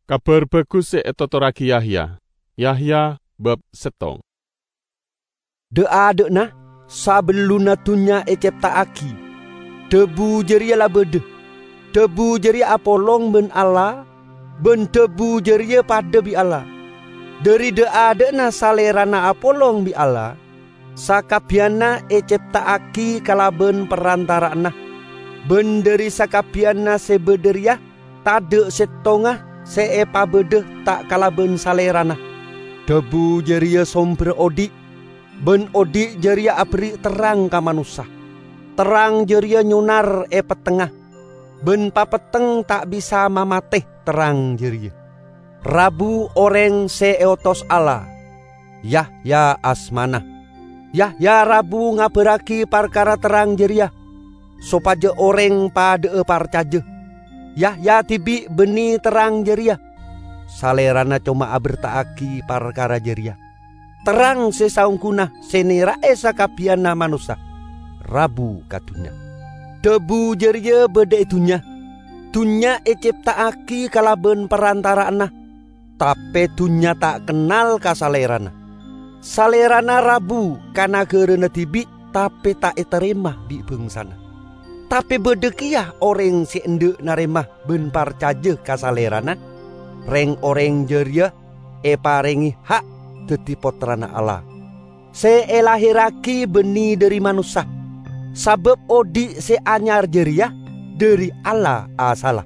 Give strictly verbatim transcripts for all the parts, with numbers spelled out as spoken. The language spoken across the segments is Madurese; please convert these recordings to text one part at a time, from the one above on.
Kabar Bagus se etotorragi Yahya. Yahya bab settong. Dha'-adha'na, sabellunna dunnya ecepta'agi, Dhabu jareya la badha. Dhabu jareya apolong ban Allah, ban Dhabu jareya padha bi' Allah. Dhari dha'-adha'na Salerana apolong bi' Allah, sakabbiyanna ecepta'agi kalaban parantara'anna, ban dhari sakabbiyanna se badha reya tadha' settonga se epabadha ta' kalaban Salerana. Dhabu jareya somberra odhi', ban odhi' jareya aberri' terrang ka manossa. Terrang jareya nyonar e pettengnga, ban papetteng ta' bisa mamate terrang jareya. Rabu oreng se eotos Allah, Yahya asmana. Yahya rabu ngabarragi parkara terrang jareya, sopaja oreng padha'a parcaja. Yahya dibi' banne terrang jareya. Salerana coma aberta'agi parkara jareya. Terrang se saongguna se nera'e sakabbiyanna manossa, rabu ka dunnya. Dhabu jareya badha e dunnya. Dunnya ecepta'agi kalaban parantara'anna, tape dunnya ta' kennal ka Salerana. Salerana rabu ka nagarana dibi', tape ta' etarema bi' bangsana. Tape badha keya oreng se endha' narema ban parcaja ka Salerana. Reng-oreng jareya eparenge ha' daddi pottrana Allah, se elaherragi banne dhari manossa, sabab odhi' se anyar jareya dhari Allah asalla.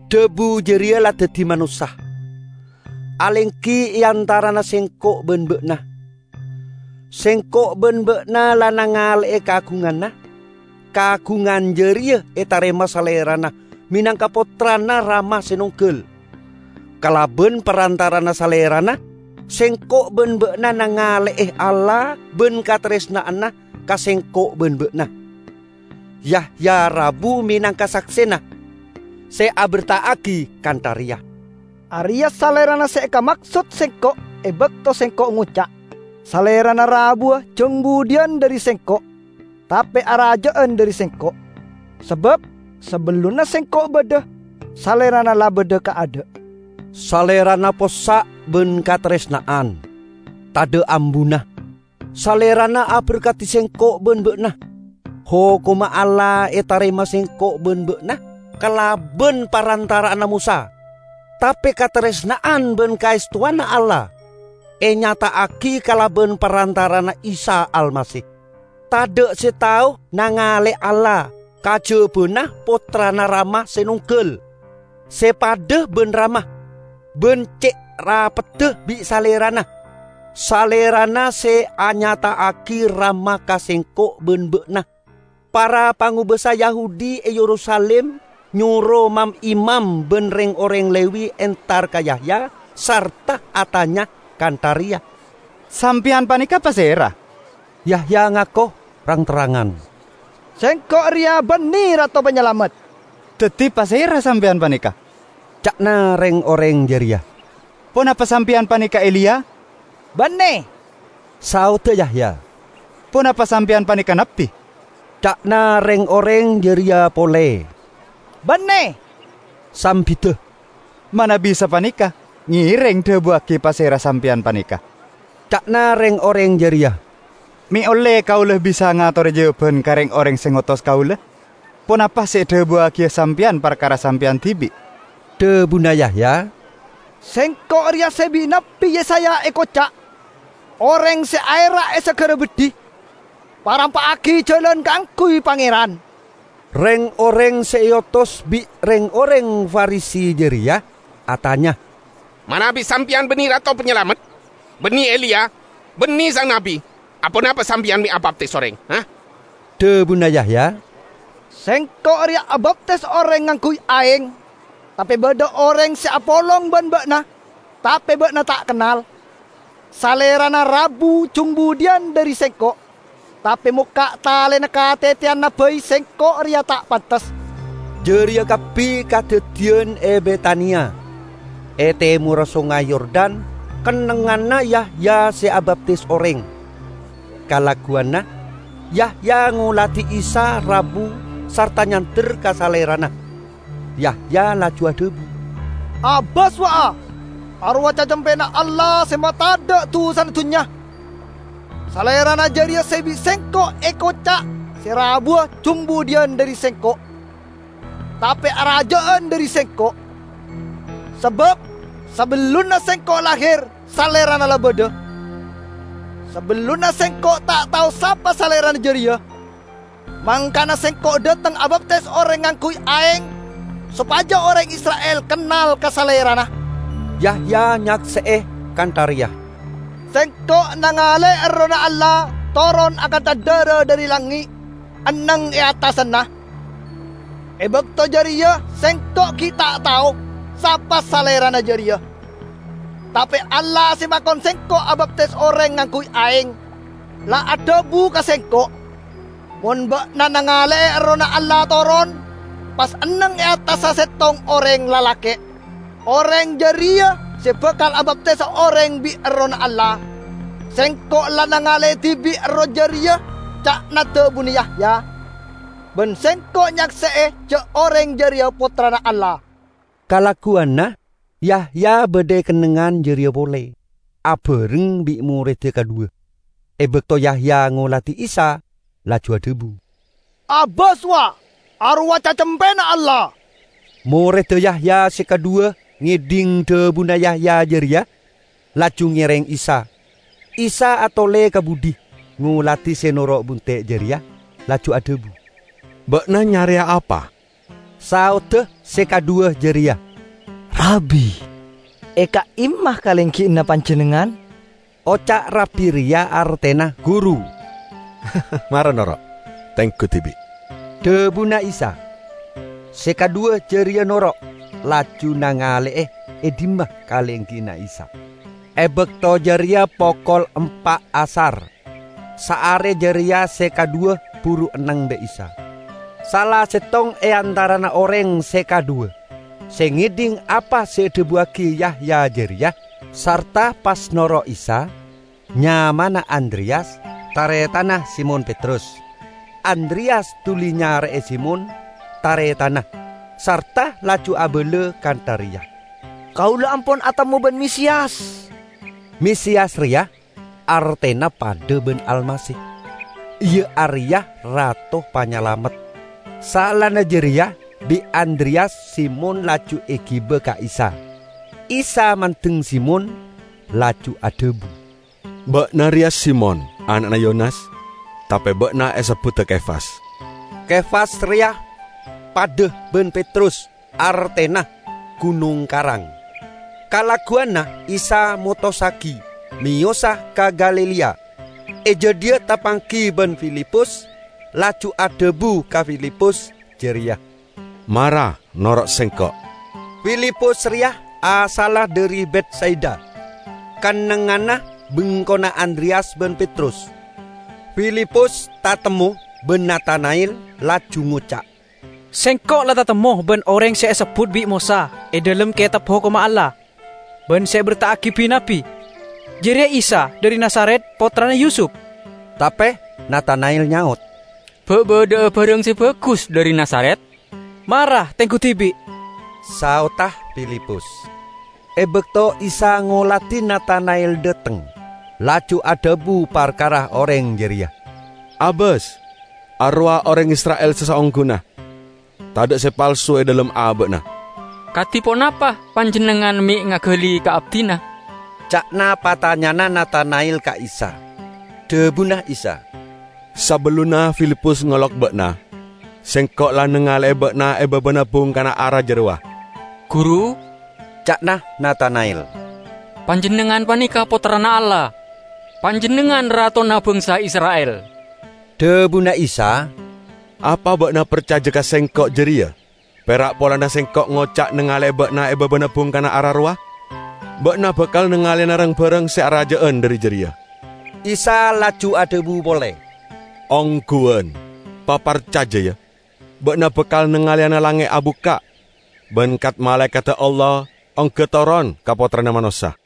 Dhabu jareya la daddi manossa. Alenggi e antarana sengko' ban ba'na. Sengko' ban ba'na la nangale'e kagunganna. Kagungan jareya etarema Salerana menangka pottrana Rama se nonggal. Kalaban parantarana Salerana, sengko' ban ba'na nangale'e Allah ban kataresna'anna ka sengko' ban ba'na. Yahya rabu menangka saksena se aberta'agi kantha reya, "Areya Salerana se ekamaksod sengko' e bakto sengko' ngoca', 'Salerana rabuwa jang budhiyan dhari sengko', tape araja'an dhari sengko'.' Sabab sabellunna sengko' badha, Salerana la badha kaadha'." Salerana possa' ban kataresna'an, tadha' ambuna. Salerana aberkadi sengko' ban ba'na. Hokomma Allah etarema sengko' ban ba'na kalaban parantara'anna Mosa. Tape kataresna'an ban kaestowanna Allah enyata'agi kalaban parantara'anna Isa Almasih. Tadha' se tao nangale Allah kajabana Pottrana Rama se nonggal, se padha ban Rama, ban ce' rapedda bi' Salerana. Salerana se anyata'agi Rama ka sengko' ban ba'na. Para pangobasa Yahudi e Yerusalim nyoro mam-imam ban reng-oreng Lewi entar ka Yahya sarta atanya kantha reya, "Sampeyan paneka pasera?" Yahya ngako rang-terrangan, "Sengko' reya banne Rato Panyalamet." "Daddi pasera sampeyan paneka?" ca'na reng-oreng jareya. "Ponapa sampeyan paneka Eliya?" "Banne," saodda Yahya. "Ponapa sampeyan paneka nabbi?" ca'na reng-oreng jareya pole. "Banne," sambidda. "Manabi sapaneka, ngereng dhabuwagi pasera sampeyan paneka," ca'na reng-oreng jareya. "Me' olle kaula bisa ngatore jawaban ka reng-oreng se ngotos kaula. Ponapa se edhabuwagiya sampeyan parkara sampeyan dibi'?" Dhabuna Yahya, "Sengko' reya se bi' Nabbi Yesaya ekoca', 'Oreng se aera' e sagara beddhi, parampa'agi jalan kaangguy Pangeran.'" Reng-oreng se eotos bi' reng-oreng Farisi jareya atanya, "Manabi sampeyan banne Rato Panyalamet, banne Eliya, banne Sang Nabbi, aponapa sampeyan me' abaptis oreng, ha?" Dhabuna Yahya, "Sengko' reya abaptis oreng ngangguy aeng, tape badha oreng se apolong ban ba'na, tape ba'na ta' kennal. Salerana rabu jung budhiyan dhari sengko', tape mokka' talena kateteyanna bai sengko' reya ta' pantes." Jareya kabbi kadaddiyan e Betania, e temorra Songay Yordan, kennengnganna Yahya se abaptis oreng. Kalagguwanna, Yahya ngoladi Isa rabu sarta nyander ka Salerana. Yahya laju adhabu, "Abâs, wa'a! Arowa Cacempèna Allah sè matadâ' dhusana dhunnya! Salèrana jârèya sè bi' Sèngko' èkoca' sè rabuwâ jhung budiyân dhâri Sèngko', tapè arajâ'ân dhâri Sèngko'. Sabâb sabellunna Sèngko' lahèr, Salèrana la bâdâ. Sabellunna Sèngko' ta' tao sapa Salèrana jârèya, mangkana Sèngko' dâteng abaptis orèng ngangghuy aèng, sopajâ orèng Isra'il kennal ka Salèrana." Yahya nyaksè'è kantha rèya, "Sèngko' nangalè Errohna Allah toron akantha dârâ dhâri langngè', enneng è attasanna. È bâkto jârèya Sèngko' ghi' ta' tao sapa Salèrana jârèya. Tapè Allah sè makon Sèngko' abaptis orèng ngangghuy aèng, la adhâbu ka Sèngko', 'Mon bâ'na nangalè'è Errohna Allah toron, pas enneng è attassa sèttong orèng lalakè'. Orèng jârèya sè bhâkal abaptisa orèng bi' Errohna Allah. Sèngko' la nangalè'è dhibi' Erroh jârèya,' ca'na dhâbuna Yahya. Bân Sèngko' nyaksè'è jâ' orèng jârèya Pottrana Allah." Kalagguwanna, Yahya bâdâ è kennengngan jârèya polè, abhâreng bi' morèdda kadhuwâ. È bâkto Yahya ngoladhi Isa, laju adhâbu, "Abâs, wa'! Arowa Cacempèna Allah!" Morèdda Yahya sè kadhuwâ ngèdhing dhâbuna Yahya jârèya, laju ngèrèng Isa. Isa atolè ka budi, ngoladhi sè noro' bunte' jârèya, laju adhâbu, "Bâ'na nyarèya apa?" Saodda sè kadhuwâ jârèya, "Rabi, è ka'imma kalènggi'ânna Panjhennengngan?" Oca' Rabi rèya artèna Guru. "Mara noro', tèngghu dhibi'," dhâbuna Isa. Sè kadhuwâ jârèya noro', laju nangalè'è è dimma kalènggi'ânna Isa. È bâkto jârèya pokol empa' asar. Saarè jârèya sè kadhuwâ buru enneng bi' Isa. Sala sèttong è antarana orèng sè kadhuwâ, sè ngèdhing apa sè èdhâbuwâghi Yahya jârèya, sarta pas noro' Isa, nyamana Andreyas, tarètanna Simon Petrus. Andreyas dhuli nyarè'è Simon, tarètanna, sarta laju abâlâ kantha rèya, "Kaulâ ampon atemmo bân Mesiyas." Mesiyas rèya artèna padâ bân Almasih, iyâ arèya Rato Panyalamet. Saellana jârèya bi' Andreyas Simon laju èghibâ ka Isa. Isa mandeng Simon, laju adhâbu, "Bâ'na rèya Simon, ana'na Yonas, tapè bâ'na èsebbhudhâ Kefas." Kefas rèya padâ bân Petrus, artèna ghunong karang. Kalagguwanna Isa motossaghi meyosa ka Galilea. È jâdiyâ tapangghi bân Filipus, laju adhâbu ka Filipus jârèya, "Mara noro' Sèngko'." Filipus rèya asalla dhâri Betsaida, kennengnganna bengkona Andreyas bân Petrus. Filipus tatemmo bân Natana'el, laju ngoca', "Sèngko' la tatemmo bân orèng sè èsebbhut bi' Mosa è dhâlem Kètab Hokomma Allah, bân sè èberta'aghi bi-nabbi. Jârèya Isa dhâri Nazaret, pottrana Yusup." Tapè Natana'el nyaot, "Bâ' bâdâ'â bhârâng sè bhâghus dhâri Nazaret? Mara, tèngghu dhibi'." Saotta Filipus. È bâkto Isa ngoladhi Natana'el dâteng, laju adhâbu parkara orèng jârèya, "Abâs, arowa orèng Isra'il sè saongghuna. Tadâ' sè palsu è dhâlem abâ'na." "Kadhi ponapa Panjhennengngan mè' ngaghâli ka abdhina?" ca'na patanyana Natana'el ka Isa. Dhâbuna Isa, "Sabellunna Filipus ngolok bâ'na, Sèngko' la nangalè'è bâ'na è bâbâna bungkana ara jârowa." "Guru," ca'na Natana'el, "Panjhennengngan panèka Pottrana Allah. Panjhennengngan Ratona bangsa Isra'il." Dhâbuna Isa, "Apa bâ'na parcajâ ka Sèngko' jârèya pèra' polana Sèngko' ngoca' nangalè'è bâ'na è bâbâna bungkana ara rowa? Bâ'na bhâkal nangalèana rang-bhârâng sè arajâ'ân dhâri jârèya." Isa laju adhâbu polè, "Ongghuwân, paparcajâ, yâ! Bâ'na bhâkal nangalèana langngè' abukka', bân kat-malaèkatta Allah ongghâ toron ka Pottrana Manossa."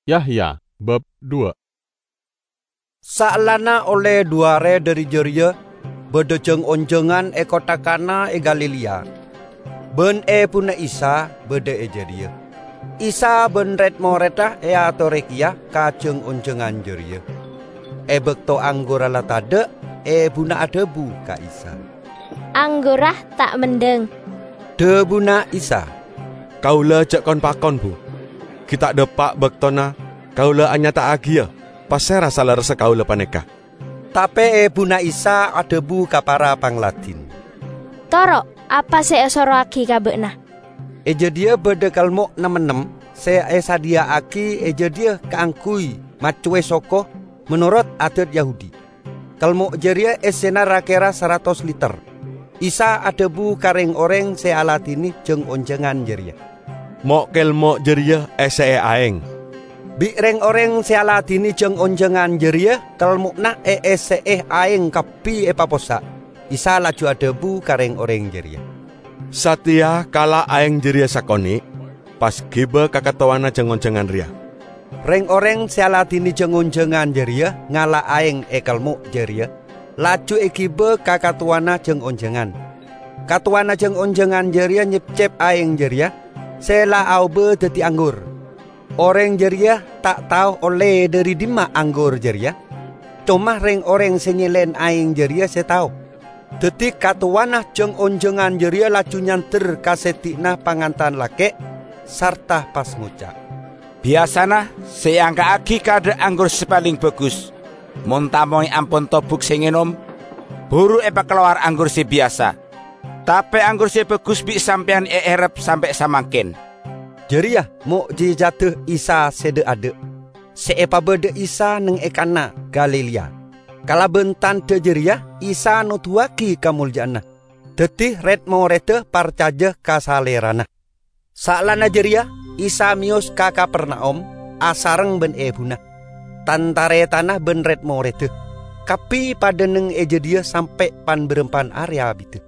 Yahya, bab dua. Saellana ollè du arè dhâri jârèya, bâdâ jâng-onjhângan è kottha Kana è Galilea. Bân ebuna Isa bâdâ è jârèya. Isa bân red-morèdda èatorè kèya ka jâng-onjângan jârèya. È bâkto anggurra la tadâ', ebuna adhâbu ka Isa, "Anggurra ta' mendhâng." Dhâbuna Isa, "Kaulâ jhâ' kon-pakon, Bu. Ghi' ta' dâpa' bâktona kaulâ anyata'aghiyâ pasèra salerressa kaulâ panèka." Tapè ebuna Isa adhâbu ka para pangladin, "Toro' apa sè èsorowaghi ka bâ'na." È jâdiyâ bâdâ kelmo' nem-ennem sè èsadhiyâ'aghi è jâdiyâ kaangghuy maccowè soko menorot adât Yahudi. Kelmo' jârèya èssèna ra-kèra saratos liter. Isa adhâbu ka rèng-orèng sè aladhinè jâng-onjângan jârèya, "Mo'-kelmo' jârèya èssè'è aèng." Bi' rèng-orèng sè aladhinè jâng-onjângan jârèya kelmo'na èèssè'è aèng kabbhi èpapossa'. Isa laju adhâbu ka rèng-orèng jârèya, "Satèya kala' aèng jârèya sakonè', pas ghibâ ka katowana jâng-onjângan rèya." Rèng-orèng sè aladhinè jâng-onjângan jârèya ngala' aèng è kelmo' jârèya, laju èghibâ ka katowana jâng-onjângan. Katowana jâng-onjângan jârèya nyepcep aèng jârèya sè la aobâ dhâddhi anggur. Orèng jârèya ta' tao ollè dhâri dimma anggur jârèya, coma rèng-orèng sè nyèlèn aèng jârèya sè tao. Dhâddhi katowana jâng-onjângan jârèya laju nyander ka sèdhi'na pangantan lakè', sarta pas ngoca', "Biyasana sè èangka'aghi kadhâ' anggur sè palèng bhâghus. Mon tamoy ampon tobuk sè ngènom, buru èpakalowar anggur sè biyasa. Tapè anggur sè bhâghus bi' sampèyan èèrep sampè' samangkèn." Jârèya mo'jijadda Isa sè dâ'-adâ', sè èpabâdâ Isa neng è Kana, Galilea. Kalabân tandhâ jârèya Isa noduwâghi kamoljâ'ânna. Dhâddhi red-morèdda parcajâ ka Salèrana. Saellana jârèya Isa mèyos ka Kapernaum asareng bân ebuna. Tan-tarètanna bân red-morèdda kabbhi padâ neng è jâdiyâ sampè' pan-bârâmpan arè abidhâ.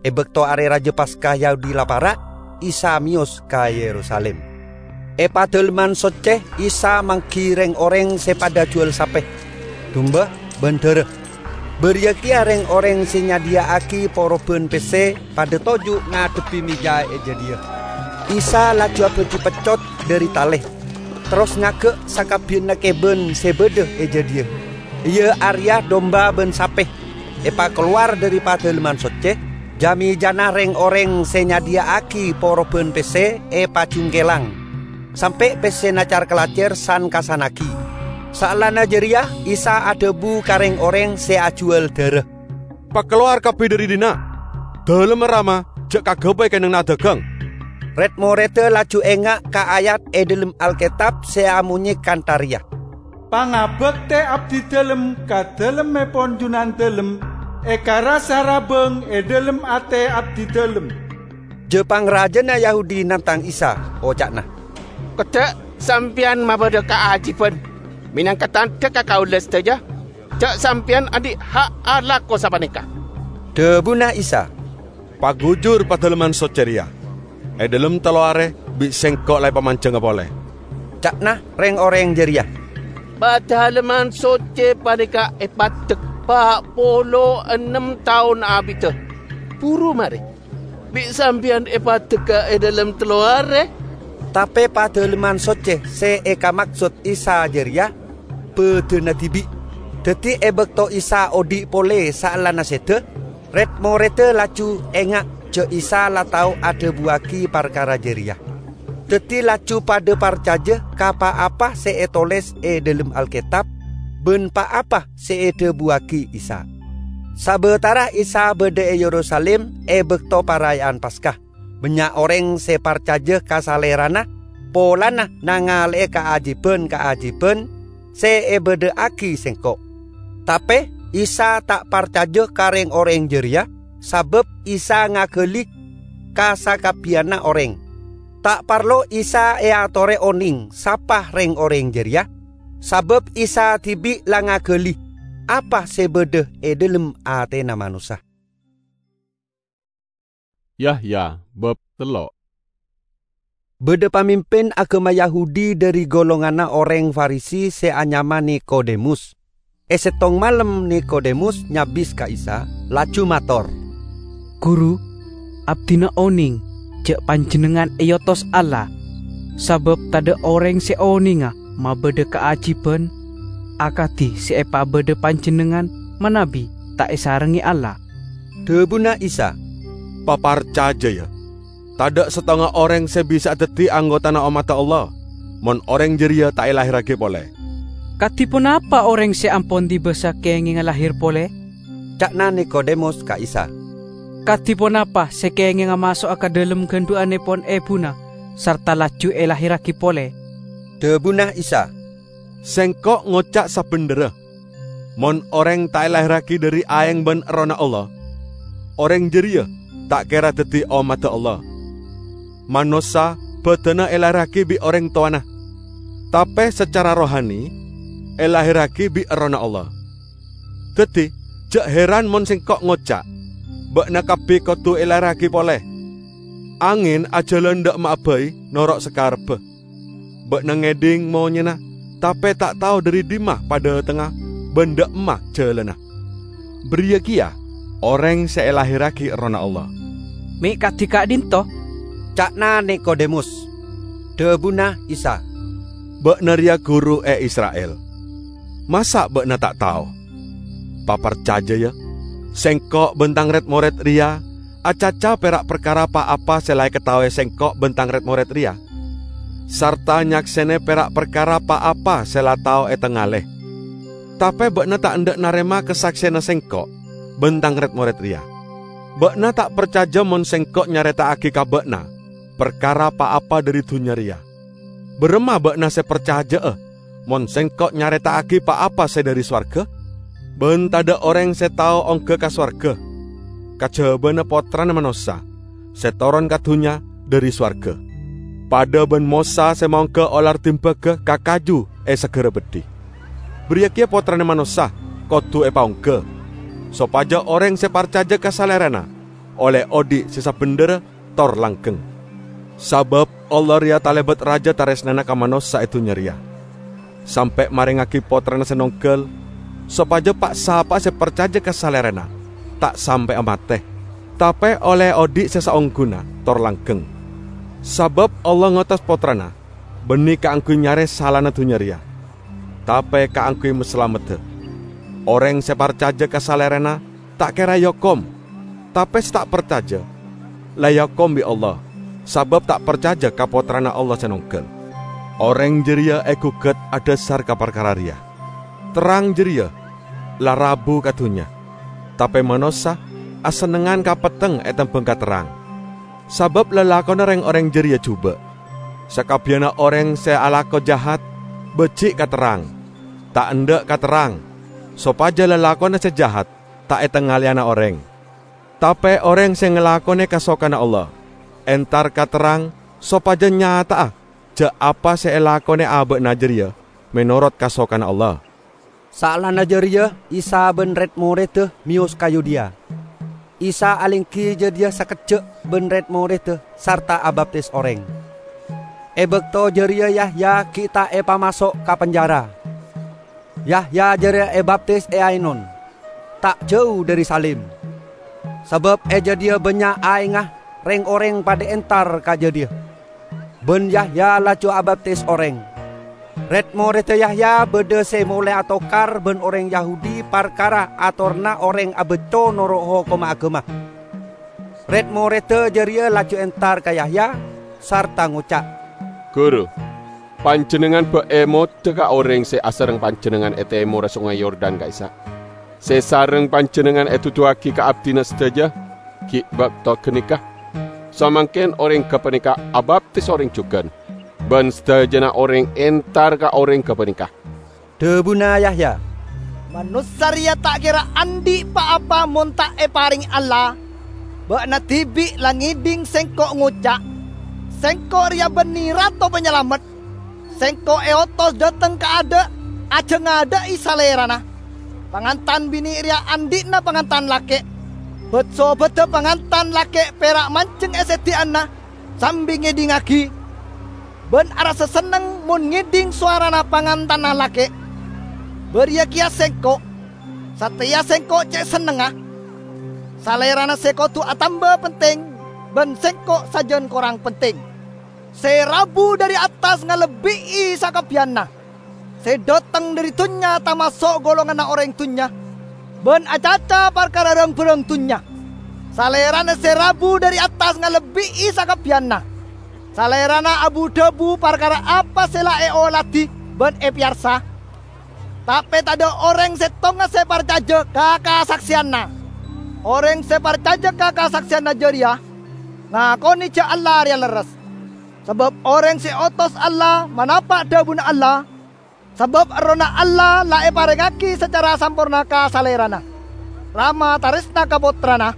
È bâkto Arè Rajâ Paska Yahudi la para', Isa mèyos ka Yerusalim. È Padalemman Soccè Isa mangghi rèng-orèng sè padâ jhuwâl sapè, dumba, bân dârâ. Bâriyâ kèya rèng-orèng sè nyadhiyâ'aghi porobhân pèssè padâ toju' ngadhebbhi mèja è jâdiyâ. Isa laju abhâdhi peccot dhâri talè, terros ngaghâ' sakabbhiyânna kèbân sè bâdâ è jâdiyâ, iyâ arèya dumba bân sapè. Èpakalowar dhâri Padalemman Soccè, jâ-mèjâna rèng-orèng sè nyadhiyâ'aghi porobhân pèssè èpajungkèlang, sampè' pèssèna car-kalajâr san-kassannaghi. Saellana jârèya Isa adhâbu ka rèng-orèng sè ajhuwâl dârâ, "Pakalowar kabbhi dhâri dinna'! Dâlemma rama jhâ' kaghâbây kennengnganna adhâghâng." Red-morèdda laju enga' ka ayat è dhâlem Alkètab sè amonyè kantha rèya, "Pangabhâktè abdidâlem ka dâlemmèpon Junandâlem èkarassa rabâng è dhâlem atè abdidâlem." Jâ-pangrajâna Yahudi nantang Isa, oca'na, "Kodhâ' Sampèyan mabâdâ kaajhibhân mènangka tandhâ ka kaulâ sadhâjâ jhâ' Sampèyan andi' ha' alako sapanèka." Dhâbuna Isa, "Pagujur Padalemman Soccè rèya. È dhâlem tello arè bi' Sèngko' la èpamanjhânga polè." Ca'na rèng-orèng jârèya, "Padalemman Soccè panèka èpaddhâk pa' polo ennem taon abidhâ. Buru marè, bi' Sampèyan èpaddhâgâ è dhâlem tello arè." Tapè Padalemman Soccè sè èkamaksod Isa jârèya bâdâna dhibi'. Dhâddhi è bâkto Isa odi' polè saellana sèdhâ, red-morèdda laju enga' jhâ' Isa la tao adhâbuwâghi parkara jârèya. Dhâddhi laju padâ parcajâ ka pa-apa sè ètolès è dhâlem Alkètab bân pa-apa sè èdhâbuwâghi Isa. Sabâtara Isa bâdâ è Yerusalim è bâkto Paraya'an Paska, bânnya' orèng sè parcajâ ka Salèrana polana nangalè'è kaajhibhân-kaajhibhân sè èbâdâ'aghi Sèngko'. Tapè Isa ta' parcajâ ka rèng-orèng jârèya, sabâb Isa ngaghâli ka sakabbhiyânna orèng. Ta' parlo Isa èatorè onèng sapa rèng-orèng jârèya, sabâb Isa dhibi' la ngaghâli apa sè bâdâ è dhâlem atèna manossa. Yahya bab tello'. Bâdâ pamimpin aghâma Yahudi dhâri golonganna orèng Farisi sè anyama Nikodemus. È sèttong malem Nikodemus nyabis ka Isa, laju mator, "Guru, abdhina onèng ja' panjennengngan eotos Allah, sabab tadha' oreng se onenga mabadha kaajiban akadi se epabadha panjennengngan manabi ta' esarenge Allah." Dhabuna Isa, "Paparcaja, ya! Tadha' settonga oreng se bisa'a daddi anggotana ommadda Allah, mon oreng jareya ta' elahirragi pole." "Kadi ponapa oreng se ampon diba sakengenga lahir pole?" ca'na Nikodemus ka Isa. "Kadi ponapa se kengenga maso'a ka dhalem gandhu'annepon ebuna sarta laju elahirragi pole?" Dhabuna Isa, "Sengko' ngoca' sabendherra, mon oreng ta' elahirragi dhari aeng ban Errohna Allah, oreng jareya ta' kera daddi ommadda Allah. Manossa badanna elahirragi bi' oreng towana, tape sacara rohani elahirragi bi' Errohna Allah. Daddi, ja' heran mon Sengko' ngoca', 'Ba'na kabbi kodu elahirragi pole.' Angen ajalan dha' emma'a bai noro' sakarebba. Ba'na ngedhing monyena, tape ta' tao dhari dhimma padhatengnga ban dha' emma jalanna. Bariya keya oreng se elahirragi Errohna Allah." "Me' kadi ka'dhinto'?" ca'na Nikodemus. Dhabuna Isa, "Ba'na reya guru e Isra'il. Masa' ba'na ta' tao? Paparcaja, ya! Sengko' ban Tang red-mored reya acaca pera' parkara pa-apa se la ekataowe Sengko' ban Tang red-mored reya, sarta nyaksene pera' parkara pa-apa se la tao etangale. Tape ba'na ta' endha' narema kasaksena Sengko' ban Tang red-mored reya. Ba'na ta' parcaja mon Sengko' nyareta'agi ka ba'na parkara pa-apa dhari dunnya reya. Baramma ba'na se parcaja'a mon Sengko' nyareta'agi pa-apa se dhari sowarga? Ban tadha' oreng se tao ongga ka sowarga, kajabana Pottrana Manossa se toron ka dunnya dhari sowarga, padha ban Mosa se maongga olar dimbaga ka kaju e Sagara Beddhi. Bariya keya Pottrana Manossa kodu epaongga, sopaja oreng se parcaja ka Salerana olle odhi' se sabendherra tor langgeng. Sabab Allah reya talebat raja taresnana ka manossa e dunnya reya, sampe' marengngagi Pottrana se nonggal, sopaja pa'-sapa'a se parcaja ka Salerana ta' sampe'a mate, tape olle odhi' se saongghuna tor langgeng. Sabab Allah ngotos Pottrana banne kaangguy nyare salana dunnya reya, tape kaangguy masalamedda. Oreng se parcaja ka Salerana ta' kera eokom, tape se ta' parcaja la eokom bi' Allah, sabab ta' parcaja ka Pottrana Allah se nonggal. Oreng jareya egugat adhasar ka parkara reya. Terrang jareya la rabu ka dunnya, tape manossa asennengngan ka petteng etembang ka terrang, sabab lalakonna reng-oreng jareya juba'. Sakabbiyanna oreng se alako jahat baji' ka terrang, ta' endha' ka terrang, sopaja lalakonna se jahat ta' etangaleyana oreng. Tape oreng se ngalakone kasokanna Allah entar ka terrang sopaja nyata'a ja' apa se elakone aba'na jareya menorot kasokanna Allah. Saellana jareya Isa ban red-moredda meyos ka Yudea. Isa alenggi jadhiya sakejja' ban red-moredda sarta abaptis oreng. E bakto jareya Yahya gi' ta' epamaso' ka penjara. Yahya jareya ebaptis e Ainon, ta' jau dhari Salim, sabab e jadhiya bannya' aengnga reng-oreng padha entar ka jadhiya. Ban Yahya laju abaptis oreng. Red-moredda Yahya badha se molae atokar ban oreng Yahudi parkara atoranna oreng abacco noro' hokomma agama. Red-moredda jareya laju entar ka Yahya sarta ngoca', "Guru, panjennengngan ba' emodha ka oreng se asareng panjennengngan e temorra Songay Yordan ka'issa'. Se sareng panjennengngan eduduwagi ka abdina sadaja gi' bakto ganeka. Samangken oreng gapaneka abaptis oreng jugan, ban sadajana oreng entar ka oreng gapaneka." Dhabuna Yahya, "Manossa reya ta' kera andhi' pa-apa mon ta' eparenge Allah. Ba'na dibi' la ngedhing Sengko' ngoca', 'Sengko' reya banne Rato Panyalamet. Sengko' eotos dhateng kaadha' ajangadha'i Salerana. Pangantan binne reya andhi'na pangantan lake'. Bat-sobadda pangantan lake' pera' manjeng e seddi'anna sambi ngedhingngagi, ban arassa senneng mon ngedhing sowarana pangantanna lake'. Bariya keya Sengko'. Sateya Sengko' ce' sennengnga. Salerana se kodu atamba penteng, bân sèngko' sajân korang pentèng. Sè rabu dhâri attas ngalebbi'i sakabbiyanna. Sè dâteng dhâri dhunnya tamaso' golonganna orèng dhunnya, bân acaca parkara rang-bhârâng dhunnya. Salèrana sè rabu dhâri attas ngalebbi'i sakabbiyanna. Salèrana abu-dhâbu parkara apa sè la èoladhi bân èpèyarsa. Tapè tadâ' orèng sèttonga sè parcajâ ka kasaksèyanna. Orèng sè parcajâ ka kasaksèyanna jârèya ngakonè jâ' Allah rèya lerres. Sabâb orèng sè èotos Allah manapa' dhâbuna Allah, sabâb Errohna Allah la èparèngaghi sacara samporna ka Salèrana. Rama tarèsna ka Pottrana,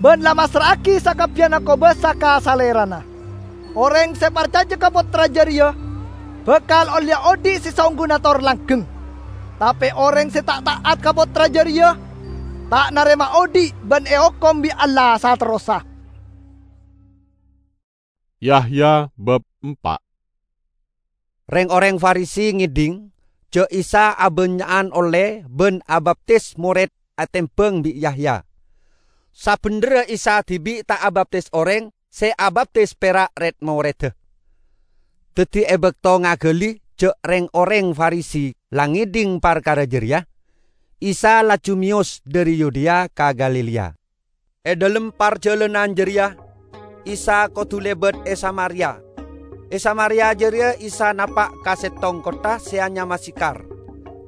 bân la massra'aghi sakabbiyanna kobâsa ka Salèrana. Orèng sè parcajâ ka Pottra jârèya bhâkal ollèya odi' sè saongghuna tor langghâng. Tapè orèng sè ta' ta'at ka Pottra jârèya ta' narèma odi' bân èokom bi' Allah saterrossa. Yahya bab empa'. Rèng-orèng Farisi ngèdhing jâ' Isa abânnya'an ollè bân abaptis morèd atèmbhâng bi' Yahya. Sabhendherra Isa dhibi' ta' abaptis orèng, sè abaptis pèra' rèd-morèdda. Dhâddhi è bâkto ngaghâli jâ' rèng-orèng Farisi la ngèdhing parkara jârèya, Isa laju mèyos dhâri Yudea ka Galilea. È dhâlem parjhâlânan jârèya, Isa kodhu lèbât è Samaria. È Samaria jârèya Isa napa' ka sèttong kottha sè anyama Sikhar,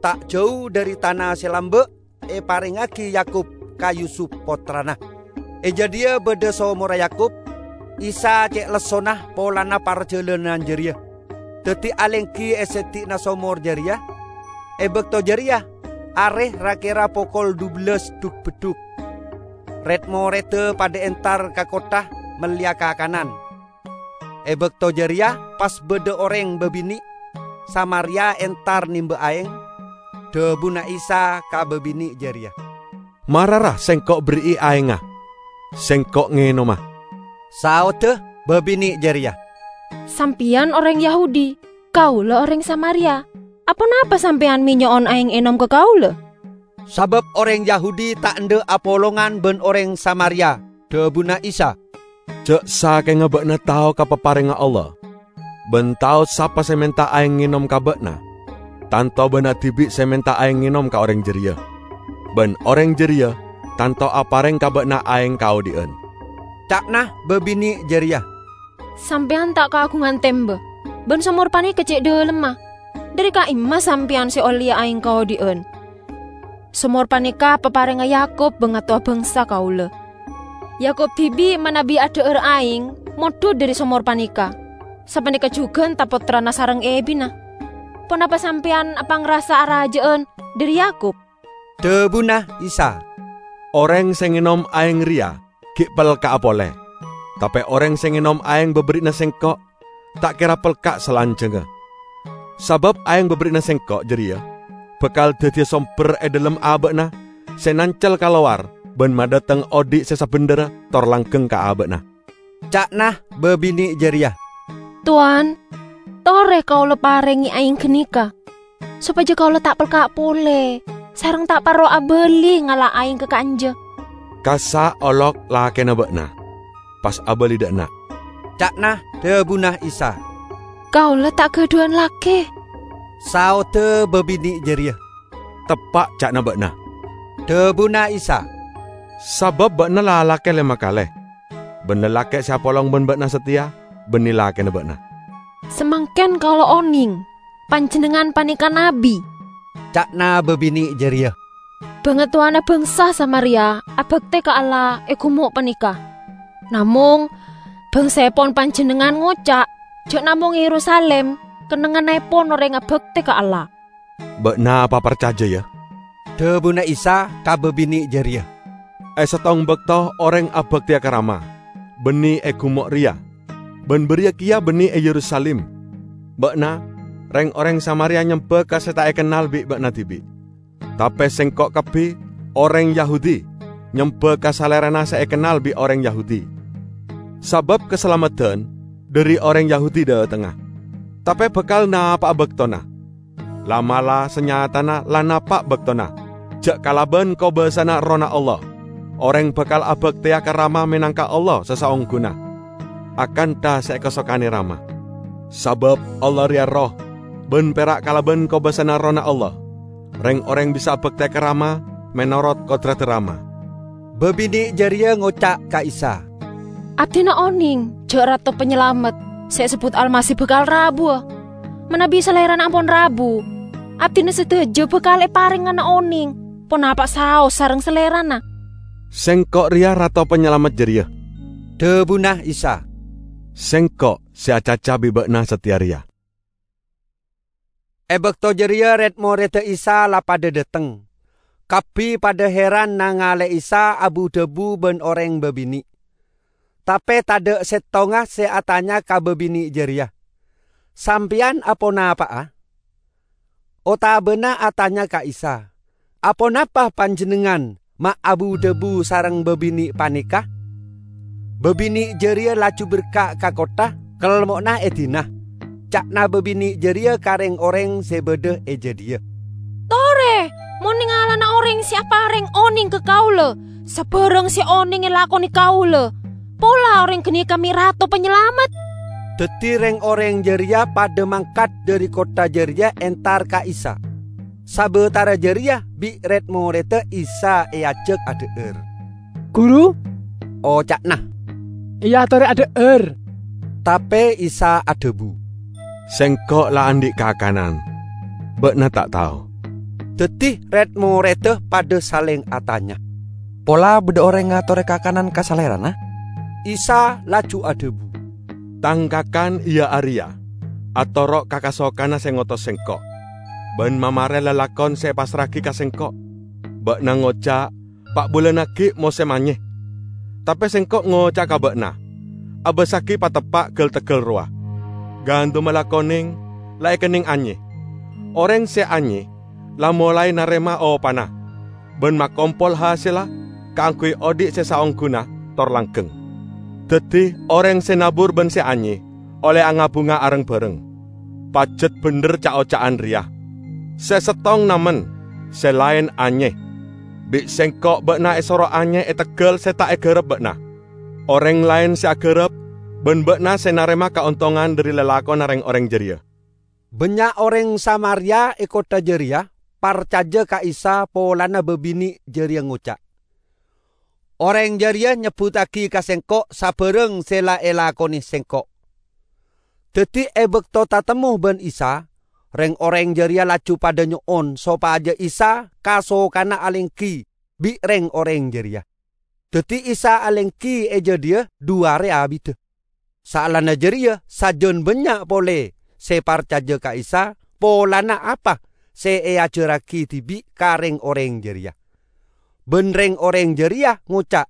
ta' jâu dhâri tana sè lambâ' èparèngaghi Yakub ka Yusup pottrana. È jâdiyâ bâdâ somorra Yakub. Isa cè' lessona polana parjhâlânan jârèya, dhâddhi alèngghi è sèddi'na somor jârèya. È bâkto jârèya, arè ra-kèra pokol dubellâs dhuk-beddhuk. Rèd-morèdda padâ èntar ka kottha mellèya kakanan. È bâkto jârèya pas bâdâ orèng bâbinè' Samaria èntar nèmbâ aèng. Dhâbuna Isa ka bâbinè' jârèya, "Mara ra Sèngko' berri'i aèngnga, Sèngko' ngènoma." Saodda bâbinè' jârèya, "Sampèyan orèng Yahudi, kaulâ orèng Samaria. Aponapa sampèyan mè' nyo'on aèng ènom ka kaulâ?" Sabâb orèng Yahudi ta' endâ' apolongan bân orèng Samaria. Dhâbuna Isa, "Jâ' sakèngnga bâ'na tao ka paparèngnga Allah, bân tao sapa sè mènta aèng ngènom ka bâ'na. Tanto bâ'na dhibi' sè mènta aèng ngènom ka orèng jârèya, bân orèng jârèya tanto aparèng ka bâ'na aèng kaodi'ân." Ca'na bâbinè' jârèya, "Sampèyan ta' kaagungan tèmbâ, bân somor panèka cè' dhâlemma. Dhâri ka'imma sampèyan sè ollèya aèng kaodi'ân? Somor panèka paparèngnga Yakub, bangatowa bhângsa kaulâ. Yakub dhibi' manabi adhâ'âr aèng mondhut dhâri somor panèka. Sapanèka jhughân ta' pottrana sareng èbina. Ponapa sampèyan apangrasa arajâ'ân dhâri Yakub?" Dhâbuna Isa, "Orèng sè ngènom aèng rèya ghi' pelka'a polè. Tapè orèng sè ngènom aèng bâberri'na Sèngko' ta' kèra pelka' salanjhângnga. Sabâb aèng bâberri'na Sèngko' jârèya bhâkal dhâddhiyâ sombher è dhâlem abâ'na sè nancel kalowar bân madhâteng odi' sè sabhendherra tor langghâng ka abâ'na." Ca'na bâbinè' jârèya, "Towan, torè kaulâ parèngè aèng ghânèka, sopajâ kaulâ ta' pelka' polè, sareng ta' parlo abâli ngala' aèng ka ka'anja." "Kassa' olok lakèna bâ'na, pas abâli dâ' enna'," ca'na dhâbuna Isa. "Kaulâ ta' ghâdhuwân lakè," saodda bâbinè' jârèya. "Teppa' ca'na bâ'na," dhâbuna Isa, "sabâb bâ'na lalakè lèma kalè, bân lalakè sè apolong bân bâ'na satèya bânnè lakèna bâ'na." "Samangkèn kaulâ onèng panjhennengngan panèka nabbhi," ca'na bâbinè' jârèya. "Bangatowana bhângsa Samaria abhâktè ka Allah è ghumo' panèka. Namong, bhângsaèpon panjhennengngan ngoca' jâ' namong è Yerusalim kennengngannaèpon orèng abhâktè ka Allah." "Bâ'na paparcajâ, yâ," dhâbuna Isa ka bâbinè' jârèya. "È sèttong bâkto orèng abhâktèya ka Rama, bânnè è ghumo' rèya, bân bâriyâ kèya bânnè è Yerusalim. Bâ'na, rèng-orèng Samaria nyembâ ka sè ta' èkennal bi' bâ'na dhibi'. Tapè Sèngko' kabbhi, orèng Yahudi, nyembâ ka Salèrana sè èkennal bi' orèng Yahudi. Sabâb kasalameddhân dhâri orèng Yahudi dhâtengnga, tapè bhâkal napa'a bâktona. La'-mala' sanyatana la napa' bâktona, jâ' kalabân kobâsana Errohna Allah. orèng bhâkal abhâktèya ka Rama mènangka Allah sè saongghuna, akantha sè èkasokanè Rama. Sabâb Allah rèya Erroh, bân pèra' kalabân kobâsana Errohna Allah, rèng-orèng bisa abhâktèya ka Rama mènorot kodradhâ Rama." Bâbinè' jârèya ngoca' ka Isa, "Abdhina onèng jhâ' Rato Panyalamet sè èsebbhut Almasih bhâkal rabuwâ. Manabi Salèrana ampon rabu, abdhina sadhâjâ bhâkal èparèngana onèng, ponapa saos sareng Salèrana." "Sèngko' rèya Rato Panyalamet jârèya," dhâbuna Isa. "Sèngko' sè acaca bi' bâ'na satèya rèya." È bâkto jârèya red-morèdda Isa la padâ dâteng. Kabbhi padâ hèran nangalè Isa abu-dhâbu bân orèng bâbinè'. Tapè tadâ' sèttonga sè atanya ka bâbinè' jârèya, "Sampèyan aponapa'a?" Otabâna atanya ka Isa, "Aponapa panjhennengngan ma' abu-dhâbu sareng bâbinè' panèka?" Bâbinè' jârèya laju berka' ka kottha, kelmo'na èdina. Ca'na bâbinè' jârèya ka rèng-orèng sè bâdâ è jâdiyâ, "Torè, mon nèngalana orèng sè aparèng onèng ka kaulâ, sabârâng sè onèng èlakonè kaulâ, pola orèng ghânèka mè' Rato Panyalamet." Dhâddhi rèng-orèng jârèya padâ mangkat dâri kottha jârèya entar ka Isa. Sabâtara jârèya bi' red-morèdda Isa èajhâk adhâ'âr. "Ghuru," oca'na, "èyatorè adhâ'âr." Tapè Isa adhâbu, "Sèngko' la andi' kakanan, bâ'na ta' tao." Dhâddhi red-morèdda padâ salèng atanya, "Pola bâdâ orèng ngatorè kakanan ka Salèrana?" Isa laju adhâbu, "Tang kakan iyâ arèya: atoro' ka kasokanna sè ngotos Sèngko', bân mamarè lalakon sè èpassra'aghi ka Sèngko'. Bâ'na ngoca', 'Pa' bulân aghi' mosèm anyè.' Tapè Sèngko' ngoca'a ka bâ'na, 'Abâssaghi pateppa' ghâl-tegghâl rowa. Gandumma la konèng, la èkennèng anyè. Orèng sè anyè la molaè narèma opana, bân makompol hasèlla kaangghuy odi' sè saongghuna tor langghâng.' Dhâddhi, orèng sè nabur bân sè anyè ollè angabhunga areng-bhâreng. Pajhât bhendher ca'-oca'an rèya, 'Sè sèttong namen, sè laèn anyè.' Bi' Sèngko' bâ'na èsoro anyè è tegghâl sè ta' èghârâp bâ'na. Orèng laèn sè aghârâp, bân bâ'na sè narèma kaontongan dâri lalakonna rèng-orèng jârèya." Bânnya' orèng Samaria è kottha jârèya parcajâ ka Isa polana bâbinè' jârèya ngoca', "Orèng jârèya nyebbhuttaghi ka sèngko' sabârâng sè la èlakonè sèngko'." Dhâddhi, è bâkto tatemmo bân Isa, rèng-orèng jârèya laju padâ nyo'on sopajâ Isa kasokanna alèngghi bi' rèng-orèng jârèya. Dhâddhi, Isa alèngghi è jâdiyâ du arè abiddhâ. Saellana jârèya, sajân bânnya' polè sè parcajâ ka Isa polana apa sè èajhârraghi dhibi' ka rèng-orèng jârèya. Bân rèng-orèng jârèya ngoca'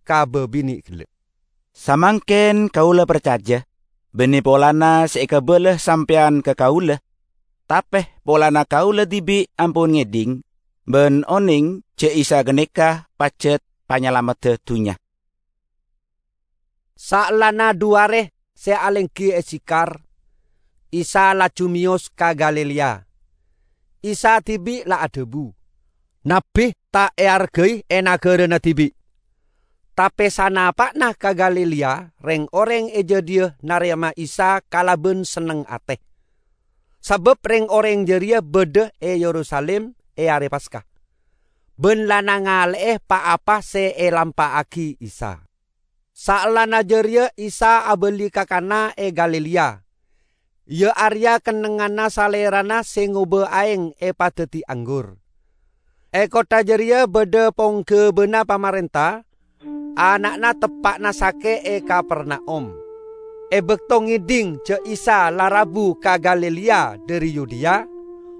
ka bâbinè' ghellâ', "Samangkèn kaulâ parcajâ, bânnè polana sè èkabâlâ sampèyan ka kaulâ. Tapè polana kaulâ dhibi' ampon ngèdhing bân onèng jhâ' Isa ghânèka pajhât Panyalameddhâ dhunnya." Saellana du arè sè alèngghi è Sikhar, Isa laju mèyos ka Galilea. Isa dhibi' la adhâbu, "Nabbhi ta' èarghâi è naghârâna dhibi'." Tapè sanapa'na ka Galilea, rèng-orèng è jâdiyâ narèma Isa kalabân senneng atè. Sabâb rèng-orèng jârèya bâdâ è Yerusalim è arè Paska, bân la nangalè'è pa-apa sè èlampa'aghi Isa. Saellana jârèya Isa abâli ka Kana è Galilea, iyâ arèya kennengnganna Salèrana sè ngobâ aèng èpadhâddhi anggur. È kottha jârèya bâdâ pongghâbâna pamarènta, ana'na teppa'na sakè' è Kapernaum. È bâkto ngèdhing jhâ' Isa la rabu ka Galilea dâri Yudea,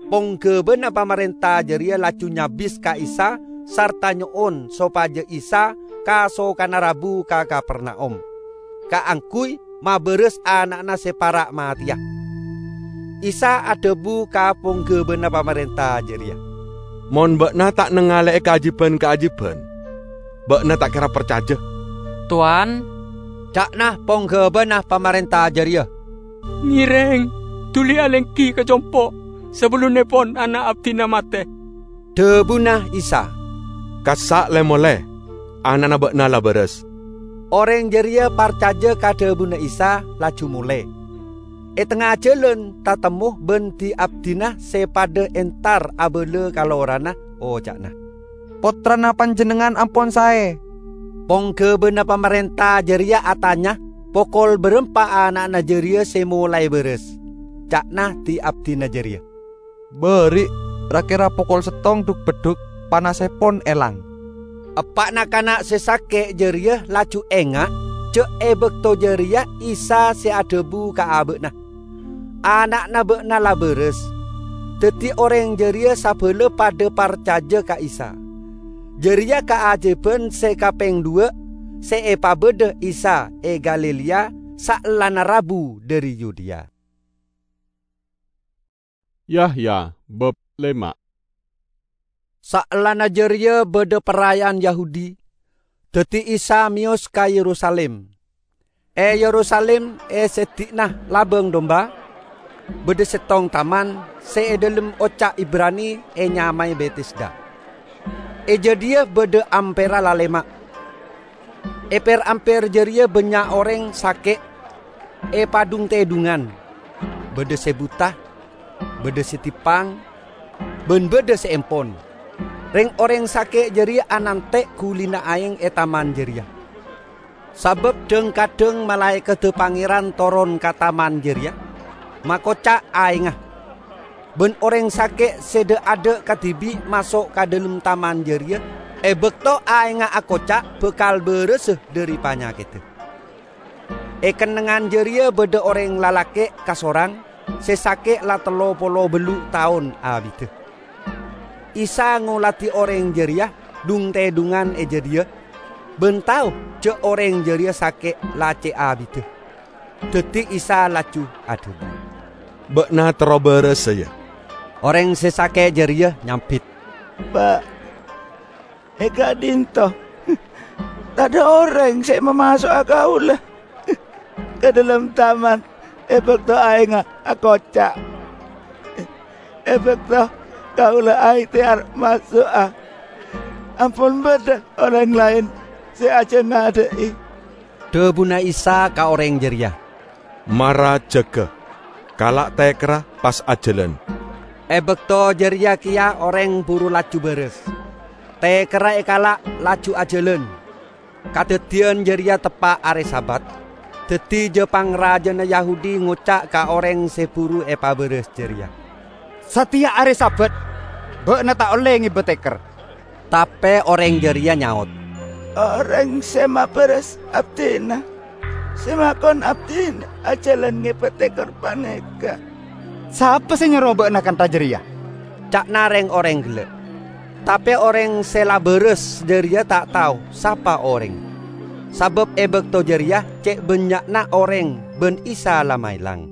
pongghâbâna pamarènta jârèya laju nyabis ka Isa sarta nyo'on sopajâ Isa kasokanna rabu ka Kapernaum, kaangghuy mabârâs ana'na sè para' matèya. Isa adhâbu ka pongghâbâna pamarènta jârèya, "Mon bâ'na ta' nangalè'è kaajiban-kaajiban, bâ'na ta' kèra parcajâ." "Towan," ca'na pongghâbâna pamarènta jârèya, "Ngèrèng, dhuli alèngghi ka compo' sabellunnèpon ana' abdhina matè." Dhâbuna Isa, "Kassa' lè-molè, "Ana'na ba'na la bârâs." Orèng jârèya parcajâ ka dhâbuna Isa, laju molè. È tengnga jhâlân tatemmo bân di-abdina sè padâ entar abâlâ ka lorana, oca'na, "Pottrana panjhennengngan ampon saè." Pongghâbâna pamarènta jârèya atanya, "Pokol bârâmpa ana'na jârèya sè molaè bârâs?" ca'na di-abdina jârèya. "Bâri', ra-kèra pokol sèttong dhuk-beddhuk panasèpon èlang." Eppa'na kana' sè sakè' jârèya laju enga' jâ' è bâkto jârèya Isa sè adhâbu ka abâ'na, "Ana'na bâ'na la bârâs." Dhâddhi orèng jârèya sabâlâ padâ parcajâ ka Isa. Jârèya kaajâbhân sè kapèng duwâ' sè èpabâdâ Isa è Galilea saellana rabu dhâri Yudea. Yahya bab lèma'. Saellana jârèya bâdâ paraya'an Yahudi, dhâddhi Isa mèyos ka Yerusalim. È Yerusalim, è sèddi'na Labâng Domba, bâdâ sèttong taman sè è dhâlem oca' Ibrani ènyamaè Betesda. È jâdiyâ bâdâ ampèra lalèma'. È per-amper jârèya bânnya' orèng sakè' èpadhung-tèdhungan. Bâdâ sè buta, bâdâ sè tippang, bân bâdâ sè empon. Rèng-orèng sakè' jârèya anantè' ghulina aèng è taman jârèya. Sabâb dhâng-kadhâng malaèkaddhâ Pangèran toron ka taman jârèya, makoca' aèngnga. Bân orèng sakè' sè dâ'-adâ' kadhibi' maso' ka dhâlem taman jârèya è bâkto aèngnga akoca' bhâkal bârâsa dhâri panyakèddhâ. È kennengngan jârèya bâdâ orèng lalakè' kasorang sè sakè' la tello polo bâllu' taon abiddhâ. Isa ngoladhi orèng jârèya dhung-tèdhungan è jâdiyâ, bân tao jâ' orèng jârèya sakè' la cè' abiddhâ. Dhâddhi Isa laju adhâbu, "Bâ'na terro bârâsa, yâ." Orèng sè sakè' jârèya nyambit, "Pa', è ka'dinto tadâ' orèng sè mamaso'a kaulâ ka dhâlem taman è bâkto aèngnga akoca'. È bâkto kaulâ aèhtèyar maso'a, ampon bâdâ orèng laèn sè ajhâ ngadâ'i." Dhâbuna Isa ka orèng jârèya, "Mara jâgâ, kala' tèkèra pas ajhâlân." È bâkto jârèya kèya orèng buru laju bârâs. Tèkèra èkala', laju ajhâlân. Kadhâddhiyân jârèya teppa' arè Sabat, dhâddhi ja-pangrajâna Yahudi ngoca' ka orèng sè buru èpabârâs jârèya, "Satèya arè Sabat, bâ'na ta' ollè ngèbâ tèkèr." Tapè orèng jârèya nyaot, "Orèng sè mabârâs abdhina, sè makon abdhina ajhâlân ngèbâ tèkèr panèka." "Sapa sè nyoro bâ'na kantha jârèya?" ca'na rèng-orèng ghellâ'. Tapè orèng sè la bârâs jârèya ta' tao sapa orèng, sabâb è bâkto jârèya cè' bânnya'na orèng bân Isa la maèlang.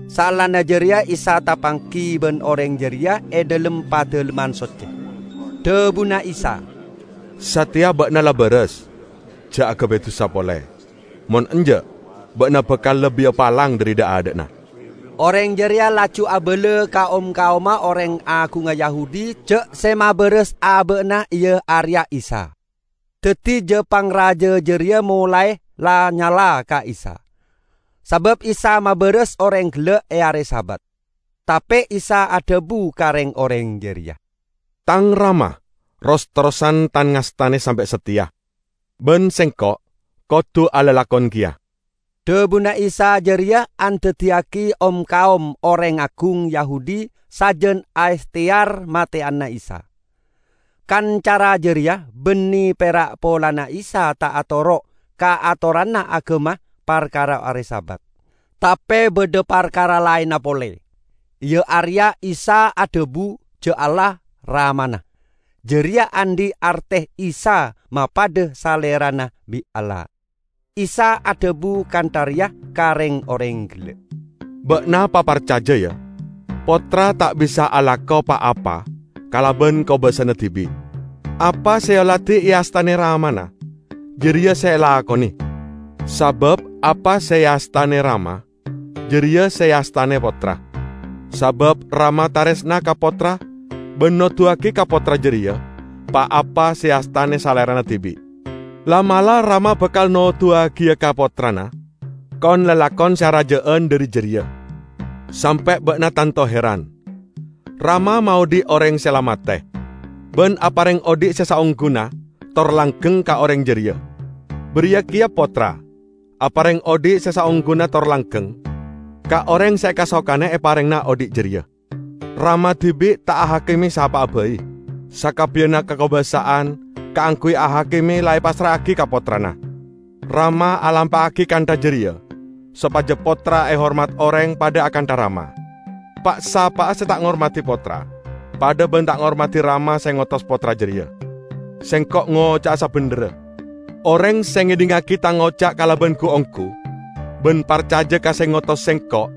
Saellana jârèya Isa tapangghi bân orèng jârèya è dhâlem Padalemman Soccè. Dhâbuna Isa, "Satèya bâ'na la bârâs, jhâ' aghâbây dusa polè. Mon enjâ', bâ'na bhâkal labbhiyâ palang dhâri dha'-adhâ'na." Orèng jârèya laju abâlâ ka om-kaoma orèng aghungnga Yahudi jâ' sè mabârâs abâ'na iyâ arèya Isa. Dhâddhi ja-pangrajâ jârèya molaè la nyala ka Isa, sabâb Isa mabârâs orèng ghellâ' è arè Sabat. Tapè Isa adhâbu ka rèng-orèng jârèya, "Tang Rama ros-terrosan tan-ngastanè sampè' satèya, bân Sèngko' kodhu alalakon kèya." Dhâbuna Isa jârèya andaddiyâghi om-kaom orèng aghung Yahudi sajân aèhtèyar matè'ana Isa. Kan cara jârèya bânnè pèra' polana Isa ta' atoro' ka atoranna aghâma parkara arè Sabat. Tapè bâdâ parkara laènna polè, iyâ arèya Isa adhâbu jâ' Allah Ramana. Jârèya andi' artè Isa mapadâ Salèrana bi' Allah. Isa adhâbu kantha rèya ka rèng-orèng ghellâ', "Bâ'na paparcajâ, yâ, Pottra ta' bisa alako pa-apa kalabân kobâsana dhibi'. Apa sè èolatè èastanè Ramana, jârèya sè èlakonè. Sabâb apa sè èastanè Rama, jârèya sè èastanè Pottra. Sabâb Rama tarèsna ka Pottra bân noduwâghi ka Pottra jârèya pa-apa sè èastanè Salèrana dhibi'. La'-mala' Rama bakal noduwagiya ka Pottrana kon-lalakon sè araja'an dhari jârèya, sampè' bâ'na tanto heran. Rama maodhi' orèng sè la matè, bân aparèng odhi' sè saongghuna tor langgheng ka orèng jârèya. Bâriyâ kèya Pottra aparèng odhi' sè saongghuna tor langgheng ka orèng sè èkasokanè èparèngana odhi' jârèya. Rama dhibi' ta' ahakime sapa'a bhâi. Sakabbiyanna kakobâsa'an kaangghuy ahakime la èpassra'agi ka Pottrana. Rama alampa'agi kantha jârèya, sopajâ Pottra èhormat orèng padâ akantha Rama. Pa'-sapa'a sè ta' ngormadhi Pottra, padâ bân ta' ngormadhi Rama sè ngotos Pottra jârèya. Sèngko' ngoca'a sabhendherra. Orèng sè ngèdhingngagi tang oca' kalabân ghu-ongghu, bân parcajâ ka sè ngotos Sèngko',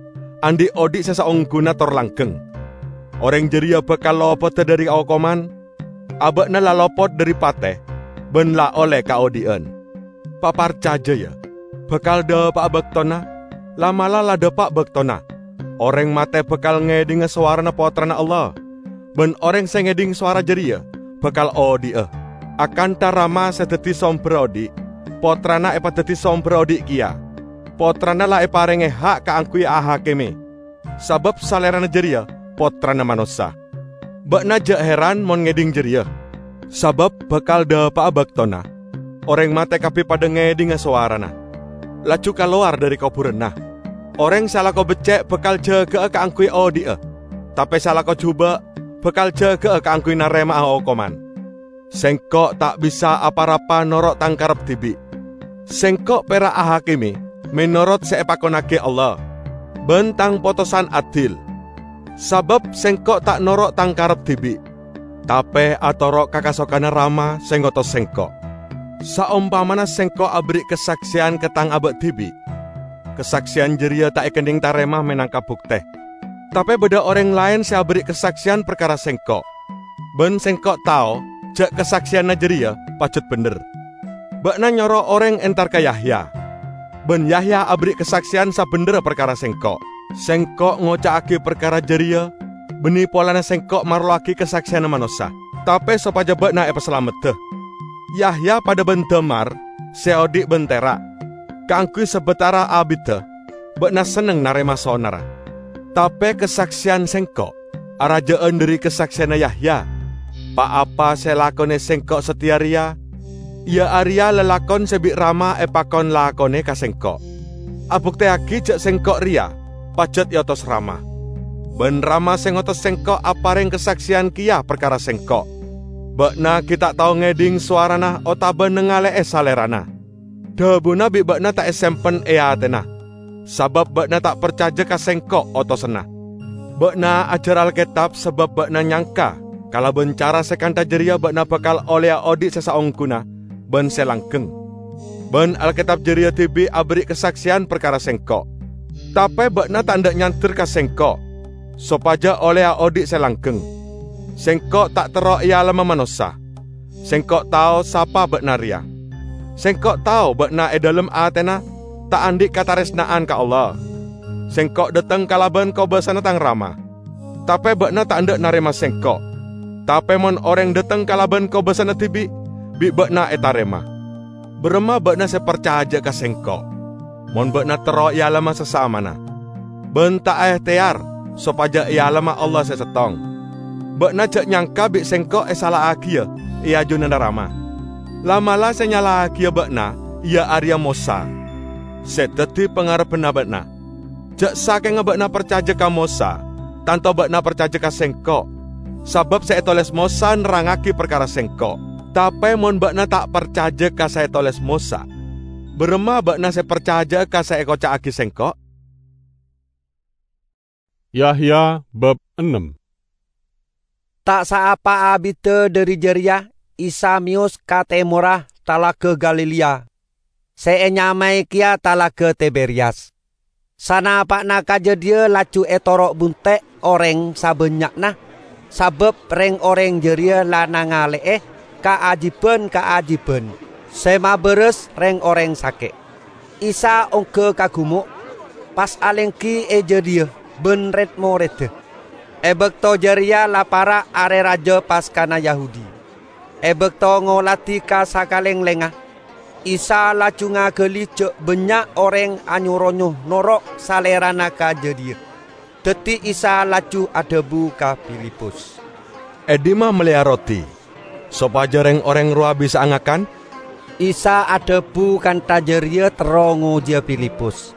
andi' odhi' sè saongghuna tor langgheng. Orèng jârèya bakal lopodhâ dhâri okoman, abâ'na la lopot dhâri patè, bân la ollè kaodhi'ân. Paparcajâ, yâ, bakal dhâpa'a bâktona, la'-mala' la dhâpa' bâktona. Orèng matè bakal ngèdhingngâ sowarana Pottrana Allah, bân orèng sè ngèdhing sowara jârèya bakal odhi'a. Akantha Rama sè dhâddhi sombherra odhi', Pottrana èpadhâddhi sombherra odhi' kèya. Pottrana la èparèngè ha' kaangghuy ahakime, sabâb Salèrana jârèya Pottrana Manossa. Bâ'na jhâ' heran mon ngèdhing jârèya, sabâb bakal dhâpa'a bâktona orèng matè kabbhi padâ ngèdhingngâ sowarana, laju kalowar dhâri kobhurânna. Orèng sè alako beccè' bakal jâgâ'â kaangghuy odhi'a, tapè sè alako jhubâ' bakal jâgâ'â kaangghuy narèma'a okoman. Sèngko' ta' bisa apa-rapa noro' tang karep dhibi'. Sèngko' pèra' ahakime menorot sè èpakonnagi Allah, bân tang potosan adil. Sabâb Sèngko' ta' noro' tang karep dhibi', tapè atoro' ka kasokanna Rama sè ngotos Sèngko'. Saompamana Sèngko' aberri' kasaksèyan ka tang abâ' dhibi', kasaksèyan jârèya ta' èkennèng tarèma mènangka buktè. Tapè bâdâ orèng laèn sè aberri' kasaksèyan parkara Sèngko', bân Sèngko' tao jhâ' kasaksèyanna jârèya pajhut bhendher. Bâ'na nyoro orèng entar ka Yahya, bân Yahya aberri' kasaksèyan sabhendherra parkara Sèngko'. Sèngko' ngoca'agi parkara jârèya bânnè polana Sèngko' marlowaghi kasaksèyanna manossa, tapè sopajâ bâ'na èpasalameddhâ. Yahya padâ bân damar sè odhi' bân tèra'. Kaangghuy sabâtara abiddhâ bâ'na senneng narèma sonarra. Tapè kasaksèyan Sèngko' arajâ'ân dhâri kasaksèyanna Yahya. Pa-apa sè èlakonè Sèngko' satèya rèya, iyâ arèya lalakon sè bi' Rama èpakon lakonè ka Sèngko', abuktèyaghi jhâ' Sèngko' rèya pajhât èotos Rama. Bân Rama sè ngotos Sèngko' aparèng kasaksèyan kèya parkara Sèngko'. Bâ'na ghi' ta' tao ngèdhing sowarana otabâ nangalè'è Salèrana. Dhâbuna bi' bâ'na ta' èsempen è atèna, sabâb bâ'na ta' parcajâ ka Sèngko' otosanna. Bâ'na ajhâr Alkètab sabâb bâ'na nyangka kalabân cara sè kantha jârèya bâ'na bakal ollèya odhi' sè saongghuna bân sè langgheng. Bân Alkètab jârèya dhibi' aberri' kasaksèyan parkara Sèngko'. Tapè bâ'na ta' endâ' nyander ka Sèngko' sopajâ ollèya odhi' sè langgheng. Sèngko' ta' terro èalemma manossa. Sèngko' tao sapa bâ'na rèya. Sèngko' tao bâ'na è dhâlem atèna ta' andi' katarèsna'an ka Allah. Sèngko' dâteng kalabân kobâsana tang Rama. Tapè bâ'na ta' endâ' narèma Sèngko'. Tapè mon orèng dâteng kalabân kobâsana dhibi', bi' bâ'na ètarèma. Bârâmma bâ'na sè parcajâ ka Sèngko', mon bâ'na terro èalemma sasamana, bân ta' aèhtèyar sopajâ èalemma Allah sè sèttong? Bâ'na jhâ' nyangka bi' Sèngko' èsala'aghiyâ è ajunanna Rama. La'-mala' sè nyala'aghiyâ bâ'na iyâ arèya Mosa, sè dhâddhi pangarebbhânna bâ'na. Jhâ' sakènga bâ'na parcajâ ka Mosa, tanto bâ'na parcajâ ka Sèngko', sabâb sè ètolès Mosa nerrangngagi parkara Sèngko'. Tapè mon bâ'na ta' parcajâ ka sè ètolès Mosa, bârâmma bâ'na sè parcajâ'â ka sè èkoca'aghi Sèngko'? Yahya bab ennem. Ta' saapa abiddhâ dhâri jârèya Isa mèyos ka tèmorra Talaga Galilea, sè ènyamaè kèya Talaga Tiberiyas. Sanapa'na ka jâdiyâ laju ètoro' bunte' orèng sabânnya'na, sabâb rèng-orèng jârèya la nangalè'è kaajiban-kaajiban sè mabârâs rèng-orèng sakè'. Isa ongghâ ka ghumo', pas alèngghi è jâdiyâ bân red-morèdda. È bâkto jârèya la para' Arè Rajâ Paskana Yahudi. È bâkto ngoladhi ka sakalènglèngnga, Isa laju ngagali ja' bannya' oreng anyo-ronyo noro' Salerana ka jadhiya. Daddi Isa laju adhabu ka Filipus, "E dhimma melleya roti, sopaja reng-oreng rowa bisa'a ngakan?" Isa adhabu kantha jareya terro ngojiya Filipus,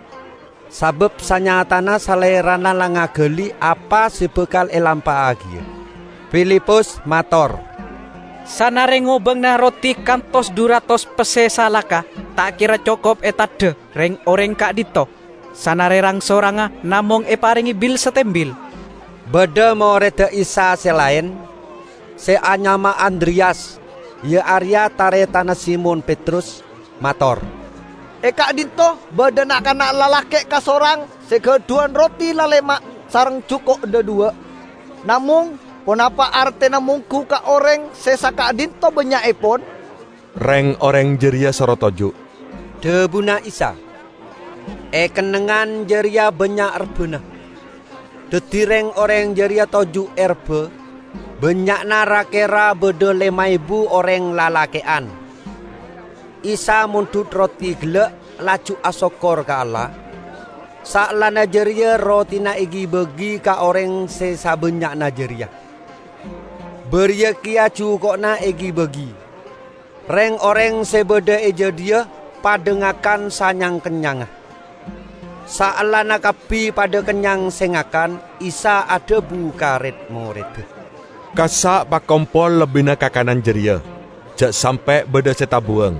sabab sanyatana Salerana la ngagali apa se bakal elampa'agiya. Filipus mator, "Sanare ngobangna roti kantos dhu ratos pesse salaka ta' kera cokop etadha reng-oreng ka'dhinto'. Sanare rang-sorangnga namong eparenge bil-satembil." Badha moredda Isa se laen, se anyama Andreyas, iya areya taretanna Simon Petrus, mator, "E ka'dhinto' badha na'-kana' lalake' kasorang se gadhuwan roti lalema' sareng juko' dhadhuwa'. Namong, ponapa artena monggu ka oreng se saka'dhinto' bannya'epon?" Reng-oreng jareya soro toju', dhabuna Isa. E kennengngan jareya bannya' rebbhana. Daddi reng-oreng jareya toju' e rebbha, bannya'na ra-kera badha lema ebu oreng lalake'an. Isa mondhut roti gella', laju asokkor ka Allah. Saellana jareya rotina egi-bagi ka oreng se sabannya'na jareya. Bariya keya juko'na egi-bagi. Reng-oreng se badha e jadhiya padha ngakan sanyang-kennyangnga. Saellana kabbi padha kennyang se ngakan, Isa adhabu ka red-moredda, "Kassa' pakompol lebbina kakanan jareya, ja' sampe' badha se tabuwang."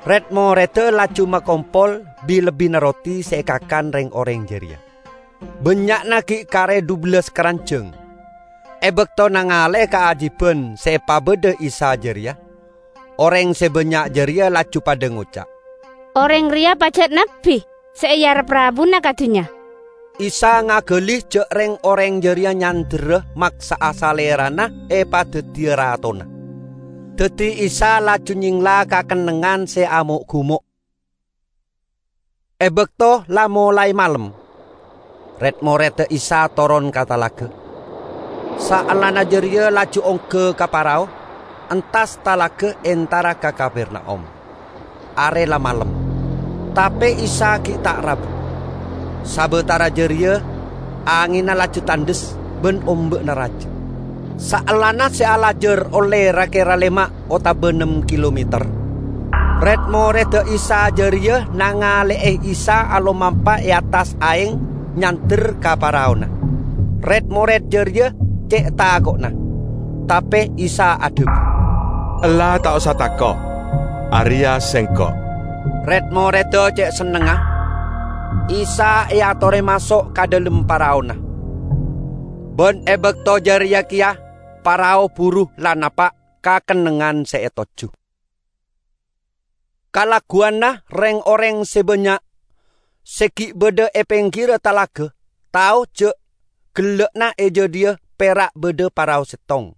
Red-moredda laju makompol bi-lebbina roti se ekakan reng-oreng jareya. Bannya'na gi' kare dhubellas karanjang. E bakto nangale'e kaajiban se epabadha Isa jareya, oreng se bannya' jareya laju padha ngoca', "Oreng reya pajat nabbi se earep rabuna ka dunnya." Isa ngagali ja' reng-oreng jareya nyanderra maksa'a Salerana epadaddiya ratona. Daddi Isa laju nyengla ka kennengngan se amo'-gumo'. E bakto la molae malem, red-moredda Isa toron ka talaga. Saellana jareya laju ongga ka parao, entas talaga entara ka Kapernaum. Are la malem, tape Isa gi' ta' rabu. Sabatara jareya, angenna laju tandhes ban omba'na raja. Saellana se alajar olle ra-kera lema' otaba nem kilometer, red-moredda Isa jareya nangale'e Isa alomampa e attas aeng nyander ka paraona. Red-mored jareya ce' tako'na, tape Isa adhabu, "Ella ta' osa tako'. Areya Sengko'." Red-moredda ce' sennengnga. Isa eatore maso' ka dhalem paraona. Ban e bakto jareya keya parao buru la napa' ka kennengngan se etojju. Kalaguwanna reng-oreng se bannya' se gi' badha e penggira talaga tao ja' gella'na e jadhiya pera' badha parao settong.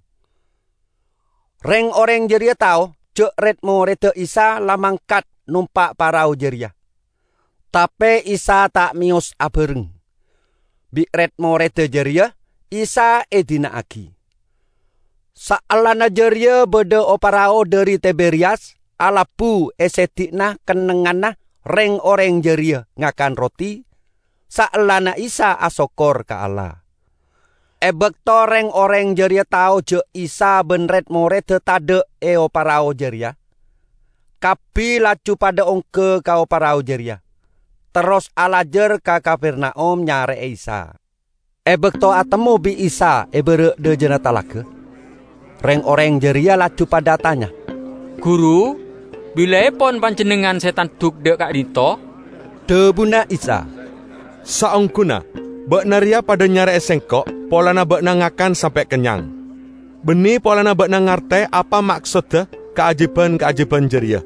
Reng-oreng jareya tao ja' red-moredda Isa la mangkat nompa' parao jareya. Tape Isa ta' meyos abareng. Bi' red-moredda jareya Isa edina'agi. Saellana jareya badha o-parao dhari Tiberiyas alabu e seddi'na kennengnganna reng-oreng jareya ngakan roti, saellana Isa asokkor ka Allah. E bakto reng-oreng jareya tao ja' Isa ban red-moredda tadha' e o-parao jareya, kabbi laju padha ongga ka o-parao jareya, terros alajar ka Kapernaum nyare'e Isa. E bakto atemmo bi' Isa e bara' dhajana talaga, reng-oreng jareya laju padha atanya, "Guru, bilaepon Panjennengngan se tanduk dha' ka'dhinto'?" Dhabuna Isa, "Saongghuna ba'na reya padha nyare'e Sengko' polana ba'na ngakan sampe' kennyang. Banne polana ba'na ngarte apa maksodda kaajiban-kaajiban jareya.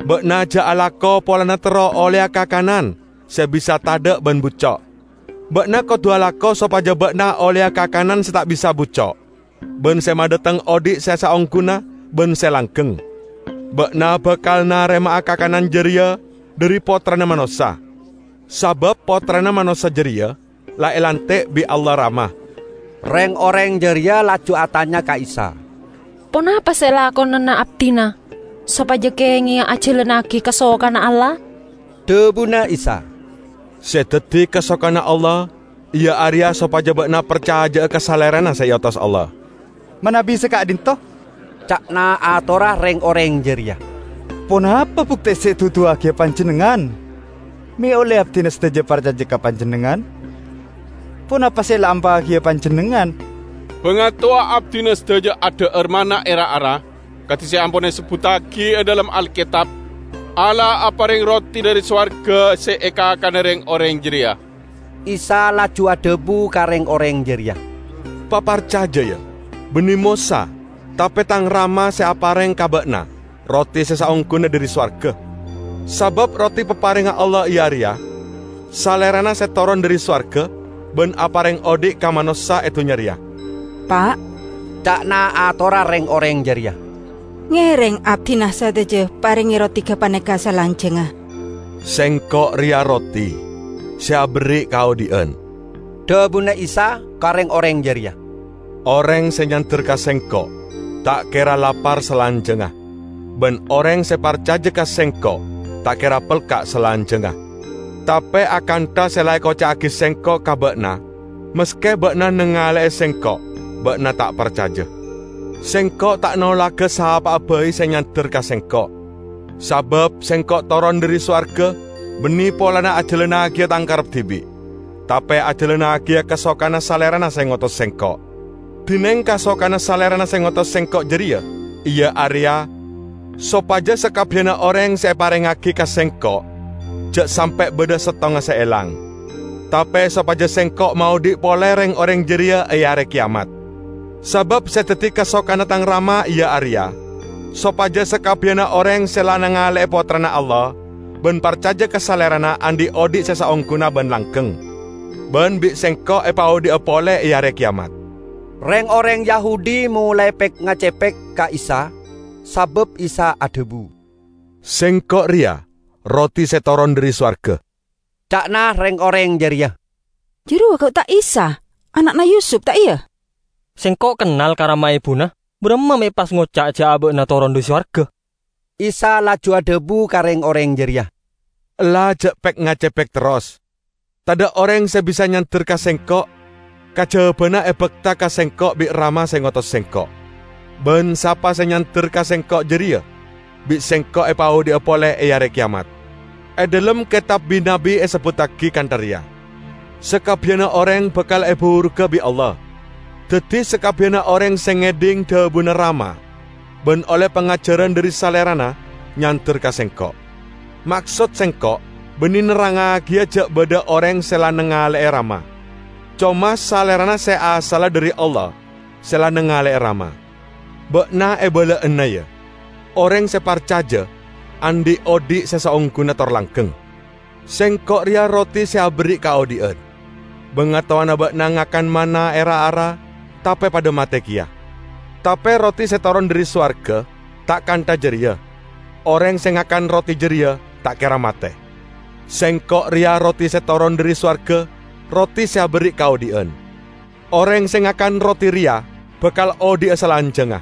Ba'na ja' alako polana terro olleya kakanan se bisa tadha' ban bucco'. Ba'na kodu alako sopaja ba'na olleya kakanan se ta' bisa bucco', ban se madhateng odhi' se saongghuna ban se langgeng. Ba'na bakal narema'a kakanan jareya dhari Pottrana Manossa, sabab Pottrana Manossa jareya la elantik bi' Allah Rama." Reng-oreng jareya laju atanya ka Isa, "Ponapa se elakonana abdina?" sopajâ kèngèya ajhâlânnaghi kasokanna Allah?" Dhâbuna Isa, "Sè dhâddhi kasokanna Allah, iyâ arèya sopajâ bâ'na parcajâ'â ka Salèrana sè èotos Allah." "Manabi sè ka'dinto," ca'na atorra rèng-orèng jârèya, "ponapa buktè sè èduduwâghiyâ Panjhennengngan? Mè' ollè abdhina sadhâjâ parcajâ ka Panjhennengngan? Ponapa sè la èampa'aghiyâ Panjhennengngan?" "Bângatowa abdhina sadhâjâ adhâ'âr manna è ra-ara, kadhi sè ampon èsebbhuttaghi è dhâlem Alkètab, 'Allah aparèng roti dhâri sowarghâ sè èkakana rèng-orèng jârèya.'" Isa laju adhâbu ka rèng-orèng jârèya, "Paparcajâ, yâ, bânnè Mosa, tapè Tang Rama sè aparèng ka bâ'na roti sè saongghuna dhâri sowarghâ. Sabâb roti paparèngnga Allah iyâ arèya: Salèrana sè toron dhâri sowarghâ bân aparèng odhi' ka manossa è dhunnya rèya." "Pa'," ca'na atorra rèng-orèng jârèya, "ngèrèng abdhina sadhâjâ parèngè roti ghâpanèka salanjhângnga." "Sèngko' rèya roti sè aberri' kaodhi'ân," dhâbuna Isa ka rèng-orèng jârèya. "Orèng sè nyander ka Sèngko' ta' kèra lapar salanjhângnga, bân orèng sè parcajâ ka Sèngko' ta' kèra pelka' salanjhângnga. Tapè akantha sè la èkoca'aghi Sèngko' ka bâ'na, maskè bâ'na nangalè'è Sèngko', bâ'na ta' parcajâ. Sèngko' ta' nolagâ sapa'a bhâi sè nyander ka Sèngko'. Sabâb Sèngko' toron dhâri sowarghâ bânnè polana ajhâlânnagiyâ Tang karep dhibi', tapè ajhâlânnagiyâ kasokanna Salèrana sè ngotos Sèngko'. Dhinèng kasokanna Salèrana sè ngotos Sèngko' jârèya, iyâ arèya sopajâ sakabbiyanna orèng sè èparèngngaghi ka Sèngko' jhâ' sampè' bâdâ sèttongnga sè èlang, tapè sopajâ Sèngko' maodhi' polè rèng-orèng jârèya è Arè Keyamat. Sabâb sè dhâddhi kasokanna Tang Rama iyâ arèya sopajâ sakabbiyanna orèng sè la nangalè'è Pottrana Allah bân parcajâ ka Salèrana andi' odhi' sè saongghuna bân langghâng, bân bi' Sèngko' èpaodhi'a polè è Arè Keyamat." Rèng-orèng Yahudi molaè pèk-ngacèpèk ka Isa, sabâb Isa adhâbu, "Sèngko' rèya roti sè toron dhâri sowarghâ," ca'na rèng-orèng jârèya. "Jârowa ghu ta' Isa, ana'na Yusup, ta' iyâ? Sèngko' kennal ka rama ebuna. Bârâmma mè' pas ngoca' jhâ' abâ'na toron dhâri sowarghâ?" Isa laju adhâbu ka rèng-orèng jârèya, "Ella jhâ' pèk-ngacèpèk terros. Tadâ' orèng sè bisa nyander ka Sèngko', kajhâbhâna èbhâkta ka Sèngko' bi' Rama sè ngotos Sèngko'. Bân sapa sè nyander ka Sèngko' jârèya, bi' Sèngko' èpaodhi'a polè è Arè Keyamat. È dhâlem Kètab Bi-nabbi èsebbhuttaghi kantha rèya, 'Sakabbiyanna orèng bhâkal èburugâ bi' Allah.' Dhâddhi, sakabbiyanna orèng sè ngèdhing dhâbuna Rama bân ollè pangajhârân dhâri Salèrana nyander ka Sèngko'. Maksod Sèngko' bânnè nerrangngagiyâ jhâ' bâdâ orèng sè la nangalè'è Rama. Coma Salèrana sè asalla dhâri Allah sè la nangalè'è Rama. Bâ'na èbâlâ'âna, yâ, orèng sè parcajâ andi' odhi' sè saongghuna tor langghâng. Sèngko' rèya roti sè aberri' kaodhi'ân. Bângatowana bâ'na ngakan manna è ra-ara, tapè padâ matè kèya. Tapè roti sè toron dhâri sowarghâ ta' kantha jârèya. Orèng sè ngakan roti jârèya ta' kèra matè. Sèngko' rèya roti sè toron dhâri sowarghâ, roti sè aberri' kaodhi'ân. Orèng sè ngakan roti rèya bhâkal odhi'a salanjhângnga.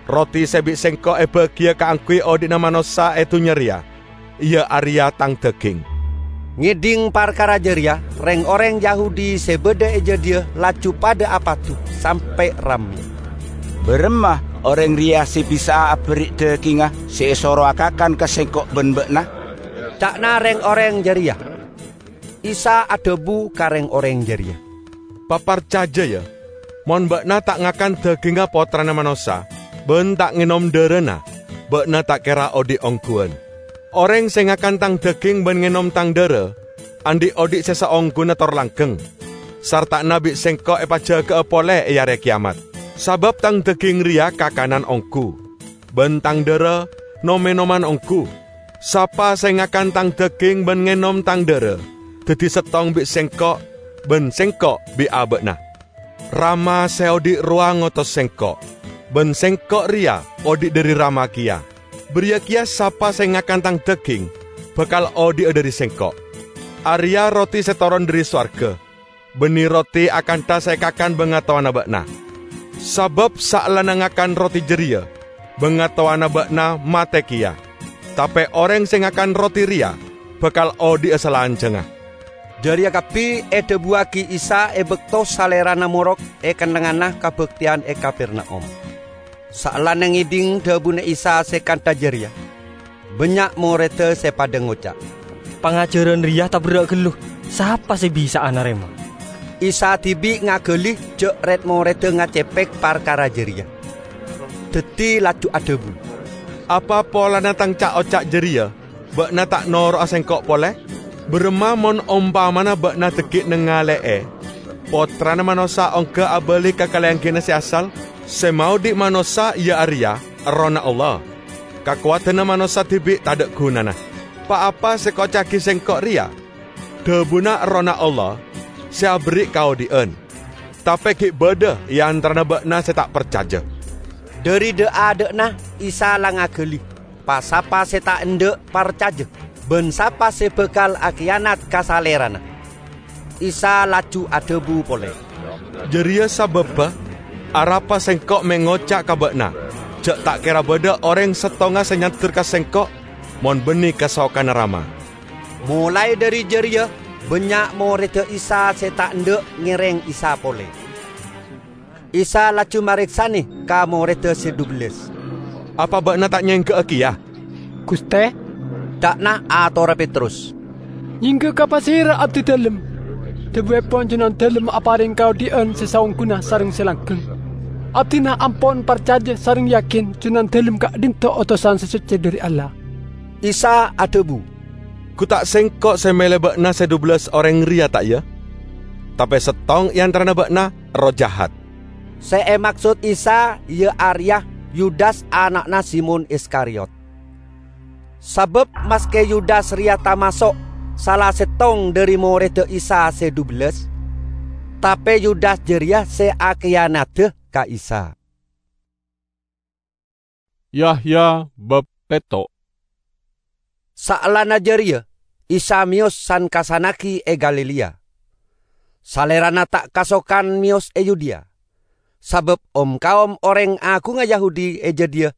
Roti sè bi' Sèngko' èbâgiyâ kaangghuy odhi'na manossa è dhunnya rèya, iyâ arèya Tang dhâghing." Ngèdhing parkara jârèya, rèng-orèng Yahudi sè bâdâ è jâdiyâ laju padâ apadu sampè' rammè. "Bârâmma orèng rèya sè bisa'a aberri' dhâghingnga sè èsoro akakan ka Sèngko' bân bâ'na?" ca'na rèng-orèng jârèya. Isa adhâbu ka rèng-orèng jârèya, "Paparcajâ, yâ, mon bâ'na ta' ngakan dhâghingnga Pottrana Manossa bân ta' ngènom dhârâna, bâ'na ta' kèra odhi' ongghuwân. Orèng sè ngakan Tang dhâghing bân ngènom Tang dhârâ andi' odhi' sè saongghuna tor langghâng, sarta'na bi' Sèngko' èpajâgâ'â polè è Arè Keyamat. Sabâb Tang dhâghing rèya kakanan ongghu, bân Tang dhârâ nom-ènoman ongghu. Sapa sè ngakan Tang dhâghing bân ngènom Tang dhârâ, dhâddhi sèttong bi' Sèngko' bân Sèngko' bi' abâ'na. Rama sè odhi' rowa ngotos Sèngko', bân Sèngko' rèya odhi' dhâri Rama kèya. Bâriyâ kèya sapa sè ngakan Tang dhâghing bhâkal odhi'a dhâri Sèngko'. Arèya roti sè toron dhâri sowarghâ, bânnè roti akantha sè èkakan bângatowana bâ'na. Sabâb saellana ngakan roti jârèya, bangatowana ba'na mate keya, tape oreng se ngakan roti reya bakal odhi'a salanjangnga." Jareya kabbi edhabuwagi Isa e bakto Salerana morok e kennengnganna kabakteyan e Kapernaum. Saellana ngedhing dhabuna Isa se kantha jareya, bannya' moredda se padha ngoca', "Pangajaran reya taberra' gallu. Sapa se bisa'a narema?" Isa dibi' ngagali ja' red-moredda ngacepek parkara jareya, daddi laju adhabu, "Apa polana tang ca'-oca' jareya ba'na ta' noro'a Sengko' pole? Baramma mon ompamana ba'na dhaggi' nangale'e Pottrana Manossa ongga abali ka kalengghina se asal? Se maodhi' manossa, iya areya Errohna Allah. Kakowadanna manossa dibi' tadha' gunana. Pa-apa se ekoca'agi Sengko' reya dhabuna Errohna Allah se aberri' kaodhi'an. Tape gi' badha e antarana ba'na se ta' parcaja." Dhari dha'-adha'na Isa la ngagali pa-sapa se ta' endha' parcaja ban sapa se bakal akiyanat ka Salerana. Isa laju adhabu pole, "Jareya sababba arapa Sengko' me' ngoca' ka ba'na ja' ta' kera badha oreng settonga se nyander ka Sengko' mon banne kasokanna Rama." Molae dhari jareya, bannya' moredda Isa se ta' endha' ngereng Isa pole. Isa laju mareksane ka moredda se dhubellas, "Apa ba'na ta' nyengga'a keya?" "Guste," ca'na atorra Petrus, "nyengga ka pasera abdidalem? Dhabuepon Junandalem apareng kaodhi'an se saongguna sareng se langgeng. Abdina ampon parcaja sareng yakin Junandalem ka'dhinto' otosan se socce dhari Allah." Isa adhabu, "Gu ta' Sengko' se mele ba'na se dhubellas oreng reya, ta' iya? Tape settong e antarana ba'na erroh jahat." Se emaksod Isa iya areya Yudas ana'na Simon Iskariot. Sabab maske Yudas reya tamaso' sala settong dhari moredda Isa se dhubellas, tape Yudas jareya se akiyanada ka Isa. Yahya bab petto'. Saellana jareya, Isa meyos san-kassannagi e Galilea. Salerana ta' kasokan meyos e Yudea, sabab om-kaom oreng agungnga Yahudi e jadhiya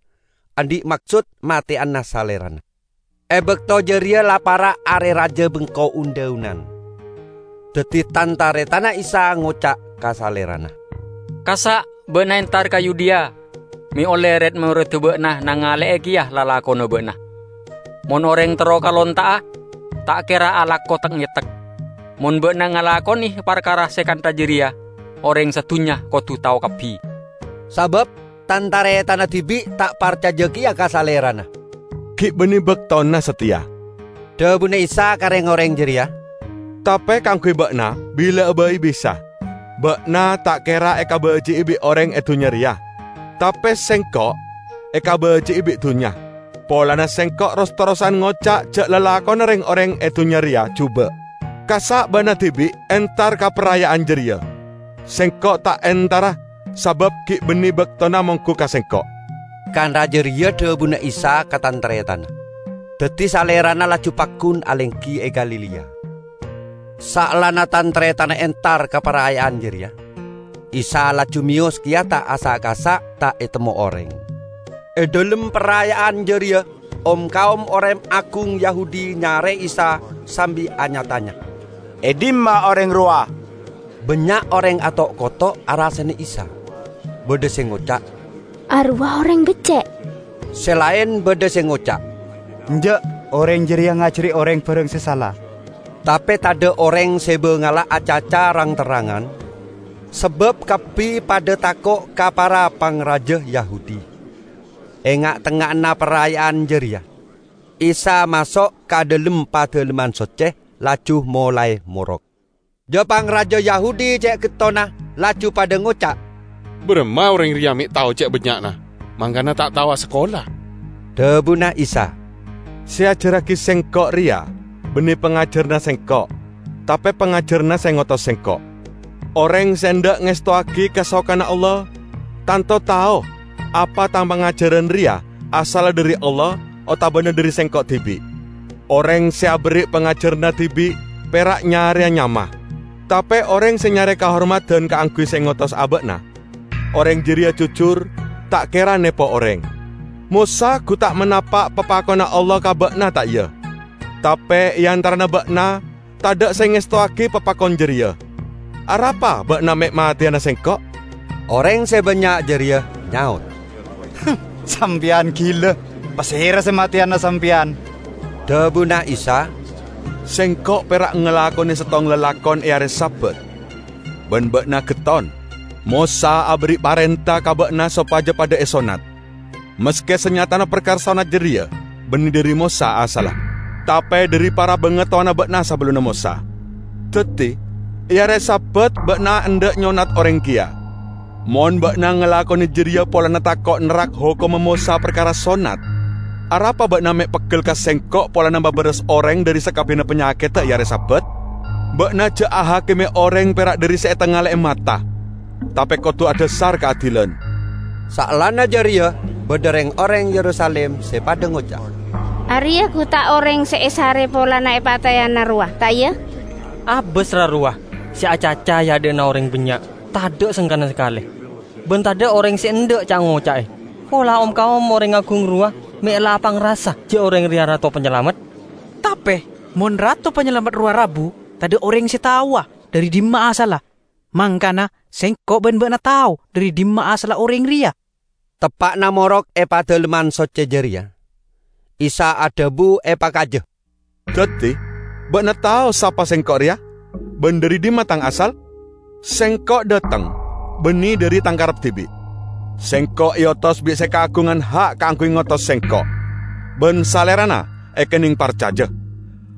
andhi' maksod mateyana Salerana. E bakto jareya la para' Are Raja Bengko Un-dhaunan. Daddi tan-taretanna Isa ngoca' ka Salerana, "Kassa' ba'na entar ka Yudea, me' olle red-moredda ba'na nangale'e keya lalakonna ba'na. Mon oreng terro kalonta'a, ta' kera alako tek-ngetek. Mon ba'na ngalakone parkara se kantha jareya, oreng sadhunnya kodu tao kabbi." Sabab tan-taretanna dibi' ta' parcaja keya ka Salerana. "Gi' banne baktona sateya," dhabuna Isa ka reng-oreng jareya, "tape kaangguy ba'na bila'a bai bisa. Ba'na ta' kera ekabaji'i bi' oreng e dunnya reya, tape Sengko' ekabaji'i bi' dunnya, polana Sengko' ros-terrosan ngoca' ja' lalakonna reng-oreng e dunnya reya juba'. Kassa' ba'na dibi' entar ka paraya'an jareya. Sengko' ta' entara, sabab gi' banne baktona monggu ka Sengko'." Kantha jareya dhabuna Isa ka tan-taretanna. Daddi Salerana laju paggun alenggi e Galilea. Saellana tan-taretanna entar ka paraya'an jareya, Isa laju meyos keya ta' asa'-kassa' ta' etemmo oreng. E dhalem paraya'an jareya, om-kaom oreng agung Yahudi nyare Isa sambi anya-tanya, "E dimma oreng rowa?" Bannya' oreng ato'-koto' arasana Isa. Badha se ngoca', "Arowa oreng becce'." Se laen badha se ngoca', "Enja', oreng jareya ngajari oreng barang se sala." Tape tadha' oreng se bangala acaca rang-terrangan, sabab kabbi padha tako' ka para pangraja Yahudi. E nga'-tengnga'anna paraya'an jareya, Isa maso' ka dhalem Padalemman Socce, laju molae morok. Ja-pangraja Yahudi ce' gettonna laju padha ngoca', "Baramma oreng reya me' tao ce' bannya'na, mangkana ta' tao asakola?" Dhabuna Isa, "Se eajarragi Sengko' reya banne pangajaranna Sengko', tape pangajaranna se ngotos Sengko'. Oreng se endha' ngestowagi kasokanna Allah, tanto tao apa Tang pangajaran reya asalla dhari Allah otabana dhari Sengko' dibi'. Oreng se aberri' pangajaranna dibi' pera' nyareya nyama, tape oreng se nyare kahormadan kaangguy se ngotos aba'na, oreng jareya jujur, ta' kera nepo oreng. Mosa gu ta' manapa' papakonna Allah ka ba'na, ta' iyâ? Tapè è antarana ba'na tadâ' sè ngèstowaghi papakon jârèya. Arapa ba'na mè' matèyana sèngko'?" Orèng sè bânnya' jârèya nyaot, "Sampèyan ghilâ! Pasèra sè matèyana sampèyan?" Dhâbuna Isa, "Sèngko' pèra' ngalakonè sèttong lalakon è arè Sabat, bân ba'na ghetton. Mosa aberri' parènta ka ba'na sopajâ padâ èsonnat. Maskè sanyatana parkara sonnat jârèya bânnè dâri Mosa asalla, tapè dâri para bangatowana ba'na sabellunna Mosa. Dhâddhi, è arè Sabat ba'na endâ' nyonnat orèng kèya. Mon ba'na ngalakonè jârèya polana tako' nerrak hokomma Mosa parkara sonnat, arapa ba'na mè' peggel ka Sèngko' polana mabârâs orèng dâri sakabbiyanna panyakèdhâ è arè Sabat? Ba'na jhâ' ahakimè orèng pèra' dâri sè ètangalè'è mata, tapè kodhu adhâsar kaadilan." Saellana jârèya, bâdâ rèng-orèng Yerusalim sè padâ ngoca', "Arèya gu ta' orèng sè èsarè polana èpatèyana rowa, ta' iyâ? Abâs ra rowa sè acaca è adâ'na orèng bânnya', tadâ' sengkana sakalè. Bân tadâ' orèng sè endâ' ca'-ngoca'è. Pola om-kaom orèng agung rowa mè' la apangrasa jâ' orèng rèya Rato Panyalamet." "Tapè mon Rato Panyalamet rowa rabu, tadâ' orèng sè taowa dâri dimma asalla. Mangkana sèngko' bân ba'na tao dâri dimma asalla orèng rèya." Teppa'na morok è Padâlemman Soccè jârèya, Isa adhâbu è pakajâ, "Dhâddhi, ba'na tao sapa Sèngko' rèya, bân dâri dimma Tang asal? Sèngko' dâteng, bânnè dâri Tang karep dhibi'. Sèngko' èotos bi' sè kaagungan ha' kaangghuy ngotos Sèngko', bân Salèrana èkennèng parcajâ.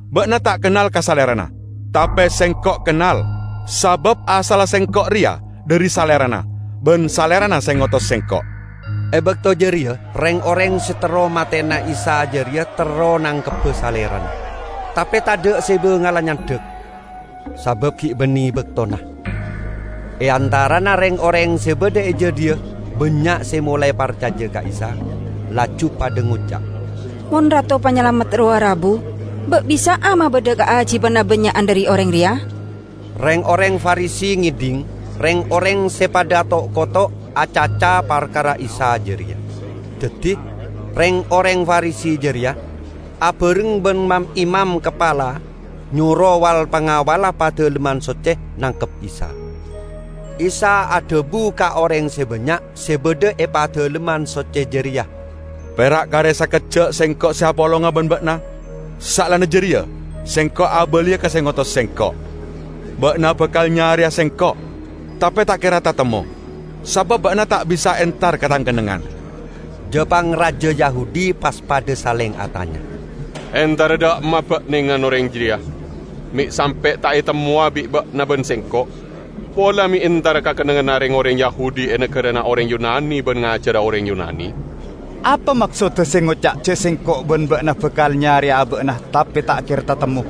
Ba'na ta' kennal ka Salèrana, tapè Sèngko' kennal, sabâb asalla Sèngko' rèya dâri Salèrana, bân Salèrana sè ngotos Sèngko'." È bâkto jârèya, rèng-orèng sè terro matèna Isa jârèya terro nangkebbhâ Salèrana, tapè tadâ' sè bângalla nyandhâk, sabâb ghi' bânnè bâktona. È antarana rèng-orèng sè bâdâ è jâdiyâ, bânnya' sè molaè parcajâ ka Isa, laju padâ ngoca', "Mon Rato Panyalamet rowa rabu, bâ' bisa'a mabâdâ kaajhibhân abânnya'an dâri orèng rèya?" Rèng-orèng Farisi ngèdhing rèng-orèng sè padâ ato'-koto' acaca parkara Isa jârèya. Dhâddhi, rèng-orèng Farisi jârèya abhâreng bân mam-imam kapala nyoro wal-pangawalla Padâlemman Soccè nangkep Isa. Isa adhâbu ka orèng sè bânnya' sè bâdâ è Padâlemman Soccè jârèya, "Pèra' karè sakejjhâ' Sèngko' sè apolonga bân ba'na. Saellana jârèya, Sèngko' abâliyâ ka sè ngotos Sèngko'. Ba'na bhâkal nyarèya Sèngko', tapè ta' kèra tatemmo, sabâb ba'na ta' bisa entar ka Tang kennengngan." Jâ-pangrajâ Yahudi pas padâ salèng atanya, "Entara dâ'emma bâ'na nèngan orèng jârèya, mè' sampè' ta' ètemmowa bi' ba'na bân Sèngko'? Pola mè' entara ka kennengnganna rèng-orèng Yahudi è naghârâna orèng Yunani bân ngajhâra orèng Yunani? Apa maksodda sè ngoca' jâ' Sèngko' bân ba'na bhâkal nyarèya abâ'na tapè ta' kèra tatemmo?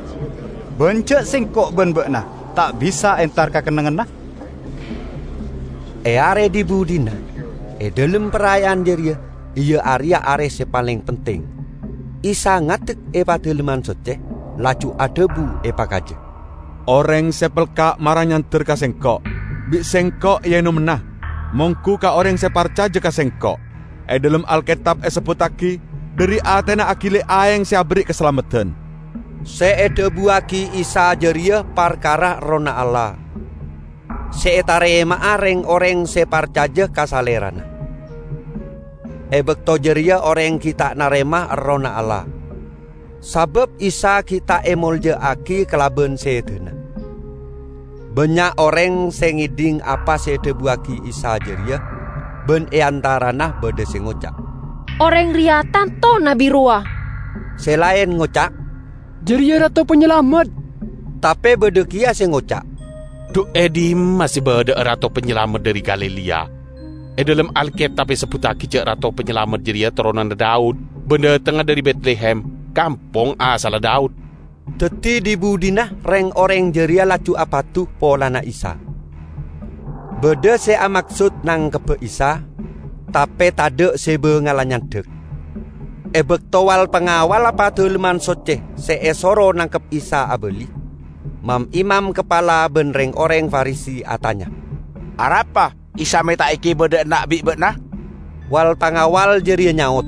Bân jâ' Sèngko' bân ba'na ta' bisa entar ka kennengnganna?" È arè dhi-budhina, è dhâlem paraya'an jârèya, iyâ arèya arè sè palèng pentèng, Isa ngadek è Padâlemman Soccè, laju adhâbu è pakajâ, "Orèng sè pelka' mara nyander ka Sèngko', bi' Sèngko' èènommana, mongghu ka orèng sè parcajâ ka Sèngko'. È dhâlem Alkètab èsebbhuttaghi, 'Dâri atèna aghili aèng sè aberri' kasalameddhân.'" Sè èdhâbuwâghi Isa jârèya parkara Errohna Allah, sè ètarèma'a rèng-orèng sè parcajâ ka Salèrana. È bâkto jârèya orèng ghi' ta' narèma Errohna Allah, sabâb Isa ghi' ta' èmoljâ'âghi kalabân sèdhâna. Bânnya' orèng sè ngèdhing apa sè èdhâbuwâghi Isa jârèya, bân è antarana bâdâ sè ngoca', "Orèng rèya tanto nabbhi rowa." Sè laèn ngoca', "Jârèya Rato Panyalamet." Tapè bâdâ kèya sè ngoca', "Dhu è dimma sè bâdâ'â Rato Panyalamet dâri Galilea? È dhâlem Alkètab èsebbhuttaghi jâ' Rato Panyalamet jârèya toronanna Daud, bân dâtengnga dâri Betlehem, kampong asalla Daud." Dhâddhi dhi-budhina rèng-orèng jârèya laju apadu polana Isa. Bâdâ sè amaksod nangkebbhâ Isa, tapè tadâ' sè bângalla nyandhâk. È bâkto wal-pangawalla Padâlemman Soccè sè èsoro nangkep Isa abâli, mam-imam kapala bân rèng-orèng Farisi atanya, "Arapa Isa mè' ta' èkèbâ dâ' enna' bi' ba'na?" Wal-pangawal jârèya nyaot,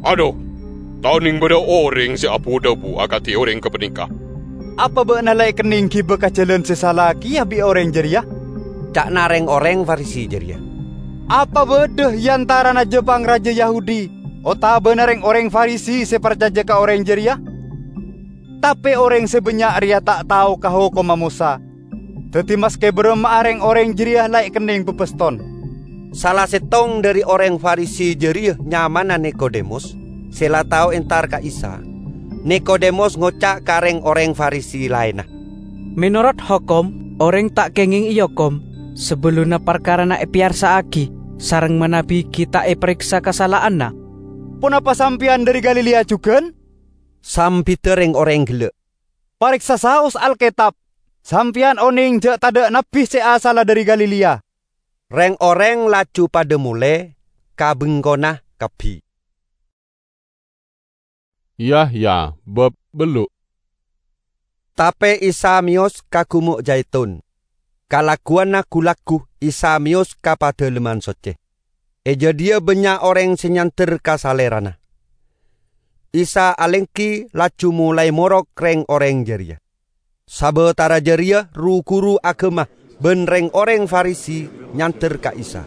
"Adhu, ta' oneng badha oreng se abu-dhabu akadi oreng gapaneka? Apa ba'na la ekenneng giba ka jalan se sala keya bi' oreng jareya?" ca'na reng-oreng Farisi jareya. "Apa badha e antarana ja-pangraja Yahudi otabana reng-oreng Farisi se parcaja ka oreng jareya? Tape oreng se bannya' reya ta' tao ka hokomma Mosa. Daddi, maske baramma'a reng-oreng jareya la ekenneng babaston." Sala settong dhari oreng Farisi jareya nyamana Nikodemus, se la tao entar ka Isa. Nikodemus ngoca' ka reng-oreng Farisi laenna, "Menorot hokom, oreng ta' kengeng eokom sabellunna parkarana epeyarsa'agi sareng manabi gi' ta' epareksa kasala'anna." "Ponapa sampeyan dhari Galilea jugan?" sambidda reng-oreng gella'. "Pareksa saos Alketab. Sampeyan oneng ja' tadha' nabbi se asalla dhari Galilea." Reng-oreng laju padha mole ka bengkona kabbi. Yahya bab bellu'. Tape Isa meyos ka Gumo' Jaitun. Kalagguwanna gu-lagghu Isa meyos ka Padalemman Socce. E jadhiya bannya' oreng se nyander ka Salerana. Isa alenggi laju molae morok reng-oreng jareya. Sabatara jareya ru-guru agama ban reng-oreng Farisi nyander ka Isa,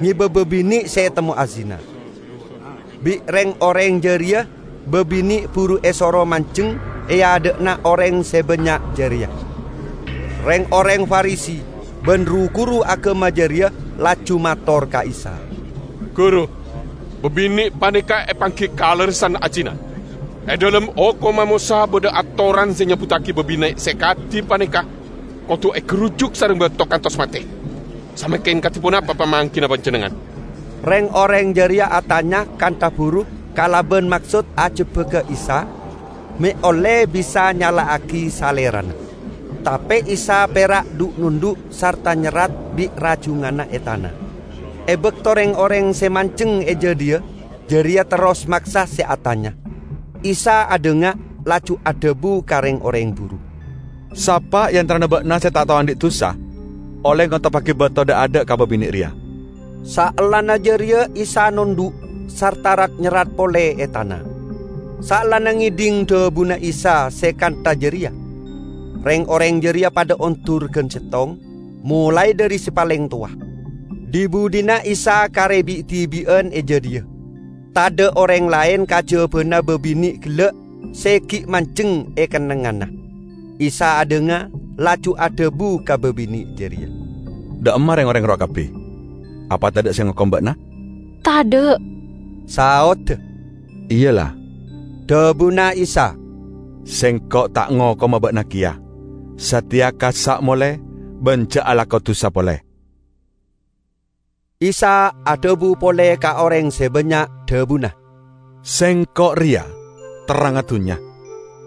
ngeba babine' se etemmo azina. Bi' reng-oreng jareya babine' buru esoro manjeng e adha'na oreng se bannya' jareya. Reng-oreng Farisi ban ru-guru agama jareya laju mator ka Isa, "Guru, babine' paneka epanggi kalerressan ajina. E dhalem Hokomma Mosa badha atoran se nyabuttagi babine' se kadi paneka kodu egarujuk sareng bato kantos mate. Samangken kadi ponapa pamanggina Panjennengngan?" Reng-oreng jareya atanya kantha buru kalaban maksod ajebbaga Isa, me' olle bisa nyala'agi Salerana. Tape Isa pera' dhu'-nondhu' sarta nyerrat bi' rajunganna e tana. E bakto reng-oreng se manjeng e jadhiya jareya terros maksa se atanya, Isa adhanga, laju adhabu ka reng-oreng buru, "Sapa e antarana ba'na se ta' tao andhi' dusa, olle ngotoppagi bato dha'-adha' ka babine' reya." Saellana jareya Isa nondhu' sarta rat-nyerrat pole e tana. Saellana ngedhing dhabuna Isa se kantha jareya, reng-oreng jareya padha ondur gan settong, molae dhari se paleng towa. Dhi-budhina Isa kare bi'-dhibi'an e jadhiya. Tadha' oreng laen kajabana babine' gella' se gi' manjeng e kennengnganna. Isa adhanga, laju adhabu ka babine' jareya, "Dha'emma reng-oreng rowa kabbi? Apa tadha' se ngokom ba'na?" "Tadha'," saodda. "Iyalla," dhabuna Isa, "Sengko' ta' ngokoma ba'na keya. Sateya kassa' mole ban ja' alako dusa pole." Isa adhabu pole ka oreng se bannya', dhabuna, "Sengko' reya terrangnga dunnya.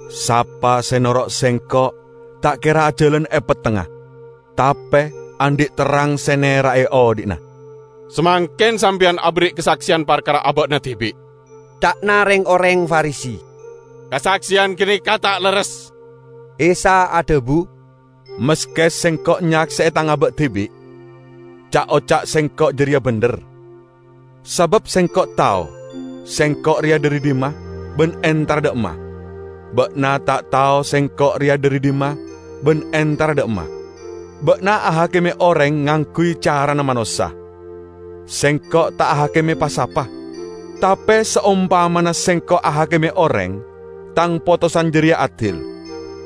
Sapa se noro' Sengko' ta' kera ajalan e pettengnga, tape andhi' terrang se nera'e odhi'na." "Samangken sampeyan aberri' kasakseyan parkara aba'na dibi'," ca'na reng-oreng Farisi. "Kasakseyan ganeka ta' lerres." Isa adhabu, "Maske Sengko' nyakse'e Tang aba' dibi', ca'-oca' Sengko' jareya bendher. Sabab Sengko' tao Sengko' reya dhari dhimma ban entara dha'emma. Ba'na ta' tao Sengko' reya dhari dhimma ban entara dha'emma. Ba'na ahakime oreng ngangguy carana manossa. Sengko' ta' ahakime pa-sapa. Tape saompamana Sengko' ahakime oreng, Tang potosan jareya adil,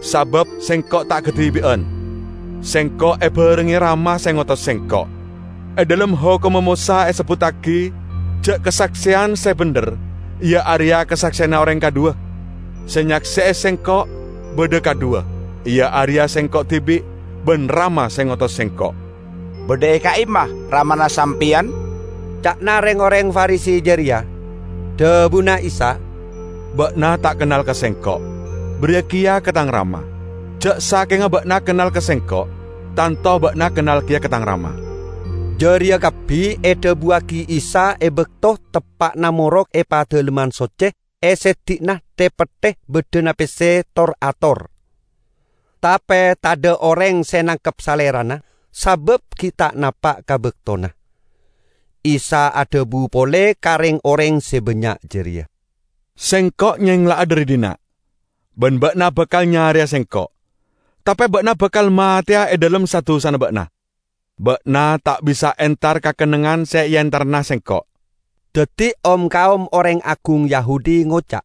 sabab Sengko' ta' kadibi'an. Sengko' ebarengnge Rama se ngotos Sengko'. E dhalem Hokomma Mosa esebbuttagi ja' kasakseyan se bendher, iya areya kasakseyanna oreng kadhuwa. Se nyakse'e Sengko' badha kadhuwa, iya areya Sengko' dibi' ban Rama se ngotos Sengko'." "Badha e ka'imma Ramana sampeyan?" ca'na reng-oreng Farisi jareya. Dhabuna Isa, "Ba'na ta' kennal ka Sengko', bariya keya ka Tang Rama. Ja' sakenga ba'na kennal ka Sengko', tanto ba'na kennal keya ka Tang Rama." Jareya kabbi edhabuwagi Isa e bakto teppa'na morok e Padalemman Socce e seddi'na te-petthe baddhana pesse tor-ator. Tape tadha' oreng se nangkep Salerana, sabab gi' ta' napa' ka baktona. Isa adhabu pole ka reng-oreng se bannya' jareya, "Sengko' nyengla'a dhari dhinna', ban ba'na bakal nyareya Sengko', tape ba'na bakal mateya e dhalem sa-dusana ba'na. Ba'na ta' bisa entar ka kennengngan se eentarana Sengko'." Daddi, om-kaom oreng agung Yahudi ngoca',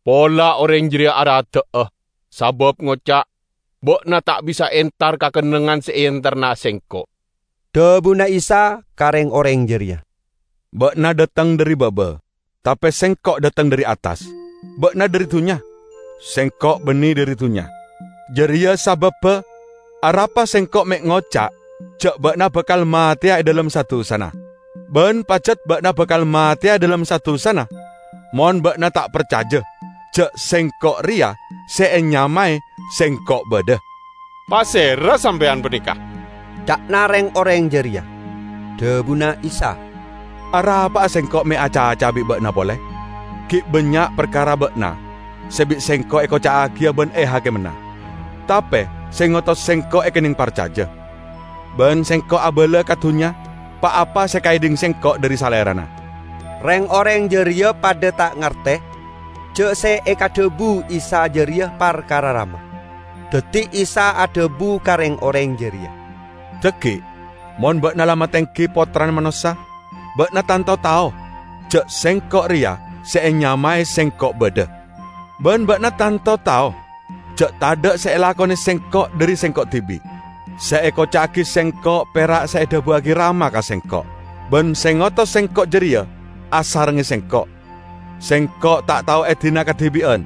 "Pola oreng jareya arada'a, sabab ngoca', 'Ba'na ta' bisa entar ka kennengngan se eentarana Sengko'.'" Dhabuna Isa ka reng-oreng jareya, "Ba'na dhateng dhari baba, tape Sengko' dhateng dhari attas. Ba'na dhari dunnya, Sengko' banne dhari dunnya. Jareya sababba arapa Sengko' me' ngoca' ja' ba'na bakal mateya e dhalem sa-dusana. Ban pajat ba'na bakal mateya e dhalem sa-dusana, mon ba'na ta' parcaja ja' Sengko' reya se enyamae Sengko' badha." "Pasera Sampeyan paneka?" ca'na reng-oreng jareya. Dhabuna Isa, "Arapa'a Sengko' me' acaca bi' ba'na pole? Gi' bannya' parkara ba'na se bi' Sengko' ekoca'agiya ban ehakimana. Tape se ngotos Sengko' ekenneng parcaja, ban Sengko' abala ka dunnya pa-apa se ekaedhing Sengko' dhari Salerana." Reng-oreng jareya padha ta' ngarte ja' se ekadhabu Isa jareya parkara rama. Daddi Isa adhabu ka reng-oreng jareya, "Dhaggi', mon ba'na la matenggi Pottrana Manossa, ba'na tanto tao ja' Sengko' reya se enyamae Sengko' badha. Ban ba'na tanto tao ja' tadha' se elakone Sengko' dhari Sengko' dibi'. Se ekoca'agi Sengko' pera' se edhabuwagi Rama ka Sengko', ban se ngotos Sengko' jareya asarengnge Sengko'. Sengko' ta' tao edina kadibi'an,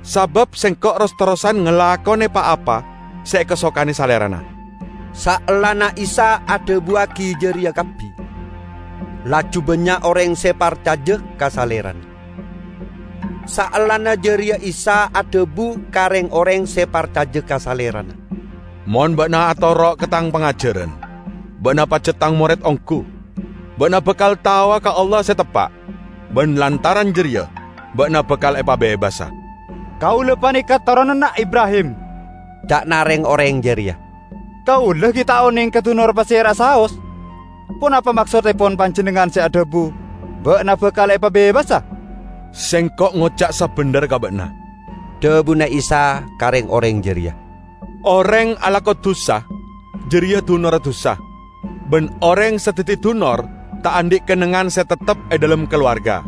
sabab Sengko' ros-terrosan ngalakone pa-apa se ekasokane Salerana." Saellana Isa adhabuwagi jareya kabbi, laju bannya' oreng se parcaja ka Salerana. Saellana jareya Isa adhabu ka reng-oreng se parcaja ka Salerana, "Mon ba'na atoro' ka Tang pangajaran, ba'na pajat Tang mored onggu. Ba'na bakal taowa ka Allah se teppa', ban lantaran jareya ba'na bakal epabebasa." "Kaula paneka toronanna Ibrahim," ca'na reng-oreng jareya. "Kaula gi' ta' oneng ka dunor pasera'a saos. Ponapa maksoddepon panjennengngan se adhabu, 'Ba'na bakal epabebasa'?" "Sengko' ngoca' sabendher ka ba'na," dhabuna Isa ka reng-oreng jareya, "oreng alako dusa, jareya dunorra dusa. Ban oreng se daddi dunor ta' andhi' kennengngan se teptep e dhalem kalowarga.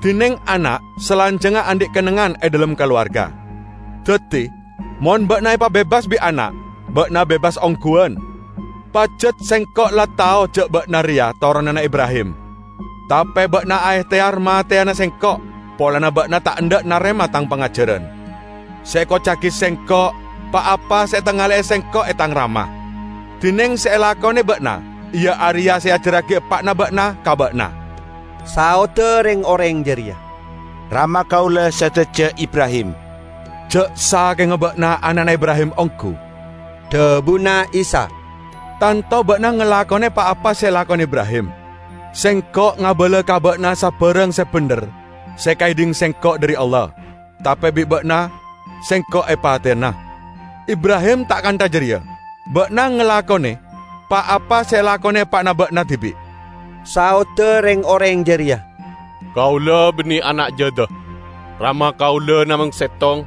Dineng ana' salanjangnga andhi' kennengngan e dhalem kalowarga. Daddi, mon ba'na epabebas bi' ana', ba'na bebas ongguwan. Pajat Sengko' la tao ja' ba'na reya toronanna Ibrahim. Tape ba'na aehteyar mateyana Sengko' polana ba'na ta' endha' narema Tang pangajaran. Se ekoca'agi Sengko', pa-apa se etangale'e Sengko' e Tang Rama. Dineng se elakone ba'na, iya areya se eajarragi eppa'na ba'na ka ba'na." Saodda reng-oreng jareya, "Rama kaula sadaja Ibrahim." "Ja' sakenga ba'na ana'na Ibrahim onggu," dhabuna Isa, "tanto ba'na ngalakone pa-apa se elakone Ibrahim. Sengko' ngabala ka ba'na sabarang se bendher se ekaedhing Sengko' dhari Allah, tape bi' ba'na Sengko' epateyana. Ibrahim ta' kantha jareya. Ba'na ngalakone pa-apa se elakone eppa'na ba'na dibi'." Saodda reng-oreng jareya, "Kaula banne ana' jadha. Rama kaula namong settong,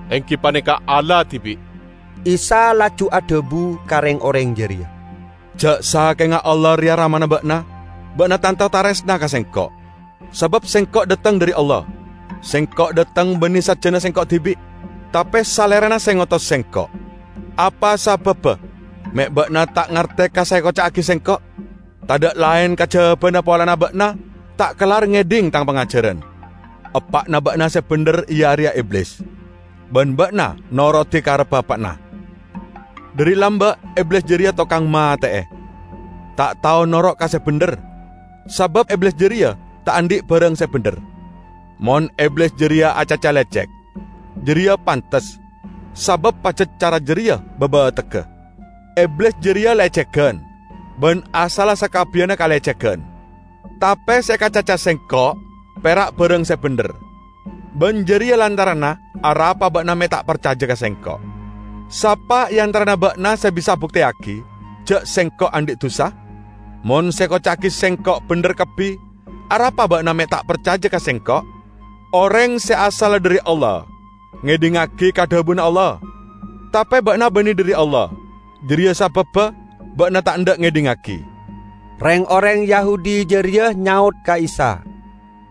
enggi paneka Allah dibi'." Isa laju adhabu ka reng-oreng jareya, "Ja' sakenga Allah reya Ramana ba'na, ba'na tanto taresna ka Sengko'. Sabab Sengko' dhateng dhari Allah. Sengko' dhateng banne sajana Sengko' dibi', tape Salerana se ngotos Sengko'. Apa sababba me' ba'na ta' ngarte ka se ekoca'agi Sengko'? Tadha' laen kajabana polana ba'na ta' kellar ngedhing Tang pangajaran. Eppa'na ba'na se bendher iya areya Iblis, ban ba'na norodi karebba eppa'na. Dhari lamba' Iblis jareya tokang mate'e, ta' tao noro' ka se bendher, sabab Iblis jareya ta' andhi' barang se bendher. Mon Iblis jareya acaca lecek, jareya pantes, sabab pajat cara jareya babategga. Iblis jareya lecegan, ban asalla sakabbiyanna kalecegan. Tape se ekacaca Sengko' pera' barang se bendher. Ban jareya lantaranna arapa ba'na me' ta' parcaja ka Sengko'. Sapa e antarana ba'na se bisa abukteyagi ja' Sengko' andhi' dusa? "Mon sè èkoca'aghi Sengko' bhendher kabbhi, arapa ba'na me' ta' parcaja ka Sengko'? Oreng sè asalla dhari Allah ngedhingngagi ka dhabuna Allah. Tape ba'na banne dhari Allah, jareya sababba ba'na ta' endha' ngedhingngagi." Reng-oreng Yahudi jareya nyaot ka Isa,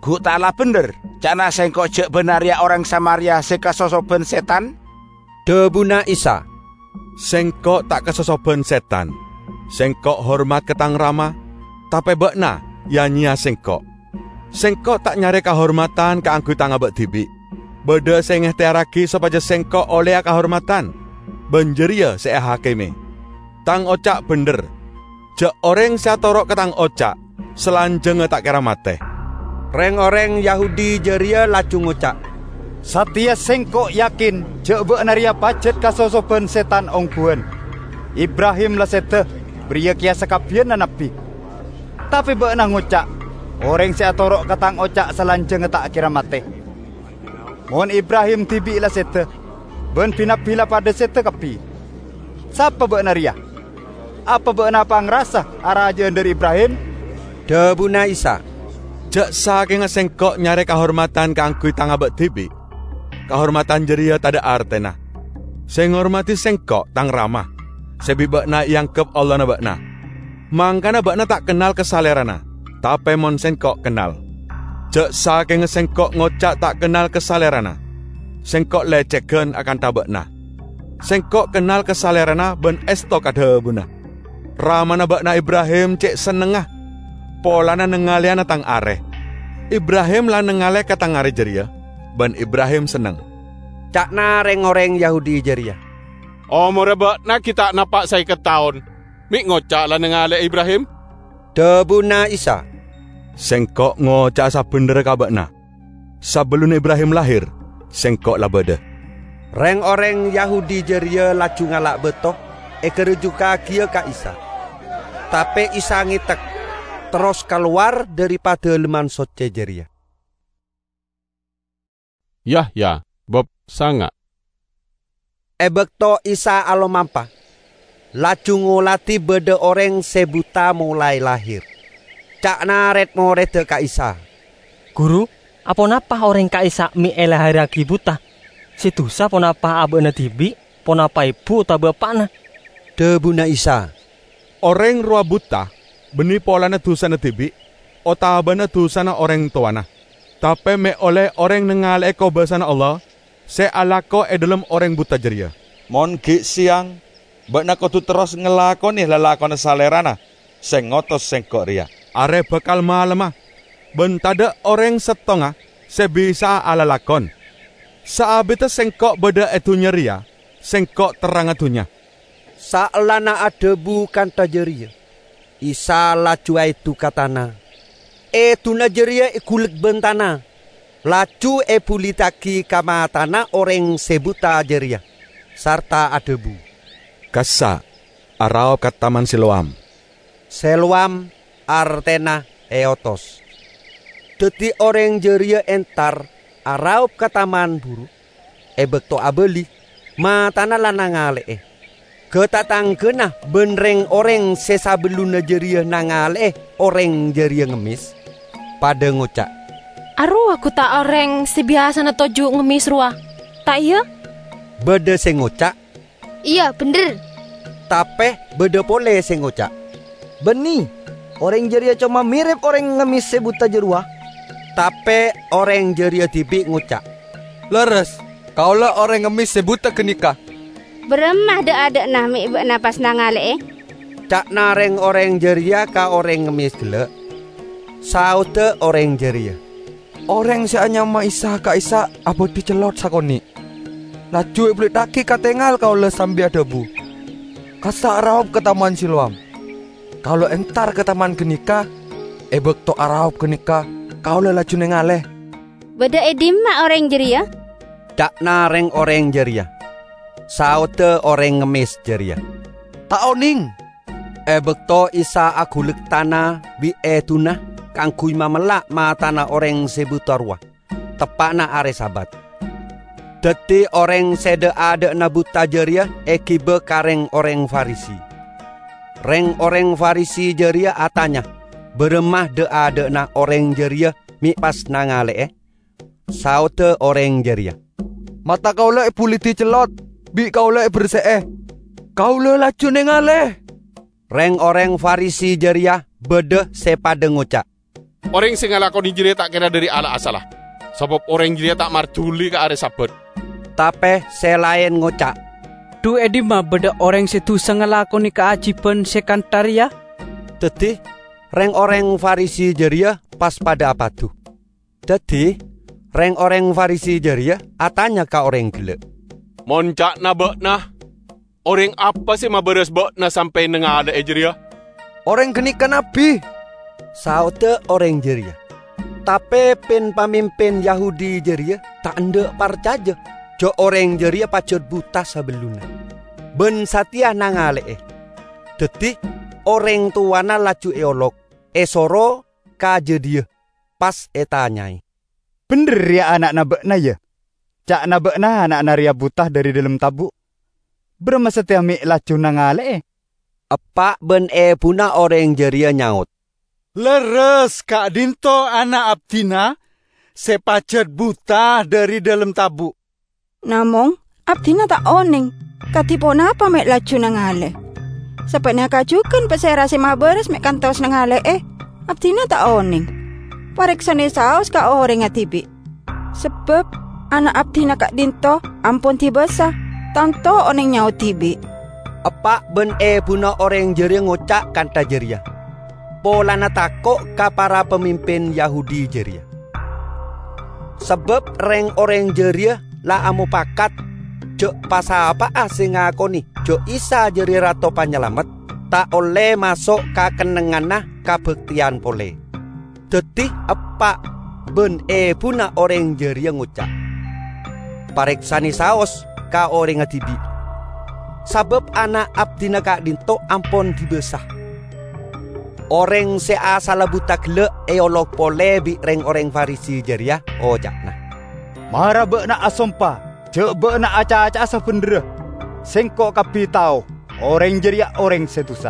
"Gu' ta' la bhendher ca'na Sengko' ja' ba'na reya oreng Samaria se kasosoban setan?" Dhabuna Isa, "Sengko' ta' kasosoban setan. Sengko' hormat ka Tang Rama, tape ba'na ya-nyeya Sengko'. Sengko' ta' nyare kahormatan kaangguy Tang aba' dibi'. Badha se ngehteyarragi sopaja Sengko' olleya kahormatan, ban jareya se ehakime. Tang oca' bhendher. Ja' oreng se atoro' ka Tang oca' salanjangnga ta' kera mate." Reng-oreng Yahudi jareya laju ngoca', "Sateya sengko' yakin ja' ba'na reya pajat kasosoban setan ongguwan. Ibrahim la seda, bariya keya sakabbiyanna nabbi. Tape ba'na ngoca', 'Oreng se atoro' ka tang oca' salanjangnga ta' kera mate.' Mon Ibrahim dibi' la seda, ban bi-nabbi la padha seda kabbi. Sapa ba'na reya? Apa ba'na apangrasa araja'an dhari Ibrahim?" Dhabuna Isa, "Ja' sakenga Sengko' nyare kahormatan kaangguy Tang aba' dibi', kahormatan jareya tadha' artena. Se ngormadi Sengko' Tang Rama, se bi' ba'na eanggep Allahna ba'na. Mangkana ba'na ta' kennal ka Salerana, tape mon Sengko' kennal. Ja' sakenga Sengko' ngoca' ta' kennal ka Salerana, Sengko' lecegan akantha ba'na. Sengko' kennal ka Salerana ban esto ka dhabuna. Ramana ba'na Ibrahim ce' sennengnga polana nangaleyana Tang are. Ibrahim la nangale ka Tang are jareya, ban Ibrahim senneng." Ca'na reng-oreng Yahudi jareya, "Omorra ba'na gi' ta' napa' saeket taon, me' ngoca' la nangale'e Ibrahim?" Dhabuna Isa, "Sengko' ngoca'a sabendherra ka ba'na, sabellunna Ibrahim lahir, Sengko' la badha." Reng-oreng Yahudi jareya laju ngala' bato, egarujukkagiya ka Isa. Tape Isa ngetek, terros kalowar dhari Padalemman Socce jareya. Yahya, bab sanga'. E bakto Isa alomampa, laju ngoladi badha oreng se buta molae lahir. Ca'na red-moredda ka Isa, "Guru, aponapa oreng ka'issa' me' elahirragi buta? Se dusa ponapa aba'na dibi', ponapa ebu otabaa eppa'na?" Dhabuna Isa, "Oreng rowa buta banne polana dusana dibi' otabana dusana oreng towana. Tape me' olle oreng nangale'e kobasana Allah se alako e dhalem oreng buta jareya." "Mon gi' seyang, ba'na kodu terros ngalakone lalakonna Salerana se ngotos Sengko' reya. Are bakal malemma, ban tadha' oreng settonga se bisa'a alalakon. Saabidda Sengko' badha e dunnya reya, Sengko' terrangnga dunnya." Saellana adhabu kantha jareya, Isa laju aedu ka tana. Eduna jareya egullek ban tana, laju ebuliddagi ka matana oreng se buta jareya, sarta adhabu, "Kassa', araop ka Taman Siloam." Siloam artena eotos. Daddi oreng jareya entar araop ka taman buru. E bakto abali, matana la nangale'e. Ga-tatanggana ban reng-oreng se sabellunna jareya nangale'e oreng jareya ngemmes, padha ngoca', "Arowa gu ta' oreng se biyasana toju' ngemmes rowa, ta' iya?" Badha se ngoca', "Iya, bendher." Tape badha pole se ngoca', "Banne, oreng jareya coma mirep oreng ngemmes se buta jarowa." Tape oreng jareya dibi' ngoca', "Lerres, kaula oreng ngemmes se buta ganeka." "Baramma dha'-adha'na me' ba'na pas nangale'e?" ca'na reng-oreng jareya ka oreng ngemmes gella'. Saodda oreng jareya, "Oreng se anyama Isa ka'issa' abadhi cellot sakone'. Laju ebuliddhagi ka tengal kaula sambi adhabu, 'Kassa' araop ka Taman Siloam.' Kaula entar ka taman ganeka. E bakto araop ganeka, kaula laju nengale." "Badha e dimma oreng jareya?" ca'na reng-oreng jareya. Saodda oreng ngemmes jareya, "Ta' oneng." E bakto Isa agullek tana bi' eduna kaangguy mamella' matana oreng se buta rowa, teppa'na are Sabat. Daddi oreng se dha'-adha'na buta jareya egiba ka reng-oreng Farisi. Reng-oreng Farisi jareya atanya, "Baramma dha'-adha'na oreng jareya me' pas nangale'e?" Saodda oreng jareya, "Mata kaula ebulidi cellot, bi' kaula eberse'e. Kaula laju nengale." Reng-oreng Farisi jareya badha se padha ngoca', "Oreng se ngalakone jareya ta' kera dhari Allah asalla, sabab oreng jareya ta' marduli ka are Sabat." Tape se laen ngoca', "Dhu e dhimma badha oreng se dusa ngalakone kaajiban se kantha reya?" Daddi, reng-oreng Farisi jareya pas padha apadu. Daddi, reng-oreng Farisi jareya atanya ka oreng gella', "Mon ca'na ba'na, oreng apa se mabaras ba'na sampe' nangale'e jareya?" "Oreng ganeka nabbi," saodda oreng jareya. Tape pin-pamimpin Yahudi jareya ta' endha' parcaja ja' oreng jareya pajat buta sabellunna, ban sateya nangale'e. Daddi, oreng towana laju eolok, esoro ka jadhiya, pas etanyae, "Bendher reya ana'na ba'na, ya? Ca'na ba'na ana'na reya buta dhari dhalem tabu'. Baramma sateya me' laju nangale'e?" Eppa' ban ebuna oreng jareya nyaot, "Lerres ka'dhinto' ana' abdina se pajat buta dhari dhalem tabu'. Namong, abdina ta' oneng kadi ponapa me' laju nangale. Sapaneka jugan pasera se mabaras me' kantos nangale'e, abdina ta' oneng. Pareksane saos ka orengnga dibi'. Sabab ana' abdina ka'dhinto' ampon dibasa, tanto oneng nyaot dibi'." Eppa' ban ebuna oreng jareya ngoca' kantha jareya polana tako' ka para pamimpin Yahudi jareya. Sabab reng-oreng jareya la amopakat ja' pa-sapa'a se ngakone ja' Isa jareya Rato Panyalamet ta' olle maso' ka kennengnganna kabakteyan pole. Daddi eppa' ban ebuna oreng jareya ngoca', "Pareksane saos ka orengnga dibi', sabab ana' abdina ka'dhinto' ampon dibasa." Oreng se asalla buta gella' eolok pole bi' reng-oreng Farisi jareya, oca'na, "Mara ba'na asompa ja' ba'na acaca'a sabendherra. Sengko' kabbi tao oreng jareya oreng se dusa.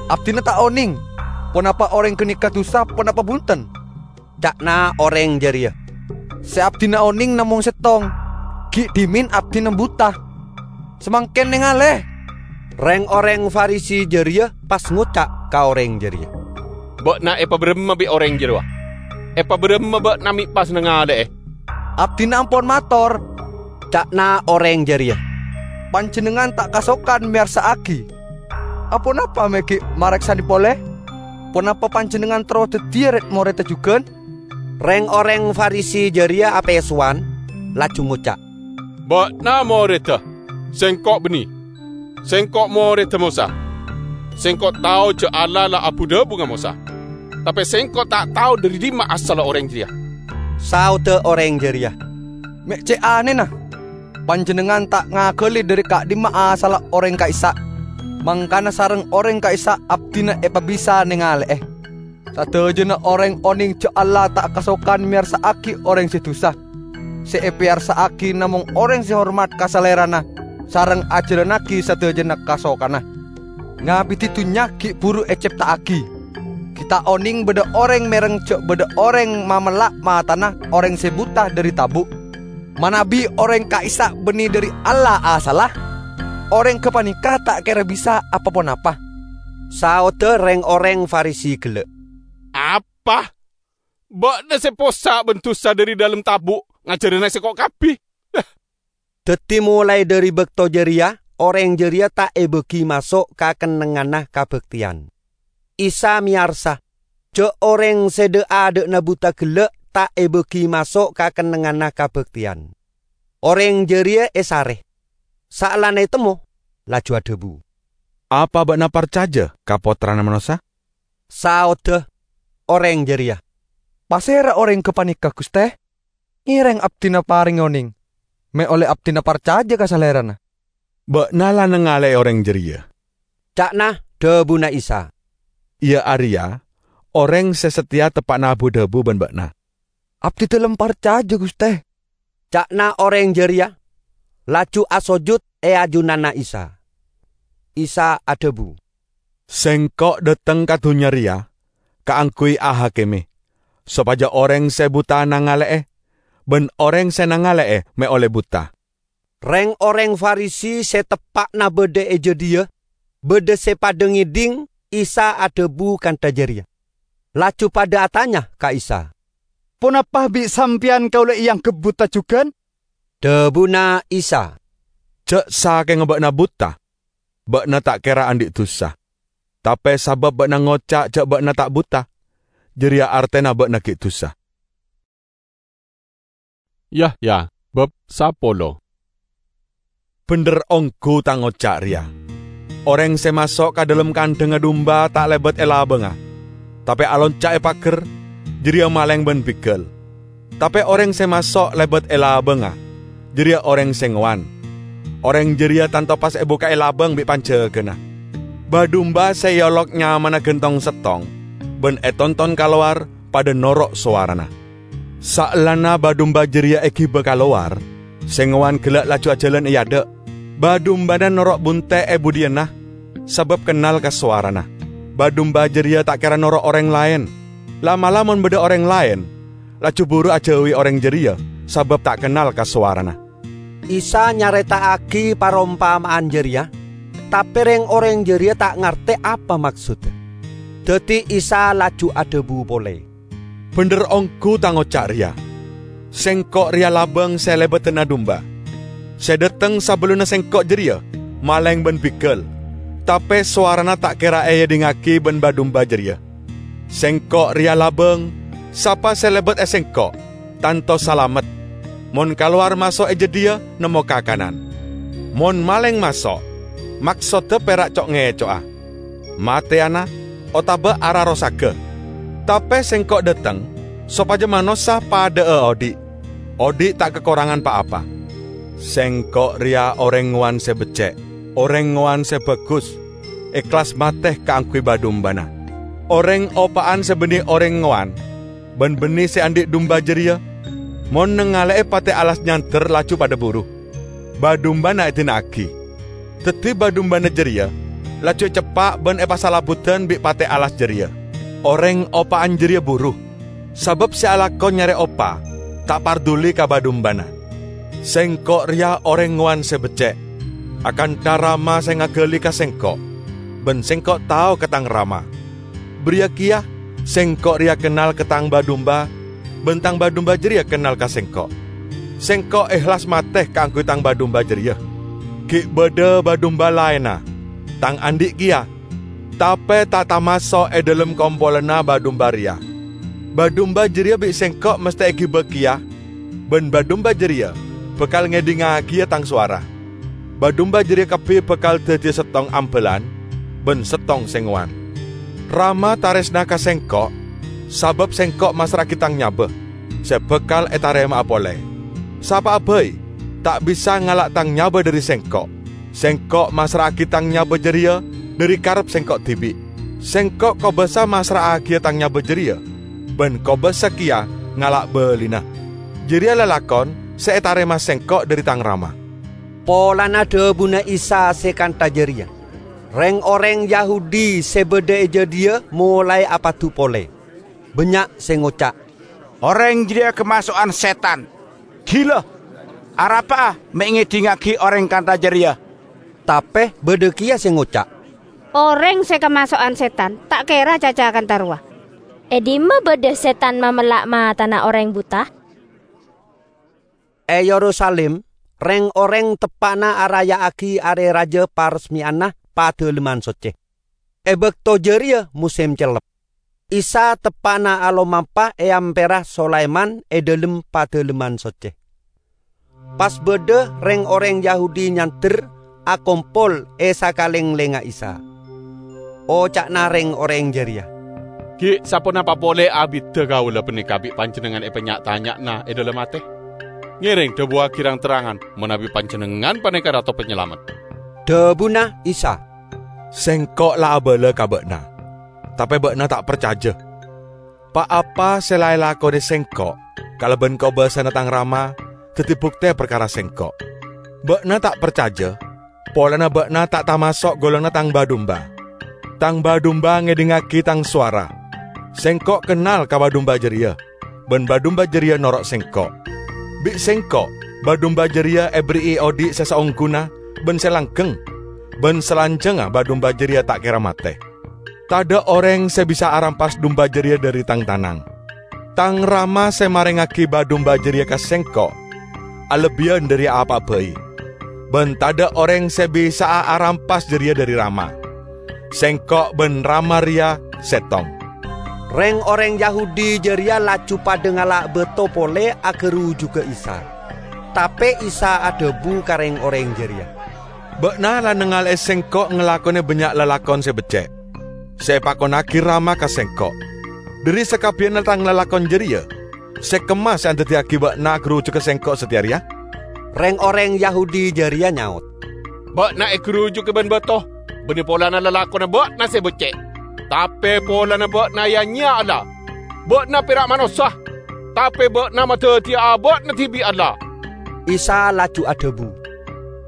Abdina ta' oneng ponapa oreng ganeka dusa ponapa bunten." Ca'na oreng jareya, "Se abdina oneng namong settong, gi' dhimen abdina buta. Samangken nengale!" Reng-oreng Farisi jareya pas ngoca' ka oreng jareya, "Ba'na epabaramma bi' oreng jarowa? Epabaramma ba'na me' pas nangale'e?" "Abdina ampon mator," ca'na oreng jareya, "panjennengngan ta' kasokan meyarsa'agi. Aponapa me' gi' mareksane pole? Ponapa panjennengngan terro daddiya red-moredda jugan?" Reng-oreng Farisi jareya apesowan, laju ngoca', "Ba'na moredda, sengko' banne. Sengko' moredda Mosa. Sengko' tao ja' Allah la abu-dhabu ka Mosa. Tape sengko' ta' tao dhari dimma asalla oreng jareya." Saodda oreng jareya, "Me' ce' anena! Panjennengngan ta' ngagali dhari ka'dimma asalla oreng ka'issa', mangkana sareng oreng ka'issa' abdina epabisa nengale'e. Sadajana oreng oneng ja' Allah ta' kasokan meyarsa'agi oreng se dusa. Se epeyarsa'agi namong oreng se hormat ka Salerana sareng ajalannagi sadajana kasokanna. Ngabidi dunnya gi' buru ecepta'agi. Gi' ta' oneng badha oreng mereng ja' badha oreng mamella' matana oreng se buta dhari tabu'. Manabi oreng ka'issa' banne dhari Allah asalla, oreng gapaneka ta' kera bisa apa-ponapa." Saodda reng-oreng Farisi gella', "Apa? Ba'na se possa' ban dusa dhari dhalem tabu' ngajarana sengko' kabbi?" Daddi molae dhari bakto jareya, oreng jareya ta' ebagi maso' ka kennengnganna kabakteyan. Isa meyarsa ja' oreng se dha'-adha'na buta gella' ta' ebagi maso' ka kennengnganna kabakteyan. Oreng jareya esare. Saellana etemmo, laju adhabu, "Apa ba'na parcaja ka Pottrana Manossa?" Saodda oreng jareya, "Pasera oreng gapaneka, Guste? Ngereng abdina parenge oneng, me' olle abdina parcaja ka Salerana." "Ba'na la nangale'e oreng jareya," ca'na dhabuna Isa, "iya areya oreng se sateya teppa'na abu-dhabu ban ba'na." "Abdidalem parcaja, Guste," ca'na oreng jareya, laju asojud e ajunanna Isa. Isa adhabu, "Sengko' dhateng ka dunnya reya kaangguy ahakime, sopaja oreng se buta nangale'e, ban oreng se nangale'e me' olle buta." Reng-oreng Farisi se teppa'na badha e jadhiya, badha se padha ngedhing Isa adhabu kantha jareya, laju padha atanya ka Isa, "Ponapa bi' Sampeyan kaula eangghep buta jugan?" Dhabuna Isa, "Ja' sakenga ba'na buta, ba'na ta' kera andhi' dusa. Tape sabab ba'na ngoca' ja' ba'na ta' buta, jareya artena ba'na gi' dusa." Yahya, bab sapolo. Bendher onggu tang oca' reya. Oreng se maso' ka dhalem kandhangnga dumba ta' lebat e labangnga, tape alonca' e pager, jareya maleng ban bigal. Tape oreng se maso' lebat e labangnga, jareya oreng se ngowan. Oreng jareya tanto pas ebuka'e labang bi' panjagana. Ba-dumba se eolok nyamana gantong settong ban etonton kalowar padha noro' sowarana. Saellana ba-dumba jareya egiba kalowar, se ngowan gella' laju ajalan e adha'. Ba-dumbana noro' bunte' e budhiyanna, sabab kennal ka sowarana. Ba-dumba jareya ta' kera noro' oreng laen. La'-mala' mon badha oreng laen, laju buru ajauwi oreng jareya, sabab ta' kennal ka sowarana. Isa nyareta'agi parompama'an jareya, tape reng-oreng jareya ta' ngarte apa maksodda. Daddi Isa laju adhabu pole, "Bendher onggu tang oca' reya. Sengko' reya labang se lebaddhana dumba. Se dhateng sabellunna Sengko' jareya maleng ban bigal, tape sowarana ta' kera eedhingngagi ban ba-dumba jareya. Sengko' reya labang, sapa se lebat e Sengko' tanto salamet. Mon kalowar maso' e jadhiya nemmo kakanan. Mon maleng maso', maksodda pera' co'-ngeco'a, mateyana, otaba ararosaga. Tape Sengko' dhateng sopaja manossa padha'a odhi', odhi' ta' kakorangan pa-apa. Sengko' reya oreng ngowan se becce', oreng ngowan se bagus, ehlas mate kaangguy ba-dumbana. Oreng opa'an se banne oreng ngowan ban banne se andhi' dumba jareya, mon nangale'e pate alas nyander laju padha buru. Ba-dumbana edina'agi. Daddi ba-dumbana jareya laju eceppa' ban epasalabudan bi' pate alas jareya. Oreng opa'an jareya buru, sabab se alako nyare opa ta' parduli ka ba-dumbana. Sengko' reya oreng ngowan se becce', akantha Rama se ngagali ka Sengko', ban Sengko' tao ka Tang Rama. Bariya keya Sengko' reya kennal ka Tang ba-dumba, ban Tang ba-dumba jareya kennal ka Sengko'. Sengko' ehlas mate kaangguy Tang ba-dumba jareya. Gi' badha ba-dumba laenna, Tang andhi' keya, tape ta' tamaso' e dhalem kompolanna ba-dumba reya. Ba-dumba jareya bi' Sengko' masthe egiba keya, ban ba-dumba jareya bakal ngedhingagiya Tang sowara. Ba-dumba jareya kabbi bakal daddiya settong ambalan ban settong se ngowan. Rama taresna ka Sengko', sabab Sengko' massra'agi Tang nyaba, se bakal etarema'a pole. Sapa'a bai ta' bisa ngala' Tang nyaba dhari Sengko'. Sengko' massra'agi Tang nyaba jareya dhari karep Sengko' dibi'. Sengko' kobasa massra'agiya Tang nyaba jareya, ban kobasa keya ngala' balina. Jareya lalakon se etarema Sengko' dhari Tang Rama." Polana dhabuna Isa se kantha jareya, reng-oreng Yahudi se badha e jadhiya molae apadu pole. Bannya' se ngoca', "Oreng jareya kamaso'an setan. Gila! Arapa'a me' ngedhingngagi oreng kantha jareya?" Tape badha keya se ngoca', "Oreng se kamaso'an setan ta' kera caca kantha rowa. E dimma badha setan mamella' matana oreng buta?" E Yerusalim, reng-oreng teppa'na araya'agi Are Raja Paresmeyana Padalemman Socce. E bakto jareya mosem cellep. Isa teppa'na alomampa e ampera Sulaiman e dhalem Padalemman Socce. Pas badha reng-oreng Yahudi nyander akompol e sakalenglengnga Isa. Oca'na reng-oreng jareya, "Gi' saponapa pole abidda kaula paneka bi' Panjennengngan epanya'-tanya'ana e dhalem ate? Ngereng dhabuwagi rang-terrangan manabi Panjennengngan paneka Rato Panyalamet." Dhabuna Isa, "Sengko' la abala ka ba'na, tape ba'na ta' parcaja. Pa-apa se la elakone Sengko' kalaban kobasana Tang Rama daddi bukte parkara Sengko'. Ba'na ta' parcaja polana ba'na ta' tamaso' golonganna Tang ba-dumba. "Tang ba-dumba ngedhingngagi Tang sowara. Sengko' kennal ka ba-dumba jareya, ban ba-dumba jareya noro' Sengko'. Bi' Sengko' ba-dumba jareya eberri'i odhi' se saongguna ban se langgeng, ban salanjangnga ba-dumba jareya ta' kera mate. Tadha' oreng se bisa arampas dumba jareya dhari Tang tanang. Tang Rama se marengngagi ba-dumba jareya ka Sengko' alebbiyan dhari apa'a bai, ban tadha' oreng se bisa'a arampas jareya dhari Rama. Sengko' ban Rama reya settong." Reng-oreng Yahudi jareya laju padha ngala' bato pole agarujuga Isa. Tape Isa adhabu ka reng-oreng jareya, "Ba'na la nangale'e Sengko' ngalakone bannya' lalakon se becce', se epakonnagi Rama ka Sengko'. Dhari sakabbiyanna Tang lalakon jareya, se kemma se andaddiyagi ba'na agarujuga Sengko' sateya reya?" Reng-oreng Yahudi jareya nyaot, "Ba'na egarujugi ban bato, banne polana lalakonna ba'na se becce'. Tape polana ba'na ya-nyeya Allah. Ba'na pera' manossa, tape ba'na madaddiya aba'na dibi' Allah." Isa laju adhabu,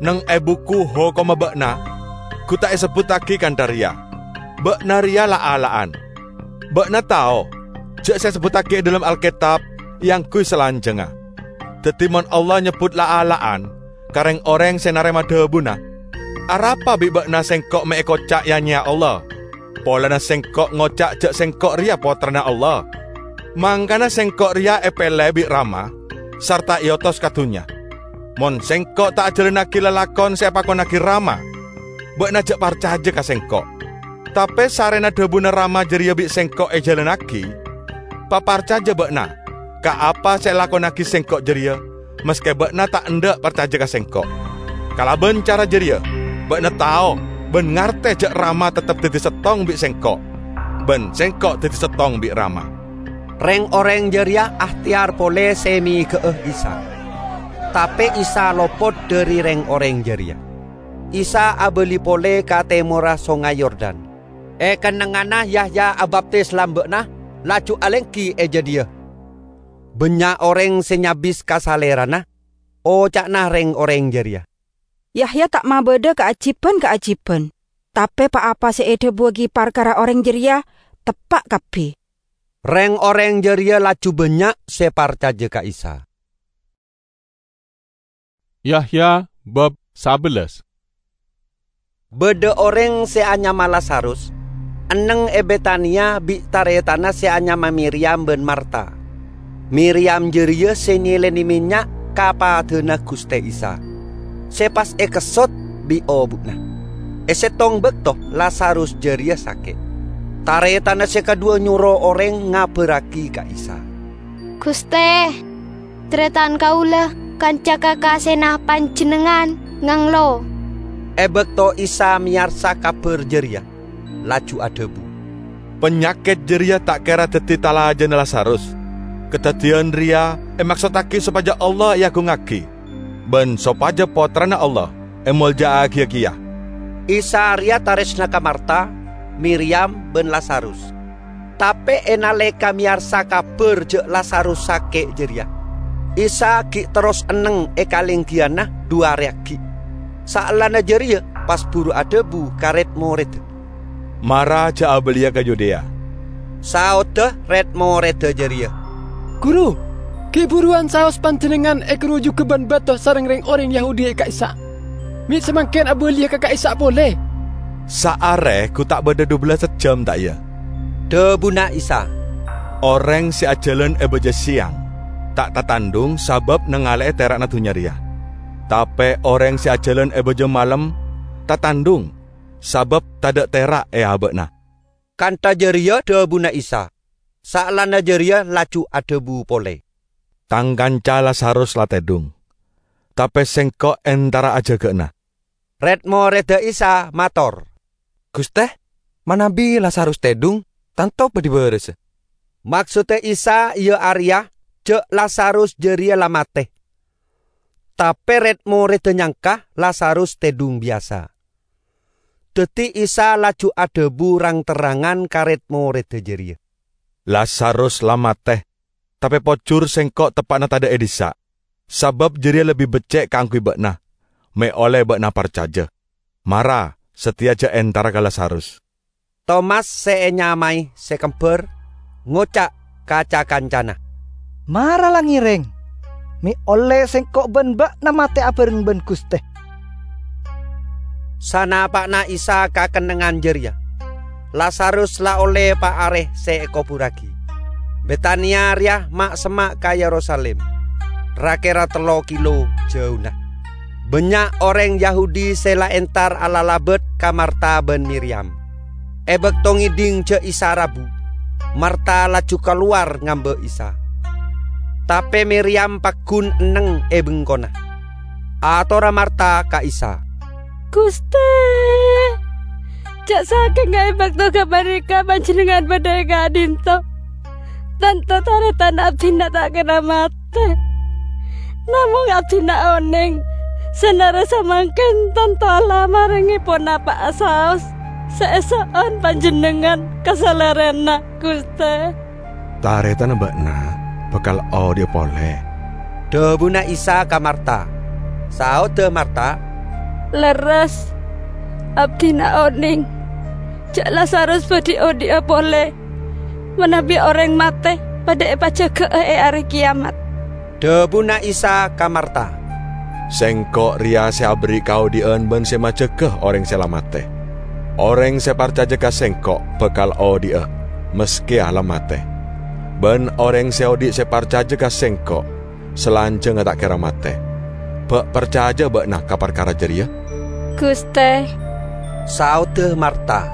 "Neng e buku hokomma ba'na gu ta' esebbuttagi kantha reya, 'Ba'na reya la'-ala'an.' Ba'na tao ja' se esebbuttagi e dhalem Alketab eangguy salanjangnga. Daddi, mon Allah nyebbut la'-ala'an ka reng-oreng se narema dhabuna, arapa bi' ba'na Sengko' me' ekoca' ya-nyeya Allah, polana Sengko' ngoca' ja' Sengko' reya Pottrana Allah? Mangkana Sengko' reya epele bi' Rama sarta eotos ka dunnya. Mon Sengko' ta' ajalannagi lalakon se epakonnagi Rama, ba'na ja' parcaja ka Sengko'. Tape sarrena dhabuna Rama jareya bi' Sengko' ejalannagi, paparcaja ba'na ka apa se elakonnagi Sengko' jareya, maske ba'na ta' endha' parcaja ka Sengko'. Kalaban cara jareya, ba'na tao ban ngarte ja' Rama teptep daddi settong bi' Sengko', ban Sengko' daddi settong bi' Rama." Reng-oreng jareya ahteyar pole se mega'a Isa. Tape Isa lopot dhari reng-oreng jareya. Isa abali pole ka temorra Songay Yordan. E kennengnganna Yahya abaptis lamba'na laju alenggi e jadhiya. Bannya' oreng se nyabis ka Salerana, oca'na reng-oreng jareya, "Yahya ta' mabadha kaajiban-kaajiban, tape pa-apa se edhabuwagi parkara oreng jareya teppa' kabbi." Reng-oreng jareya laju bannya' se parcaja ka Isa. Yahya bab sabellas. Badha oreng se anyama Lazarus, enneng e Betania bi' taretanna se anyama Miryam ban Marta. Miryam jareya se nyelene mennya' ka padana Guste Isa, se pas ekessot bi' obu'na. E settong bakto Lazarus jareya sake'. Taretanna se kadhuwa nyoro oreng ngabarragi ka Isa, "Guste, taretan kaula kanca kakasena panjennengngan nganglo." E bakto Isa meyarsa kabar jareya, laju adhabu, "Panyaket jareya ta' kera daddi talajana Lazarus. Kadaddiyan reya emaksottagi sopaja Allah eagungngagi, ban sopaja Pottrana Allah emolja'agiya keya." Isa reya taresna ka Marta, Miryam, ban Lazarus. Tape e naleka meyarsa kabar ja' Lazarus sake' jareya, Isa gi' terros enneng e kalenggiyanna dhu are aggi'. Saellana jareya pas buru adhabu ka red-moredda, "Mara ja' abaliya ka Yudea." Saodda red-moredda jareya, "Guru, gi' buruwan saos panjennengngan egarujuga ban bato sareng reng-oreng Yahudi e ka'issa'. Me' samangken abaliya ka ka'issa' pole." "Saare gu ta' badha dubellassa jam, ta' iya?" dhabuna Isa. "Oreng se ajalan e baja seyang ta' tatandhung sabab nangale'e tera'na dunnya reya. Tape oreng se ajalan e baja malem tatandhung sabab tadha' tera' e aba'na." Kantha jareya dhabuna Isa. Saellana jareya laju adhabu pole, "Tang kanca Lazarus la tedhung, tape Sengko' entara ajaga'na." Red-moredda Isa mator, "Guste, manabi Lazarus tedhung, tanto badhi barasa." Maksodda Isa iya areya ja' Lazarus jareya la mate. Tape red-moredda nyangka Lazarus tedhung biyasa. Daddi Isa laju adhabu rang-terrangan ka red-moredda jareya, "Lazarus la mate, tape pojur Sengko' teppa'na tadha' e dissa', sabab jareya lebbi becce' kaangguy ba'na, me' olle ba'na parcaja. Mara, sateya ja' entara ka Lazarus." Tomas sè ènyamaè Sè Kembhâr ngoca' ka ca-kancana, "Mara la ngèrèng, mè' ollè sèngko' bân bâ'na matè abhâreng bân Ghustè." Sanapa'na Isa ka kennengngan jârèya, Lazarus la ollè pa' arè sè èkoburraghi. Betania rèya ma'-semma' ka Yerusalim, ra-kèra tello kilo jâuna. Bânnya' orèng Yahudi sè la entar alalabât ka Marta bân Miriyam. È bâkto ngèdhing jhâ' Isa rabu, Marta laju kalowar ngambâ' Isa. Tapè Miriyam paggun enneng è bengkona. Atorra Marta ka Isa, "Ghustè, jhâ' sakènga è bâkto ghâpanèka Panjhennengngan bâdâ è ka'dhinto, tanto tarètan abdhina ta' kèra matè. Namong abdhina onèng, sanare samangken tanto Allah marenge ponapa'a saos se eso'on panjennengngan ka salerana, Guste." "Taretanna ba'na bakal odhi'a pole," dhabuna Isa ka Marta. Saodda Marta, "Lerres, abdina oneng ja' Lazarus badhi odhi'a pole, manabi oreng mate padha epajaga'a e Are Keyamat." Dhabuna Isa ka Marta, "Sengko' reya se aberri' kaodhi'an ban se majaga oreng se la mate. Oreng se parcaja ka Sengko' bakal odhi'a, maske la mate. Ban oreng se odhi' se parcaja ka Sengko' salanjangnga ta' kera mate. Ba' parcaja ba'na ka parkara jareya?" "Guste," saodda Marta,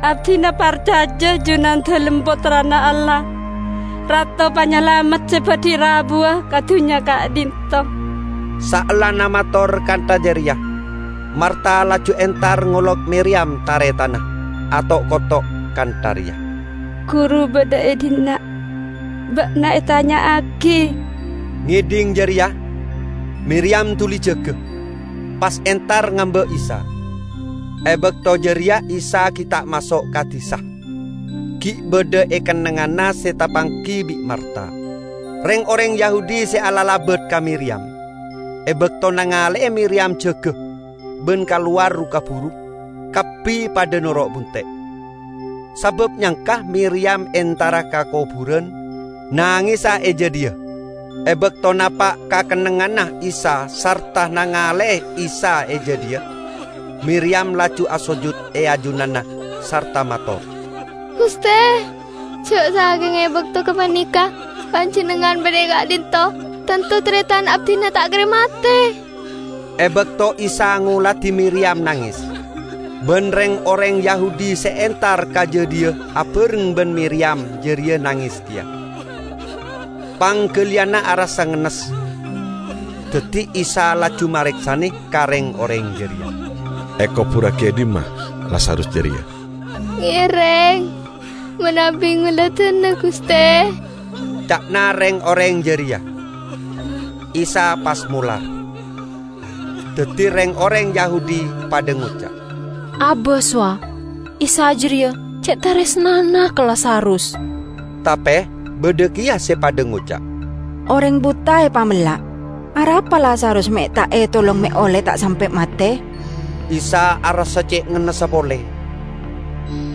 "abdina parcaja Junandalem Pottrana Allah, Rato Panyalamet se badhi rabuwa ka dunnya ka'dhinto." Saellana mator kantha jareya, Marta laju entar ngolok Miriyam taretanna, ato'-koto' kantha reya, "Guru badha e dhinna'. Ba'na etanya'agi." Ngedhing jareya, Miriyam duli jaga, pas entar ngamba' Isa. E bakto jareya Isa gi' ta' maso' ka disa. Gi' badha e kennengnganna se tapanggi bi' Marta. Reng-oreng Yahudi se alalabat ka Miriyam, e bakto nangale'e Miriyam jaga, ban kalowar ru-kaburu, kabbi padha noro' bunte'. Sabab nyangka Miriyam entara ka koburan, nangesa e jadhiya. E bakto napa' ka kennengnganna Isa sarta nangale'e Isa e jadhiya, Miriyam laju asojud e ajunanna sarta mator, "Guste, ja' sakenga e bakto gapaneka Panjennengngan badha e ka'dhinto, tanto taretan abdina ta' kera mate." E bakto Isa ngoladi Miriyam nanges, ban reng-oreng Yahudi se entar ka jadhiya abareng ban Miriyam jareya nanges keya. Panggaliyanna arassa ngennes, daddi Isa laju mareksane ka reng-oreng jareya, "Ekoburragi e dhimma Lazarus jareya?" "Ngereng, manabi ngoladana, Guste," ca'na reng-oreng jareya. Isa pas molar. Daddi reng-oreng Yahudi padha ngoca', "Abas, wa, Isa jareya ce' taresnana ka Lazarus." Tape badha keya se padha ngoca', "Oreng buta epamella'. Arapa Lazarus me' ta' etolong me' olle ta' sampe' mate?" Isa arassa ce' ngennessa pole,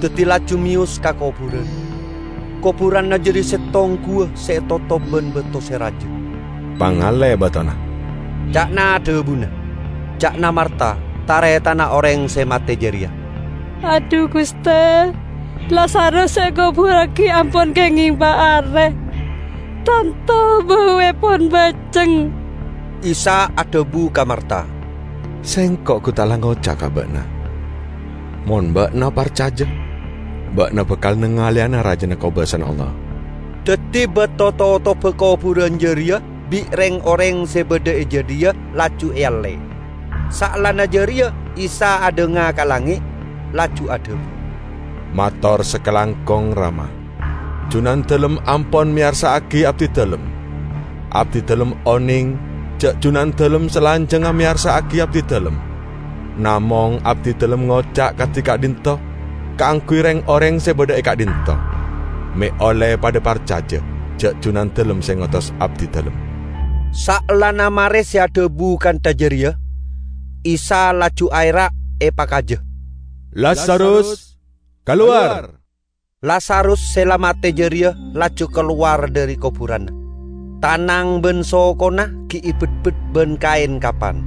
daddi laju meyos ka koburan. Koburanna jareya settong guwa se etotop ban bato se raja. "Pangale batona," ca'na dhabuna, ca'na Marta, taretanna oreng se mate jareya. "Adhu, Guste, Lazarus se ekoburragi ampon kengeng pa' are. Tanto bauepon baceng." Isa adhabu ka Marta, "Sengko' gu ta' la ngoca' ka ba'na. Mon ba'na parcaja, ba'na bakal nangaleyana Rajana kobasana Allah." Daddi bato totoba koburan jareya bi' reng-oreng se badha e jadhiya laju ealle. Saellana jareya Isa adhanga ka langnge', laju adhabu, "Mator sakalangkong, Rama. Junandalem ampon meyarsa'agi abdidalem. Abdidalem oneng ja' Junandalem salanjangnga meyarsa'agi abdidalem. Namong abdidalem ngoca' kadi ka'dhinto kaangguy reng-oreng se badha e ka'dhinto, me' olle padha parcaja ja' Junandalem se ngotos abdidalem." Saellana mare se adhabu kantha jareya, Isa laju aera' epakaja, "Lazarus, "Kalowar!" Lazarus se la mate jareya laju kalowar dhari koburanna. Tanang ban sokona gi' ebetbet ban kaen kapan.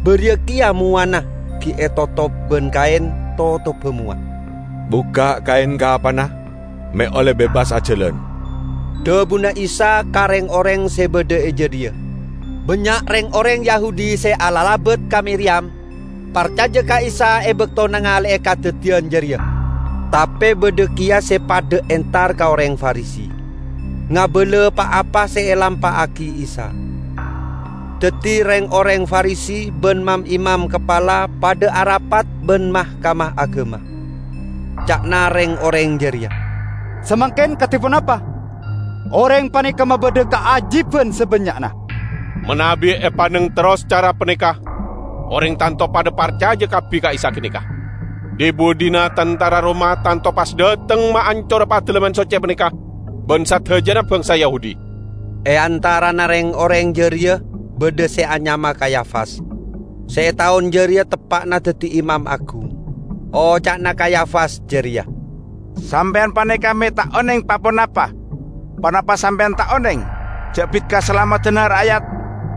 Bariya keya mowana gi' etotop ban kaen totobba mowa. "Bukka' kaen kapanna, me' olle bebas ajalan," dhabuna Isa ka reng-oreng se badha e jadhiya. Bannya' reng-oreng Yahudi se alalabat ka Miriyam parcaja ka Isa e bakto nangale'e kadaddiyan jareya. Tape badha keya se padha entar ka oreng Farisi, ngabala pa-apa se elampa'agi Isa. Daddi reng-oreng Farisi ban mam-imam kapala padha arapat ban Mahkamah Agama. Ca'na reng-oreng jareya, "Samangken kadi ponapa? Oreng paneka mabadha kaajiban sabannya'na. Manabi epaneng terros cara paneka, oreng tanto padha parcaja kabbi ka Isa ganeka. Dhi-budhina tantara Roma tanto pas dhateng maancora Padalemman Socce paneka ban sadajana bangsa Yahudi." E antarana reng-oreng jareya badha se anyama Kayafas, se e taon jareya teppa'na daddi imam agung. Oca'na Kayafas jareya, "Sampeyan paneka me' ta' oneng pa-ponapa. Ponapa sampeyan ta' oneng ja' bit kasalameddhânna ra'yat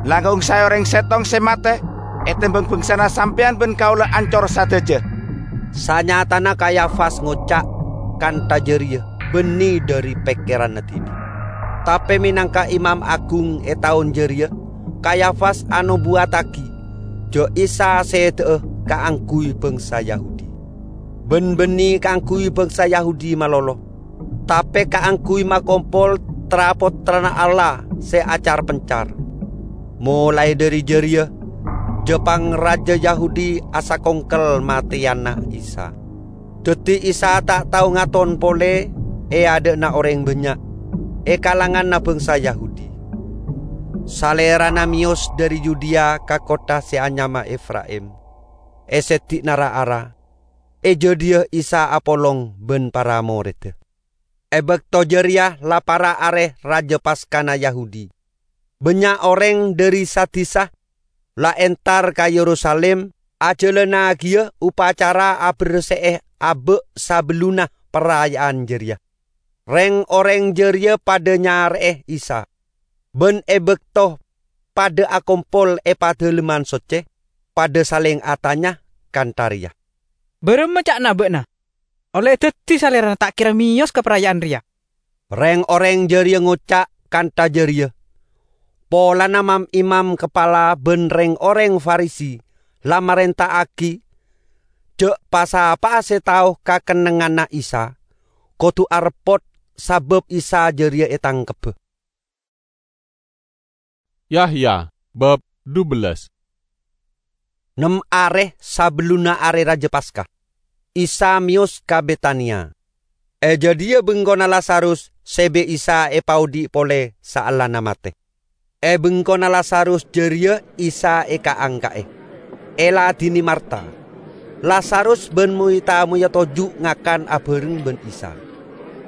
langkong sae oreng settong se mate etembang bangsana sampeyan ban kaula ancor sadaja?" Sanyatana Kayafas ngoca' kantha jareya banne dhari pekkeranna dibi'. Tape menangka imam agung e taon jareya, Kayafas anobuwattagi ja' Isa seda'a kaangguy bangsa Yahudi. Ban banne kaangguy bangsa Yahudi malolo, tape kaangguy makompol tra-pottrana Allah se acar-pencar. Molae dhari jareya, ja-pangraja Yahudi asakongkel mateyana Isa. Daddi Isa ta' tao ngaton pole e adha'na oreng bannya' e kalanganna bangsa Yahudi. Salerana meyos dhari Yudea ka kottha se anyama Efraim, e seddi'na ra-ara, e jadhiya Isa apolong ban para moredda. E bakto jareya la para' are Raja Paskana Yahudi. Bannya' oreng dhari sa-disa la entar ka Yerusalim ajalannagiya upacara aberse'e aba' sabellunna paraya'an jareya. Reng-oreng jareya padha nyare'e Isa, ban e bakto padha akompol e Padalemman Socce, padha saleng atanya kantha reya, "Baramma ca'na ba'na? Olle daddi Salerana ta' kera meyos ka paraya'an reya?" Reng-oreng jareya ngoca' kantha jareya polana mam-imam kapala ban reng-oreng Farisi la marenta'agi ja' pa-sapa'a se tao ka kennengnganna Isa kodu areppot sabab Isa jareya etangkebba. Yahya, bab dubellas. Nem are sabellunna Are Raja Paska, Isa meyos ka Betania. E jadhiya bengkona Lazarus se bi' Isa epaodhi' pole saellana mate. E bengkona Lazarus jareya Isa ekaangka'e, eladine Marta. Lazarus ban moy-tamoyya toju' ngakan abareng ban Isa.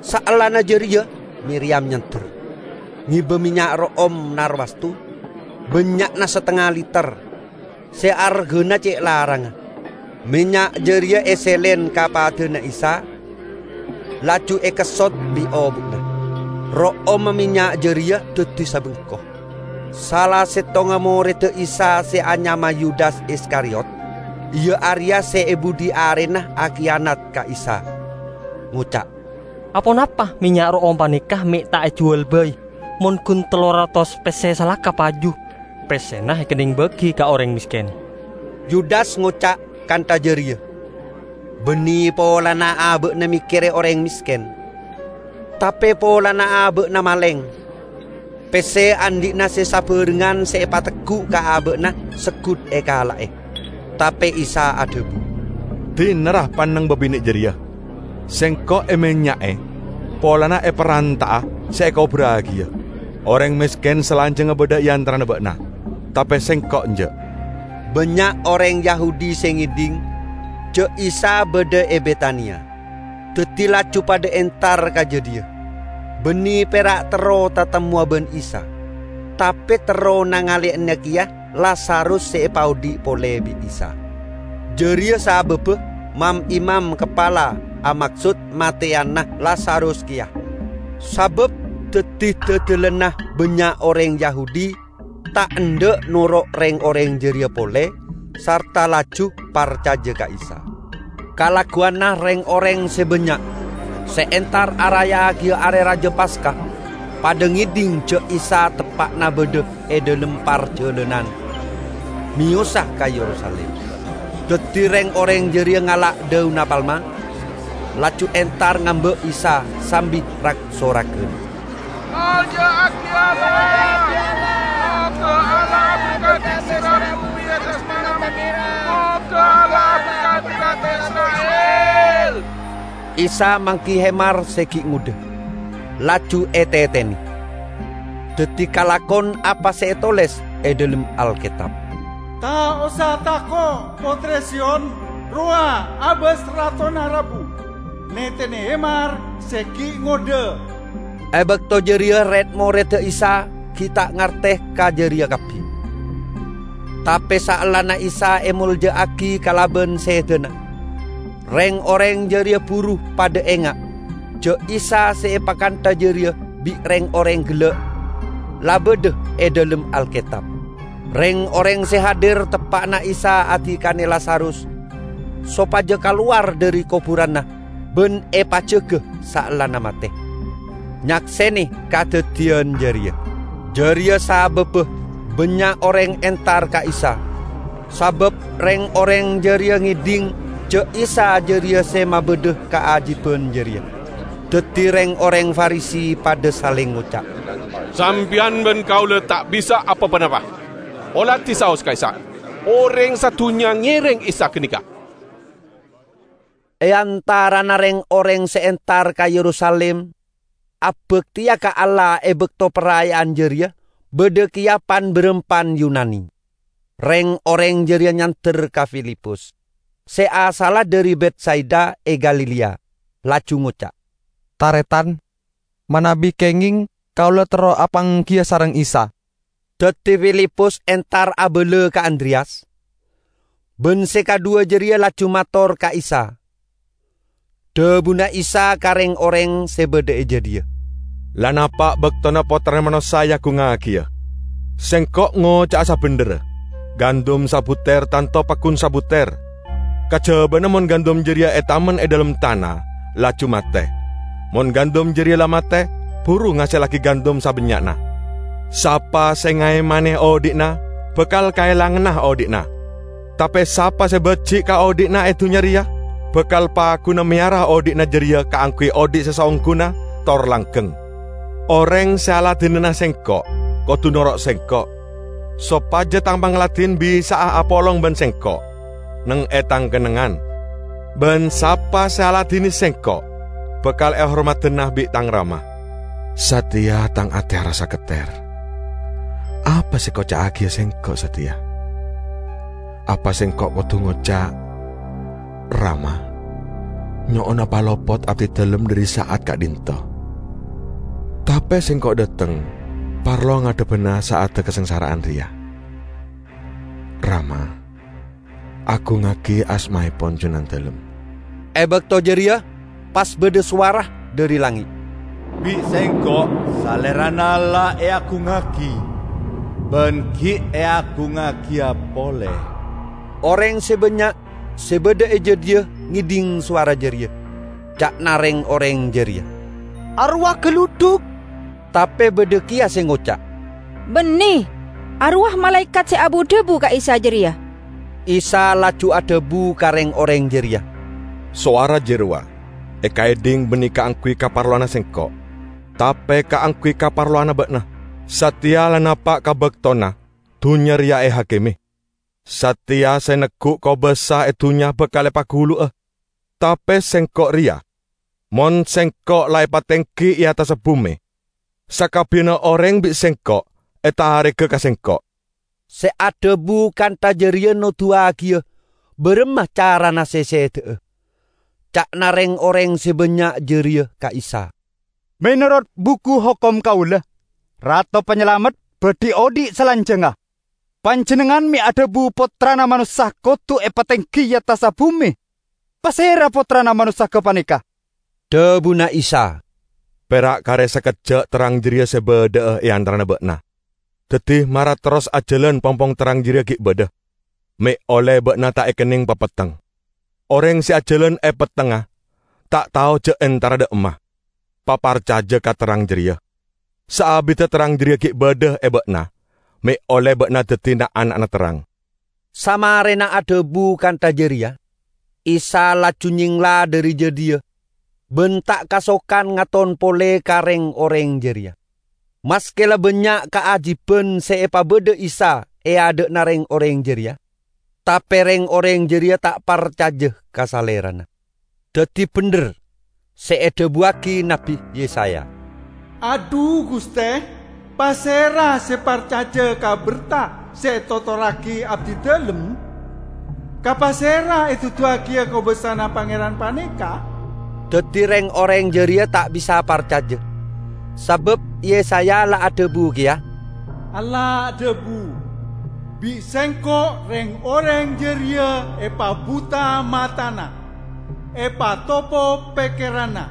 Saellana jareya Miriyam nyander, ngeba mennya' ro'om narwastu, bannya'na satengnga liter, se argana ce' larangnga. Mennya' jareya eselen ka padana Isa, laju ekessot bi' obu'na. Ro'omma mennya' jareya daddi sabengko. Sala settonga moredda Isa se anyama Yudas Iskariot, iya areya se e budhi arena akiyanat ka Isa, ngoca', "Aponapa mennya' ro'om paneka me' ta' ejuwal bai mon gun tello ratos pesse salaka paju? Pessena ekennengbagi ka oreng mesken." Yudas ngoca' kantha jareya, banne polana aba'na mekkere oreng mesken, tape polana aba'na maleng. Pesse andhi'na se sabarengngan se epateggu' ka aba'na seggut ekala'e. Tape Isa adhabu, "Dinarra panneng babine' jareya? Sengko' emennya'e polana eparanta'a se ekoburragiya. Oreng mesken salanjangnga badha e antarana ba'na, tape Sengko' enja'." Bannya' oreng Yahudi se ngedhing ja' Isa badha e Betania, daddi laju padha entar ka jadhiya, banne pera' terro tatemmowa ban Isa, tape terro nangale'ana keya Lazarus se epaodhi' pole bi' Isa. Jareya sababba mam-imam kapala amaksod mateyana Lazarus keya. Sabab dhaddi dadalanna bannya' oreng Yahudi ta' endha' noro' reng-oreng jareya pole, sarta laju parcaja ka Isa. Kalagguwanna reng-oreng se bannya' se entar arayaagiyâ Are Raja Paska, padha ngedhing ja' Isa teppa'na badha e dhalem parjalanan meyosa ka Yerusalim. Daddi reng-oreng jareya ngala' daunna palma, laju entar ngamba' Isa sambi rag-soragan, "Alja'agi Allah! Moga Allah aberkati sera bumi e attas manamen. Moga Allah aberkati Isra'il!" Isa manggi hemar se gi' ngodha, laju etetene. Daddi kalakon apa se etoles e dhalem Alketab, "Ta' osa tako', Potre Sion! Rowa abas Ratona rabu. Netene hemar se gi' ngodha." E bakto jareya red-moredda Isa gi' ta' ngarte ka jareya kabbi. Tape saellana Isa emolja'agi kalaban sedana, reng-oreng jareya buru padha enga' ja' Isa se epakantha jareya bi' reng-oreng gella' la badha e dhalem Alketab. Reng-oreng se hadir teppa'na Isa adikane Lazarus sopaja kalowar dhari koburanna ban epajaga saellana mate, nyaksene kadaddiyan jareya. Jareya sababba bannya' oreng entar ka Isa, sabab reng-oreng jareya ngedhing ja' Isa jareya se mabadha kaajiban jareya. Daddi reng-oreng Farisi padha saleng ngoca', "Sampeyan ban kaula ta' bisa apa-ponapa. Oladi saos ka'issa', oreng sadunnya ngereng Isa ganeka." E antarana reng-oreng se entar ka Yerusalim abakteya ka Allah e bakto paraya'an jareya, badha keya pan-barampan Yunani. Reng-oreng jareya nyander ka Filipus, se asalla dhari Betsaida e Galilea, laju ngoca', "Taretan, manabi kengeng kaula terro apanggiya sareng Isa." Daddi Filipus entar abala ka Andreyas, ban se kadhuwa jareya laju mator ka Isa. Dhabuna Isa ka reng-oreng se badha e jadhiya, "La napa' baktona Pottrana Manossa eagungngagiya. Sengko' ngoca'a sabendherra, gandum sabuter tanto paggun sabuter. Kajabana mon gandum jareya etamen e dhalem tana, laju mate. Mon gandum jareya la mate, buru ngasellagi gandum sabannya'na. Sapa se ngaemane odhi'na, bakal kaelanganna odhi'na. Tape sapa se baji' ka odhi'na e dunnya reya, bakal pagguna meyara odhi'na jareya kaangguy odhi' se saongguna tor langgeng. Oreng se aladinana Sengko' kodu noro' Sengko', sopaja Tang pangladin bisa'a apolong ban Sengko' neng e Tang kennengngan. Ban sapa se aladine Sengko' bakal ehormadana bi' Tang Rama." "Sateya Tang ate arassa ketter. Apa se ekoca'agiya Sengko' sateya? Apa Sengko' kodu ngoca', 'Rama, nyo'ona palopot abdidalem dhari sa'at ka'dhinto''? Tape Sengko' dhateng parlo ngadhebbana sa'adda kasangsara'an reya. 'Rama, agungngagi asmaepon Junandalem.' E bakto jareya pas badha sowara dhari langnge', "Bi' Sengko' Salerana la eagungngagi, ban gi' eagungngagiyâ pole." Oreng se bannya' se badha e jadhiya ngedhing sowara jareya. Ca'na reng-oreng jareya, "Arowa galudhuk!" Tape badha keya se ngoca', "Banne, arowa malaekat se abu-dhabu ka Isa jareya." Isa laju adhabu ka reng-oreng jareya, "Sowara jarowa ekaedhing banne kaangguy kaparlowanna Sengko', tape kaangguy kaparlowanna ba'na. Sateya la napa' ka baktona dunnya reya ehakime. Sateya se neggu' kobasa e dunnya bakal epagulu'a. Tape Sengko' reya, mon Sengko' la epatenggi e attassa bume, sakabbiyanna oreng bi' Sengko' etarega ka Sengko'." Se adhabu kantha jareya noduwagiya baramma carana se seda'a. Ca'na reng-oreng se bannya' jareya ka Isa, "Menorot buku hokom kaula, Rato Panyalamet badhi odhi' salanjangnga. Panjennengngan me' adhabu Pottrana Manossa kodu epatenggi e attassa bume. "Pasèra Pottrana Manossa gapanèka?" Dhâbuna Isa, "Pèra' karè sakejjhâ' terrang jârèya sè bâdâ'â è antarana bâ'na. Dhâddhi, mara terros ajhâlân pong-pong terrang jârèya ghi' bâdâ, mè' ollè bâ'na ta' èkennèng papetteng. Orèng sè ajhâlân è pettengnga ta' tao jhâ' entara dâ' emma. Paparcajâ ka terrang jârèya. Saabiddhâ terrang jârèya ghi' bâdâ è bâ'na, mè' ollè bâ'na dhâddhi na'-ana'na terrang." Samarèna adhâbu kantha jârèya, Isa laju nyèngla dhâri jâdiyâ, bân ta' kasokan ngaton polè ka rèng-orèng jârèya. Maskè la bânnya' kaajiban sè èpabâdâ Isa è adâ'na rèng-orèng jârèya, tapè rèng-orèng jârèya ta' parcajâ ka Salèrana. Dhâddhi bhendher sè èdhâbuwâghi Nabbhi Yesaya, "Adhu, Ghustè, pasèra sè parcajâ ka berta sè ètotorraghi abdhi dhâlem? Ka pasèra èduduwâghiyâ kobâsana Pangèran panèka?" Dhâddhi rèng-orèng jârèya ta' bisa parcajâ, sabâb Yesaya la adhâbu kèya, "Allah adhâbu, 'Bi' Sèngko' rèng-orèng jârèya èpabhuta matana, èpatopo pèkkèranna,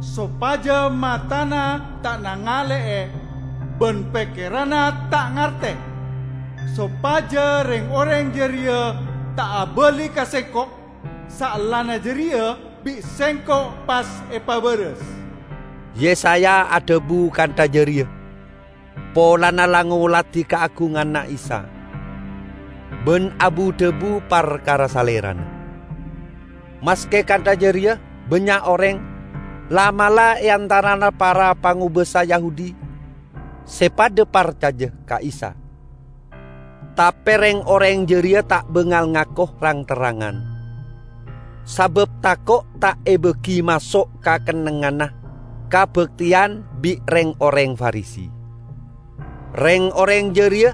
sopajâ matana ta' nangalè'è, bân pèkkèranna ta' ngartè, sopajâ rèng-orèng jârèya ta' abâli ka Sèngko'. Saellana jârèya bi' Sèngko' pas èpabârâs.'" Yesaya adhâbu kantha jârèya polana la ngoladhi kaagunganna Isa, bân abu-dhâbu parkara Salèrana. Maskè kantha jârèya, bânnya' orèng, la'-mala' è antarana para pangobâsa Yahudi, sè padâ parcajâ ka Isa. Tapè rèng-orèng jârèya ta' bângal ngako rang-terrangan, sabâb tako' ta' èbâghi maso' ka kennengnganna kabhâktèyan bi' rèng-orèng Farisi. Rèng-orèng jârèya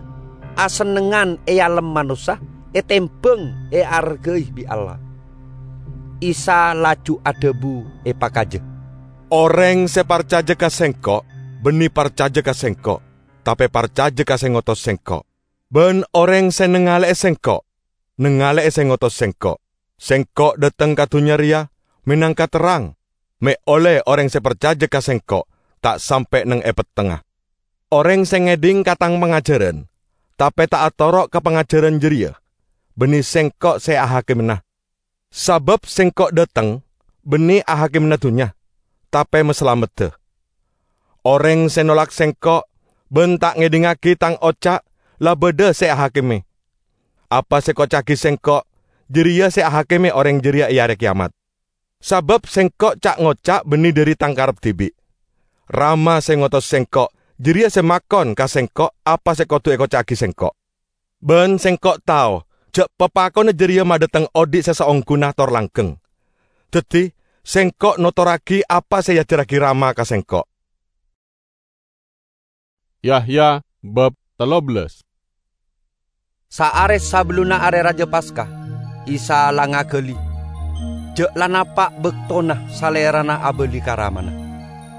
asennengngan èalem manossa, ètèmbhâng èarghâi bi' Allah. Isa laju adhâbu èpakajâ, "Orèng sè parcajâ ka Sèngko' bânnè parcajâ ka Sèngko', tapè parcajâ ka sè ngotos Sèngko'. Bân orèng sè nangalè'è Sèngko', nangalè'è sè ngotos Sèngko'. Sèngko' dâteng ka dhunnya rèya mènangka terrang, mè' ollè orèng sè parcajâ ka Sèngko' ta' sampè' neng è pettengnga. Orèng sè ngèdhing ka Tang pangajhârân, tapè ta' atoro' ka pangajhârân jârèya, bânnè Sèngko' sè ahakimana. Sabâb Sèngko' dâteng bânnè ahakimana dhunnya, tapè masalameddhâ. Orèng sè nolak Sèngko' bân ta' ngèdhingngaghi Tang oca' la bâdâ sè ahakimè. Apa sè èkoca'aghi Sèngko', jârèya sè ahakimè orèng jârèya è Arè Kèyamat. Sabâb Sèngko' ca'-ngoca' bânnè dhâri Tang karep dhibi'. Rama sè ngotos Sèngko', jârèya sè makon ka Sèngko' apa sè kodhu èkoca'aghi Sèngko'. Bân Sèngko' tao jhâ' papakonna jârèya madâteng odi' sè saongghuna tor langghâng. Dhâddhi, Sèngko' notorraghi apa sè èajhârraghi Rama ka Sèngko'." Yahya bab tello bellas. Saarè sabellunna Arè Rajâ Paska, Isa la ngaghâli, jhâ' la napa' bâktona Salèrana abâli ka Ramana.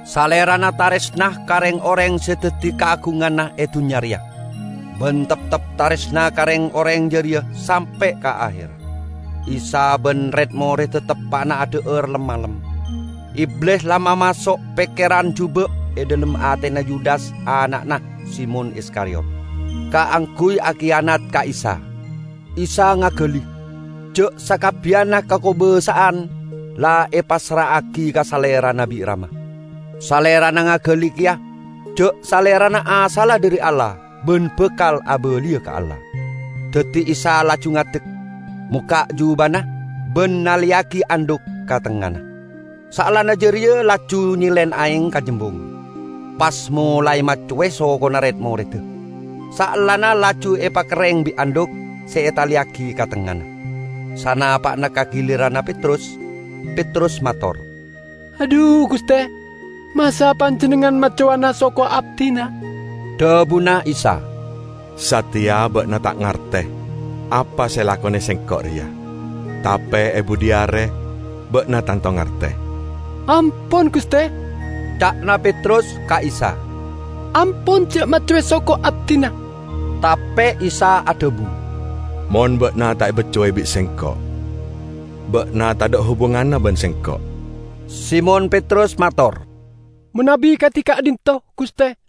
Salèrana tarèsna ka rèng-orèng sè dhâddhi kaagunganna è dhunnya rèya, bân teptep tarèsna ka rèng-orèng jârèya sampè' ka aher. Isa bân rèd-morèdda teppa'na adhâ'âr lem-malem. Iblis la mamaso' pèkkèran jhubâ' è dhâlem atèna Yudas, ana'na Simon Iskariot, kaangghuy akiyanat ka Isa. Isa ngaghâli, jhâ' sakabbhiyânna kakobâsa'an la èpassra'aghi ka Salèrana bi' Rama. Salèrana ngaghâli kèya jhâ' Salèrana asalla dhâri Allah bân bhâkal abâliyâ ka Allah. Dhâddhi Isa laju ngadek, mokka' jhubâna, bân nalèyaghi andhuk ka tengngana. Saellana jârèya laju nyèlèn aèng ka jembung, pas molaè maccowè sokona rèd-morèdda. Saellana laju èpakerrèng bi' andhuk sè ètalèyaghi ka tengngana. Sanapa'na ka ghiliranna Petrus, Petrus mator, "Adhu, Ghustè, masa Panjhennengngan maccowana soko abdhina?" Dhâbuna Isa, "Satèya bâ'na ta' ngartè apa sè èlakonè Sèngko' rèya, tapè è budi arè bâ'na tanto ngartè." "Ampon, Ghustè," ca'na Petrus ka Isa. "Ampon, jhâ' maccowè soko abdhina." Tapè Isa adhâbu, "Mon bâ'na ta' èbaccowè bi' Sèngko', ba'na tadha' hubunganna ban Sengko'." Simon Petrus mator, "Manabi kadi ka'dhinto, Guste,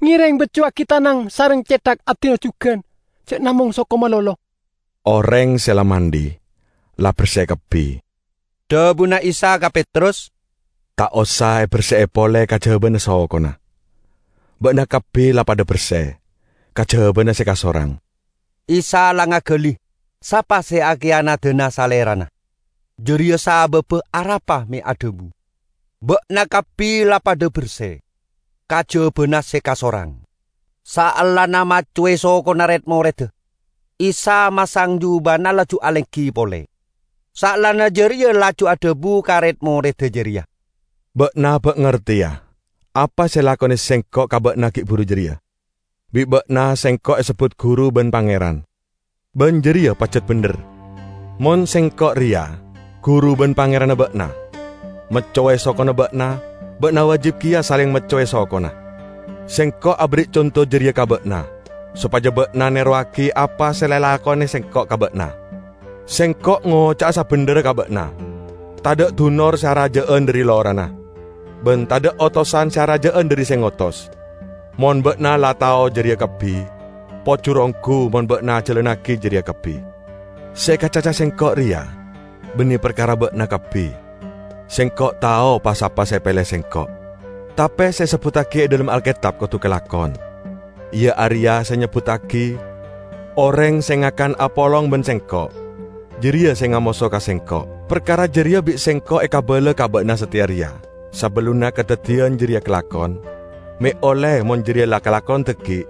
ngereng beccuwagi tanang sareng cethak abdina jugan, ja' namong soko malolo." Oreng se la mandi, la berse kabbi. Dhabuna Isa ka Petrus, "Ta' osa eberse'e pole kajabana sokona. Ba'na kabbi la padha berse, kajabana se kasorang." Isa la ngagali sapa se akiyanadana Salerana. Jareya sababba arapa me' adhabu, "Ba'na kabbi la padha berse, kajabana se kasorang." Saellana maccowe sokona red-moredda, Isa masang jubana laju alenggi pole. Saellana jareya laju adhabu ka red-moredda jareya, "Ba'na ba' ngarteya apa se elakone Sengko' ka ba'na gi' buru jareya. Bi' ba'na Sengko' esebbut Guru ban Pangeran, ban jareya pajat bendher. Mon Sengko' reya Guru ban Pangeranna ba'na, maccowe sokona ba'na, ba'na wajib keya saleng maccowe sokona. Sengko' aberri' conto jareya ka ba'na, sopaja ba'na nerowagi apa se la elakone Sengko' ka ba'na. Sengko' ngoca'a sabendherra ka ba'na: Tadha' dunor se araja'an dhari lorana, ban tadha' otosan se araja'an dhari se ngotos. Mon ba'na la tao jareya kabbi, pojur onggu mon ba'na ajalannagi jareya kabbi. Se ekacaca Sengko' reya banne parkara ba'na kabbi. Sengko' tao pa-sapa se epele Sengko'. Tape se esebbuttagi e dhalem Alketab kodu kalakon, iya areya se nyebbuttagi, 'Oreng se ngakan apolong ban Sengko', jareya se ngamoso ka Sengko'.' Parkara jareya bi' Sengko' ekabala ka ba'na sateya reya, sabellunna kadaddiyan jareya kalakon, me' olle mon jareya la kalakon dhaggi',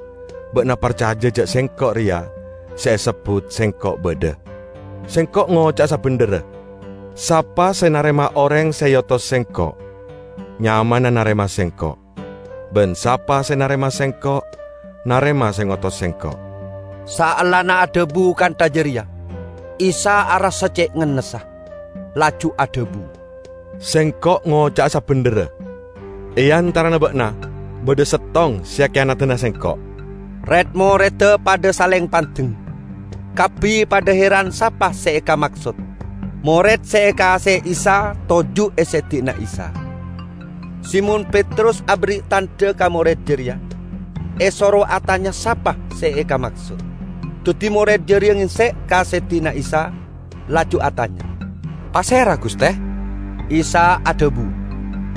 ba'na parcaja ja' Sengko' reya se esebbut Sengko' badha. Sengko' ngoca'a sabendherra: Sapa se narema oreng se eotos Sengko', nyamana narema Sengko'. Ban sapa se narema Sengko', narema se ngotos Sengko'." Saellana adhabu kantha jareya, Isa arassa ce' ngennessa, laju adhabu, "Sengko' ngoca'a sabendherra: E antarana ba'na badha settong se akiyanadana Sengko'." Red-moredda padha saleng pandeng. Kabbi padha heran sapa se ekamaksod. Mored se ekaase'e Isa toju' e seddi'na Isa. Simon Petrus aberri' tandha ka mored jareya, esoro atanya sapa se ekamaksod. Daddi mored jareya ngengse' ka seddi'na Isa, laju atanya, "Pasera, Guste?" Isa adhabu,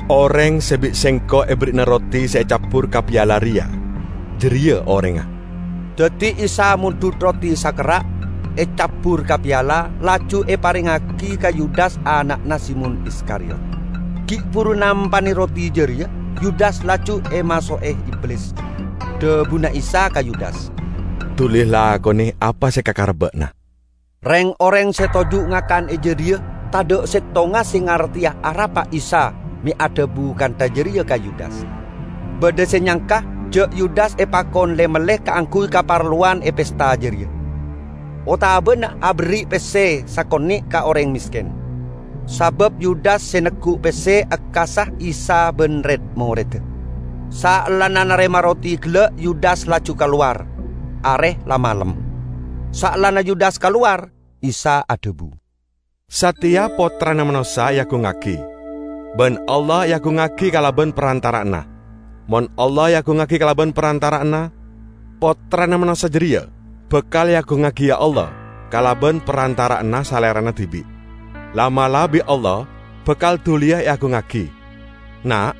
"Oreng se bi' Sengko' eberri'ana roti se ecabbur ka piala reya, jareya orengnga." Daddi Isa mondhut roti sakerra', ecabbur ka piala, laju eparengngagi ka Yudas ana'na Simon Iskariot. Gi' buru nampane roti jareya, Yudas laju emaso'e Iblis. Dhabuna Isa ka Yudas, "Duli lakone apa se ekakara ba'na." Reng-oreng se toju' ngakan e jadhiya tadha' settonga se ngarteya arapa Isa me' adhabu kantha jareya ka Yudas. Badha se nyangka ja' Yudas epakon le-melle kaangguy kaparlowan e pesta jareya, otabana aberri' pesse sakone' ka oreng mesken. Sabab Yudas se neggu' pesse akkasa Isa ban red-moredda. Saellana narema roti gella', Yudas laju kalowar. Are la malem. Saellana Yudas kalowar, Isa adhabu, "Sateya Pottrana Manossa eagungngagi, ban Allah eagungngagi kalaban parantara'anna. Mon Allah eagungngagi kalaban parantara'anna, Pottrana Manossa jareya bakal eagungngagi, ya Allah, kalaban parantara'anna Salerana dibi'. La'-mala' bi' Allah bakal duliya eagungngagi. Na',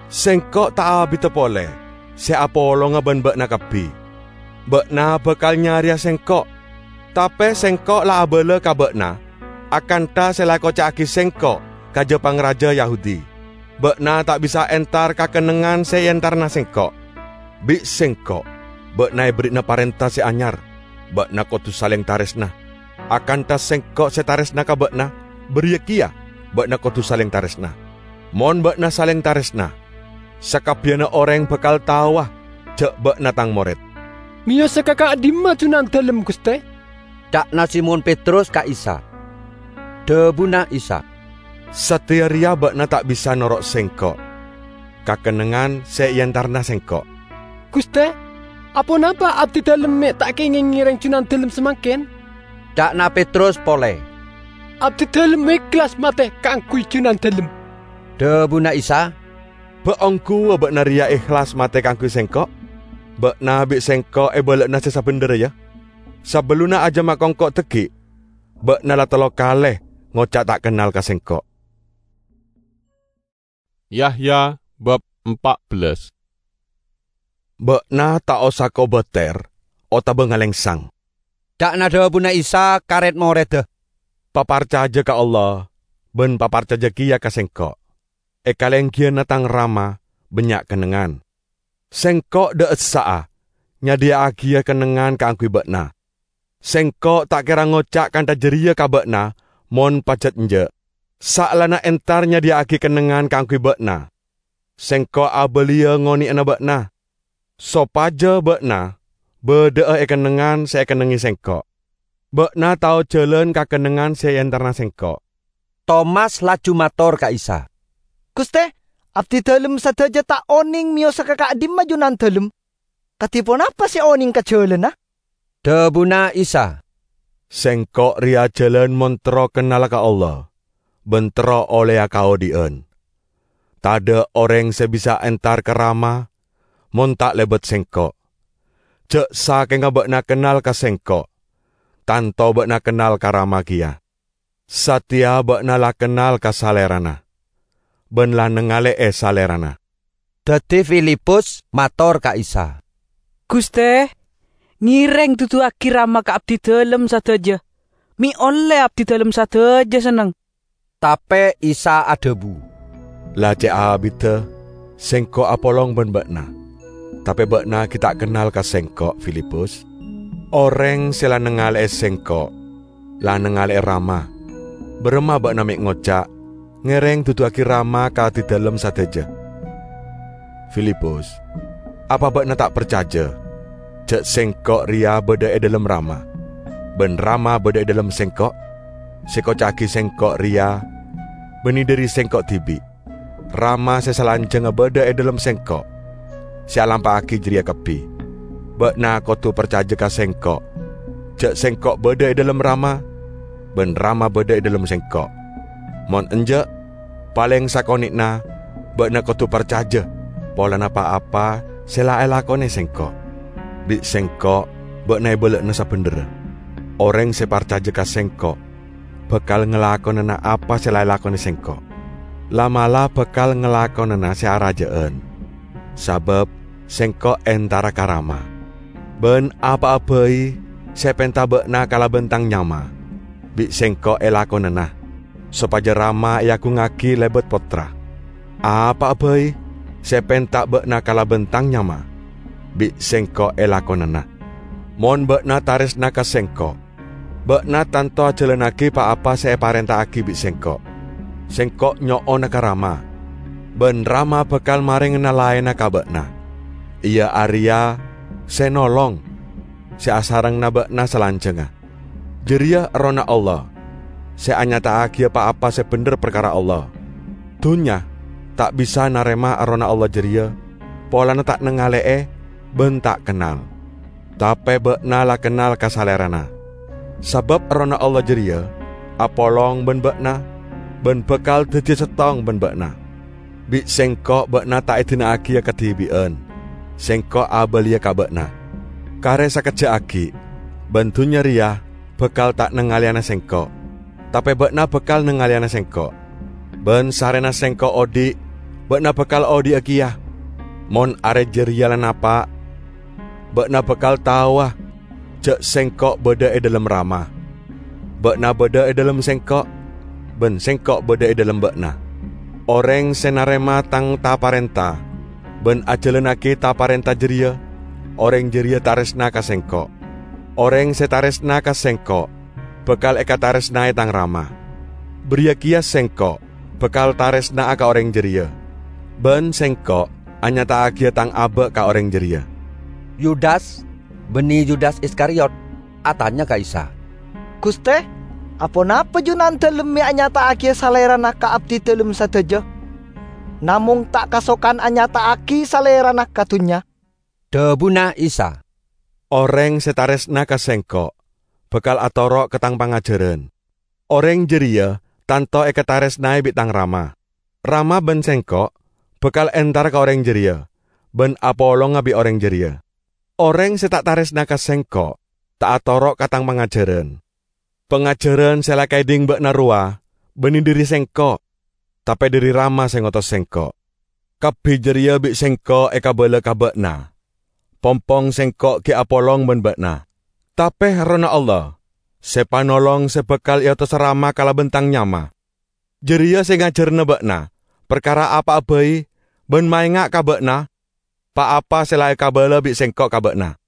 Sengko' ta' abidda pole se apolonga ban ba'na kabbi. Ba'na bakal nyareya Sengko', tape Sengko' la abala ka ba'na akantha se la ekoca'agi Sengko' ka ja-pangraja Yahudi. Ba'na ta' bisa entar ka kennengngan se eentarana Sengko'. Bi' Sengko' ba'na eberri'ana parenta se anyar: Ba'na kodu saleng taresna. Akantha Sengko' se taresna ka ba'na, bariya keya ba'na kodu saleng taresna. Mon ba'na saleng taresna, sakabbiyanna oreng bakal taowa ja' ba'na Tang mored." "Meyosa ka ka'dimma Junandalem, Guste?" ca'na Simon Petrus ka Isa. Dhabuna Isa, "Sateya reya ba'na ta' bisa noro' Sengko' ka kennengngan se eentarana Sengko'." "Guste, aponapa abdidalem me' ta' kengeng ngereng Junandalem samangken?" ca'na Petrus pole. "Abdidalem ehlas mate kaangguy Junandalem." Dhabuna Isa, "Ba' ongghuwâ ba'na rèya ehlas mate kaangguy Sèngko'? Ba'na bi' Sèngko' èbâlâ'âna sè sabhendherra, yâ? Sabellunna ajâmma kongko' dhâggi', ba'na la tello kalè ngoca' ta' kennal ka Sèngko'." Yahya bab empat belas. "Ba'na ta' osa kobâtèr otabâ ngalèngsang," ca'na dhabuna Isa ka rèd-morèdda. "Paparcajâ ka Allah bân paparcajâ kèya ka Sèngko'. È kalènggiyânna Tang Rama bânnya' kennengngan. Sèngko' dâ' essa'a nyadhiyâ'aghiyâ kennengngan kaangguy ba'na. Sèngko' ta' kèra ngoca' kantha jârèya ka ba'na mon pajhât enjâ'. Saellana entar nyadhiyâ'aghi kennengngan kaangguy ba'na, Sèngko' abâliyâ ngonè'ana ba'na, sopajâ ba'na bâdâ'â è kennengngan sè èkennengngè Sèngko'. Ba'na tao jhâlân ka kennengngan sè èentarana Sèngko'." Tomas laju mator ka Isa, "Ghustè, abdidalem sadhâjâ ta' onèng mèyosa ka ka'dimma Junandalem. Kadhi ponapa sè onèng ka jhâlânna?" Dhabuna Isa, "Sèngko' rèya jhâlân mon terro kennala ka Allah, bân terro ollèya kaodi'ân. Tadâ' orèng sè bisa entar ka Rama mon ta' lèbât Sèngko'. Jâ' sakènga ba'na kennal ka Sèngko', tanto ba'na kennal ka Rama kèya. Satèya ba'na la kennal ka Salèrana, bân la nangalè'è Salèrana." Dhâddhi Filipus mator ka Isa, "Ghustè, ngèrèng duduwâghi Rama ka abdidalem sadhâjâ, mè' ollè abdidalem sadhâjâ senneng." Tapè Isa adhâbu, "La cè' abiddhâ Sèngko' apolong bân ba'na, tapè ba'na ghi' ta' kennal ka Sèngko', Filipus. Orèng sè la nangalè'è Sèngko' la nangalè'è Rama. Bârâmma ba'na mè' ngoca', 'Ngèrèng duduwâghi Rama ka abdidalem sadhâjâ'? Filipus, apa ba'na ta' parcajâ jâ' Sèngko' rèya bâdâ è dâlem Rama, bân Rama bâdâ è dâlem Sèngko'? Sè èkoca'aghi Sèngko' rèya bânnè dâri Sèngko' dhibi'. Rama sè salanjhângnga bâdâ è dâlem Sèngko', sè alampa'aghi jârèya kabbhi. Ba'na kodhu parcajâ ka Sèngko' jâ' Sèngko' bâdâ è dâlem Rama, bân Rama bâdâ è dâlem Sèngko'. Mon enjâ', palèng sakonè'na ba'na kodhu parcajâ polana pa-apa sè la èlakonè Sèngko'. Bi' Sèngko' ba'na èbâlâ'âna sabhendherra. Orèng sè parcajâ ka Sèngko' bhâkal ngalakonana apa sè la èlakonè Sèngko'. La'-mala' bhâkal ngalakonana sè arajâ'ân, sabâb Sèngko' èntara ka Rama. Bân apa'a bhâi sè èpènta ba'na kalabân Tang nyama, bi' Sèngko' èlakonana, sopajâ Rama èagungngaghi lèbât Pottra. Apa'a bhâi sè èpènta ba'na kalabân Tang nyama, bi' Sèngko' èlakonana. Mon ba'na tarèsna ka Sèngko', ba'na tanto ajhâlânnaghi pa-apa sè èparènta'aghi bi' Sèngko'. Sèngko' nyo'ona ka Rama, bân Rama bhâkal marèngana laènna ka ba'na, iyâ arèya sè nolong, sè asarèngana ba'na salanjhângnga. Jârèya Errohna Allah, sè anyata'aghiyâ pa-apa sè bhendher parkara Allah. Dhunnya ta' bisa narèma Errohna Allah jârèya, polana ta' nangalè'è bân ta' kennal. Tapè ba'na la kennal ka Salèrana, sabâb Errohna Allah jârèya apolong bân ba'na, bân bhâkal dhâddhiyâ sèttong bân ba'na. Bi' Sèngko' ba'na ta' èdina'aghiyâ kadhibi'ân, Sèngko' abâliyâ ka ba'na. Karè sakejjhâ' aghi', bân dhunnya rèya bhâkal ta' nangalèyana Sèngko', tapè ba'na bhâkal nangalèyana Sèngko'. Bân sarèna Sèngko' odi', ba'na bhâkal odi'â kèya. Mon arè jârèya la napa', ba'na bhâkal taowa jâ' Sèngko' bâdâ è dâlem Rama. Ba'na bâdâ è dâlem Sèngko', bân Sèngko' bâdâ è dâlem ba'na. Orèng sè narèma Tang ta-parènta bân ajhâlânnaghi ta-parènta jârèya, orèng jârèya tarèsna ka Sèngko'. Orèng sè tarèsna ka Sèngko' bhâkal èkatarèsnaè Tang Rama. Bâriyâ kèya Sèngko' bhâkal tarèsna'a ka orèng jârèya, bân Sèngko' anyata'aghiyâ Tang abâ' ka orèng jârèya." Yudas, bânnè Yudas Iskariot, atanya ka Isa, "Ghustè, aponapa Junandalem mè' anyata'aghiyâ Salèrana ka abdidalem sadhâjâ, namong ta' kasokan anyata'aghi Salèrana ka dhunnya?" Dhabuna Isa, "Orèng sè tarèsna ka Sèngko' bhâkal atoro' ka Tang pangajhârân. Orèng jârèya tanto èkatarèsnaè bi' Tang Rama. Rama bân Sèngko' bhâkal entara ka orèng jârèya bân apolonga bi' orèng jârèya. Orèng sè ta' tarèsna ka Sèngko' ta' atoro' ka Tang pangajhârân. Pangajhârân sè la èkaèdhing bâ'na rowa bânnè dhâri Sèngko', tapè dhâri Rama sè ngotos Sèngko'. Kabbhi jârèya bi' Sèngko' èkabâlâ ka bâ'na. Pompong Sèngko' ghi' apolong bân bâ'na. Tapè Errohna Allah, sè Panolong sè bhâkal èotosa Rama kalabân Tang nyama, jârèya sè ngajhârâna bâ'na parkara apa'a bhâi bân maènga' ka bâ'na pa-apa sè la èkabâlâ bi' Sèngko' ka bâ'na.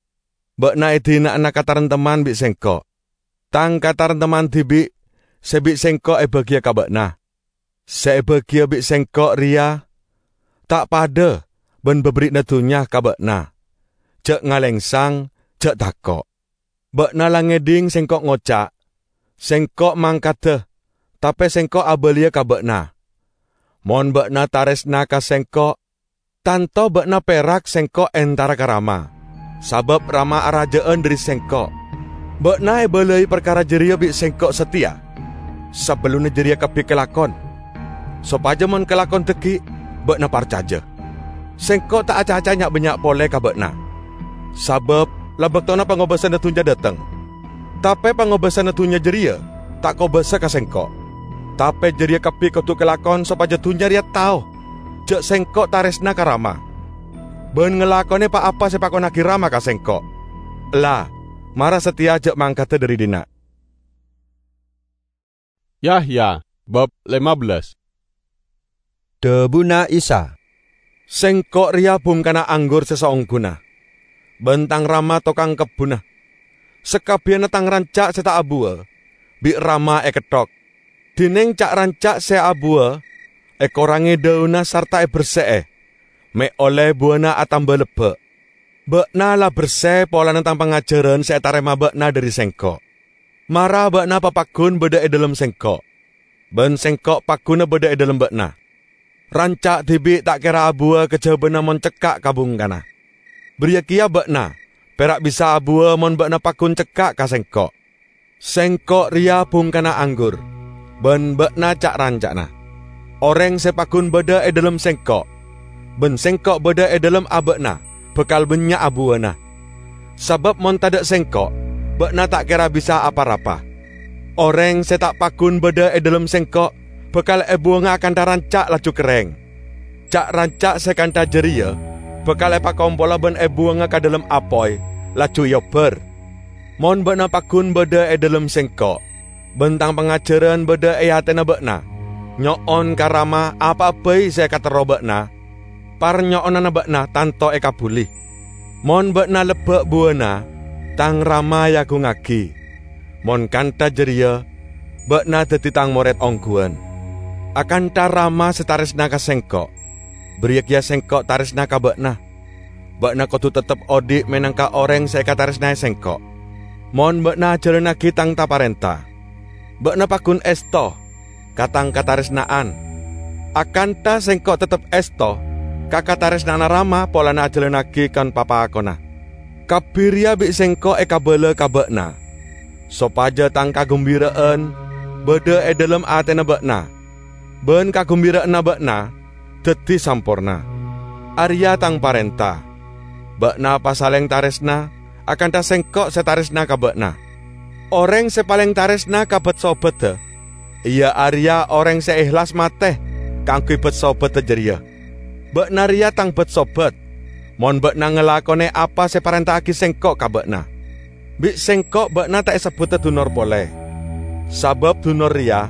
Bâ'na è dina'ana katarèmtemman bi' Sèngko'. Tang katarèmtemman dhibi' sè bi' Sèngko' èbâgiyâ ka bâ'na. Sè èbâgiyâ bi' Sèngko' rèya ta' padâ bân bâbâri'na dhunnya ka bâ'na. Jhâ' ngalèngsang, jhâ' tako'. Bâ'na la ngèdhing Sèngko' ngoca', 'Sèngko' mangkaddhâ, tapè Sèngko' abâliyâ ka bâ'na.' Mon bâ'na tarèsna ka Sèngko', tanto bâ'na pèrak Sèngko' entara ka Rama, sabâb Rama arajâ'ân dhâri Sèngko'. Bâ'na èbâlâi parkara jârèya bi' Sèngko' satèya, sabellunna jârèya kabbhi kalakon, sopajâ mon kalakon dhâggi' bâ'na parcajâ. Sèngko' ta' acaca nya'-bannya' polè ka bâ'na, sabâb la bâktona pangobâsanna dhunnya dâteng. Tapè pangobâsanna dhunnya jârèya ta' kobâsa ka Sèngko'. Tapè jârèya kabbhi kodhu kalakon sopajâ dhunnya rèya tao jhâ' Sèngko' tarèsna ka Rama, bân ngalakonè pa-apa sè èpakonnaghi Rama ka Sèngko'. Ella, mara satèya jhâ' mangkaddhâ dhâri dinna'." Yahya, bab lima belas. Dhâbuna Isa, "Sèngko' rèya bhungkana anggur sè saongghuna, bân Tang Rama tokang kebbhunna. Sakabbiyanna Tang ranca' sè ta' abuwâ bi' Rama èketthok. Dhinèng ca'-ranca' sè abuwâ èkorangè dâunna sarta èbersè'è, mè' ollè buwâna atamba lebbâ'. Bâ'na la bersè polana Tang pangajhârân sè ètarèma bâ'na dhâri Sèngko'. Mara bâ'na papaggun bâdâ è dhâlem Sèngko', bân Sèngko' paggunna bâdâ è dhâlem bâ'na. Ranca' dhibi' ta' kèra abuwâ kajhâbhânna mon cekka' ka bhungkana. Bâriyâ kèya bâ'na pèra' bisa abuwâ mon bâ'na paggun cekka' ka Sèngko'. Sèngko' rèya bhungkana anggur, bân bâ'na ca'-ranca'na. Orèng sè paggun bâdâ è dhâlem Sèngko', bân Sèngko' bâdâ è dhâlem abâ'na, bhâkal bânnya' abuwâna. Sabâb mon tadâ' Sèngko', bâ'na ta' kèra bisa pa-rapa. Orèng sè ta' paggun bâdâ è dhâlem Sèngko' bhâkal èbuwângnga akantha ranca' laju kerrèng. Ca'-ranca' sè kantha jârèya bhâkal èpakompola bân èbuwângnga ka dhâlem apoy, laju èobbhâr. Mon bâ'na paggun bâdâ è dhâlem Sèngko', bân Tang pangajhârân bâdâ è atèna bâ'na, nyo'on ka Rama apa'a bhâi sè èkaterro bâ'na, parnyo'onanna bâ'na tanto èkabbhuli. Mon bâ'na lebbâ' buwâna, Tang Rama èagungngaghi. Mon kantha jârèya, bâ'na dhâddhi Tang morèd ongghuwân. Akantha Rama sè tarèsna ka Sèngko', bâriyâ kèya Sèngko' tarèsna ka bâ'na. Bâ'na kodhu teptep odi' mènangka orèng sè èkatarèsnaè Sèngko'. Mon bâ'na ajhâlânnaghi Tang ta-parènta, bâ'na paggun èsto ka Tang katarèsna'an, akantha Sèngko' teptep èsto ka katarèsna'anna Rama polana ajhâlânnaghi kon-papakonna. Kabbhi rèya bi' Sèngko' èkabâlâ ka bâ'na, sopajâ Tang kaghembira'an bâdâ è dhâlem atèna bâ'na, bân kaghembira'anna bâ'na dhâddhi samporna. Arèya Tang parènta: Bâ'na pasalèng tarèsna, akantha Sèngko' sè tarèsna ka bâ'na. Orèng sè palèng tarèsna ka bât-sobhâddhâ, iyâ arèya orèng sè èhlas matè kaangghuy bât-sobhâddhâ jârèya. Bâ'na rèya Tang bât-sobhâddhâ, mon bâ'na ngalakonè apa sè èparènta'aghi Sèngko' ka bâ'na. Bi' Sèngko' bâ'na ta' èsebbhudhâ dunor polè, sabâb dunor rèya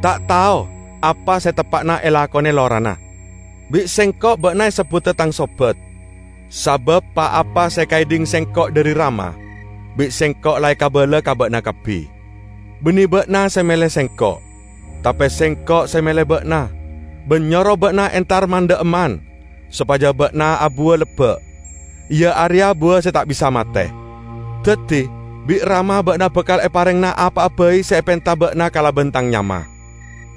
ta' tao apa sè teppa'na èlakonè lorana. Bi' Sèngko' bâ'na èsebbhudhâ Tang sobhâddhâ, sabâb pa-apa sè èkaèdhing Sèngko' dhâri Rama, bi' Sèngko' la èkabâlâ ka bâ'na kabbhi. Bânnè bâ'na sè mèlè Sèngko', tapè Sèngko' sè mèlè bâ'na, bân nyoro bâ'na entar man-dhâ'emman, sopajâ bâ'na abuwâ lebbâ', iyâ arèya buwâ sè ta' bisa matè. Dhâddhi, bi' Rama bâ'na bhâkal èparèngana apa'a bhâi sè èpènta bâ'na kalabân Tang nyama.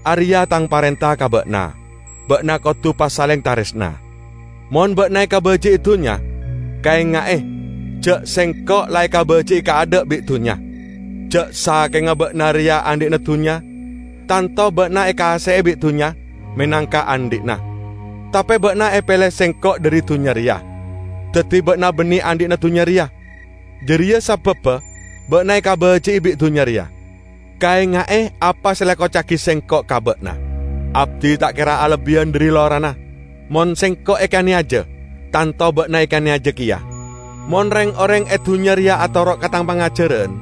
Arèya Tang parènta ka bâ'na: Bâ'na kodhu pasalèng tarèsna. Mon bâ'na èkabâji'i dhunnya, kaènga'è jhâ' Sèngko' la èkabâji'i kaadâ' bi' dhunnya. Jhâ' sakènga bâ'na rèya andhi'na dhunnya, Tanto ba'na èkasè'è bi' dhunnya menangka andhi'na. Tapè ba'na èpèlè Sèngko' dhâri dhunnya rèya, dhâddhi ba'na bânnè andhi'na dhunnya rèya. Jârèya sabâbbhâ ba'na èkabâji'i bi' dhunnya rèya. Kaènga'è apa sè la èkoca'aghi Sèngko' ka ba'na. Abdhi ta' kèra alebbiyân dhâri lorana. Mon Sèngko' èkanèyajâ, tanto ba'na èkanèyajâ kèya. Mon rèng-orèng è dhunnya rèya atoro' ka Tang pangajhârân,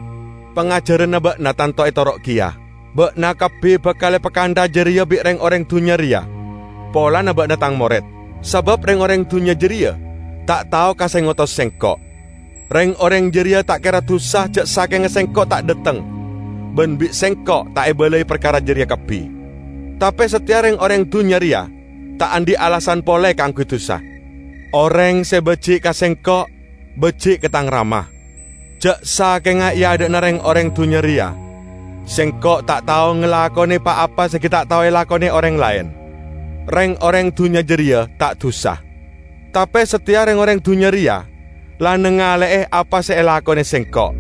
pangajhârânna ba'na tanto ètoro' kèya. Ba'na kabbhi bhâkal èpakantha jârèya bi' rèng-orèng dhunnya rèya polana ba'na Tang morèd, sabâb rèng-orèng dhunnya jârèya ta' tao ka sè ngotos Sèngko'. Rèng-orèng jârèya ta' kèra dusa jhâ' sakènga Sèngko' ta' dhâteng, bân bi' Sèngko' ta' èbâlâi parkara jârèya kabbhi. Tapè satèya rèng-orèng dhunnya rèya ta' andi' alasan polè kaangghuy dusa. Orèng sè bâji' ka Sèngko' bâji' ka Tang Rama. Jhâ' sakènga è adâ'na rèng-orèng dhunnya rèya, Sèngko' ta' tao ngalakonè pa-apa sè ghi' ta' tao èlakonè orèng laèn. Rèng-orèng dhunnya jârèya ta' dusa. Tapè satèya rèng-orèng dhunnya rèya la nangalè'è apa sè èlakonè Sèngko',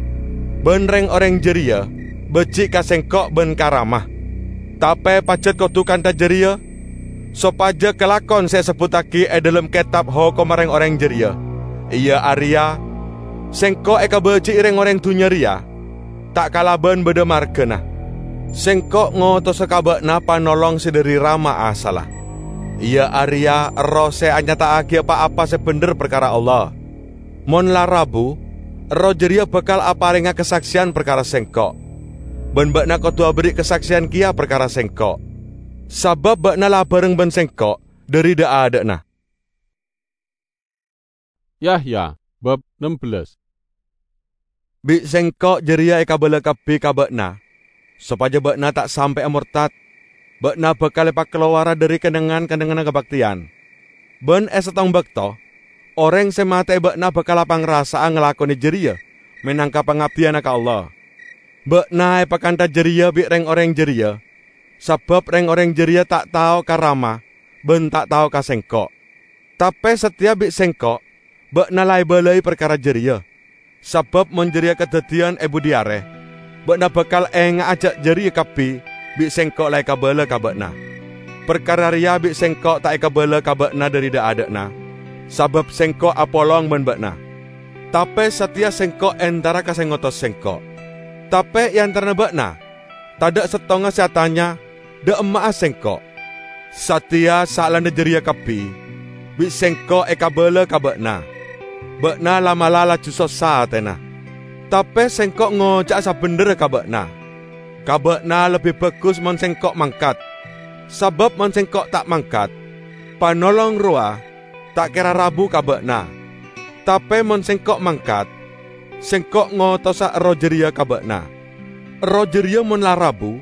bân rèng-orèng jârèya bâji' ka Sèngko' bân ka Rama. Tapè pajhât kodhu kantha jârèya, sopajâ kalakon sè èsebbhuttaghi è dhâlem Kètab Hokomma rèng-orèng jârèya, iyâ arèya, Sèngko' èkabâji'i rèng-orèng dhunnya rèya ta' kalabân bâdâ marghâna. Sèngko' ngotosa ka ba'na Panolong sè dhâri Rama asalla, iyâ arèya Erroh sè anyata'aghiyâ pa-apa sè bhendher parkara Allah. Mon la rabu, Erroh jârèya bhâkal aparènga kasaksèyan parkara Sèngko', bân ba'na kodhu aberri' kasaksèyan kèya parkara Sèngko', sabâb ba'na la abhâreng bân Sèngko' dhâri dha'-adha'na. Yahya, bab ennem belas. Bi' Sèngko' jârèya èkabâlâ kabbhi ka ba'na, sopajâ ba'na ta' sampè'a mortad. Ba'na bhâkal èpakalowara dhâri kennengngan-kennengnganna kabhâktèyan. Bân è sèttong bâkto, orèng sè matè'è ba'na bhâkal apangrasa'a ngalakonè jârèya mènangka pangabdiyânna ka Allah. Ba'na èpakantha jârèya bi' rèng-orèng jârèya, sabâb rèng-orèng jârèya ta' tao ka Rama bân ta' tao ka Sèngko'. Tapè satèya bi' Sèngko' ba'na la èbâlâi parkara jârèya, sabâb mon jârèya kadhâddhiyân è budi arè, ba'na bhâkal ènga'a jâ' jârèya kabbhi bi' Sèngko' la èkabâlâ ka ba'na. Parkara rèya bi' Sèngko' ta' èkabâlâ ka ba'na dhâri dha'-adha'na, sabâb Sèngko' apolong bân ba'na. Tapè satèya Sèngko' entara ka sè ngotos Sèngko'. Tapè è antarana ba'na, tadhâ' sèttonga sè atanya, "Dâ' emma'a Sèngko'?" Satèya saellana jârèya kabbhi, bi' Sèngko' èkabâlâ ka ba'na. Ba'na la'-mala' laju sossa atèna. Tapè Sèngko' ngoca'a sabhendherra ka ba'na. Ka ba'na lebbi bhâghus mon Sèngko' mangkat. Sabâb mon Sèngko' ta' mangkat, Panolong rowa ta' kèra rabu ka ba'na. Tapè mon Sèngko' mangkat, Sèngko' ngotosa Erroh jârèya ka ba'na. Erroh jârèya mon la rabu,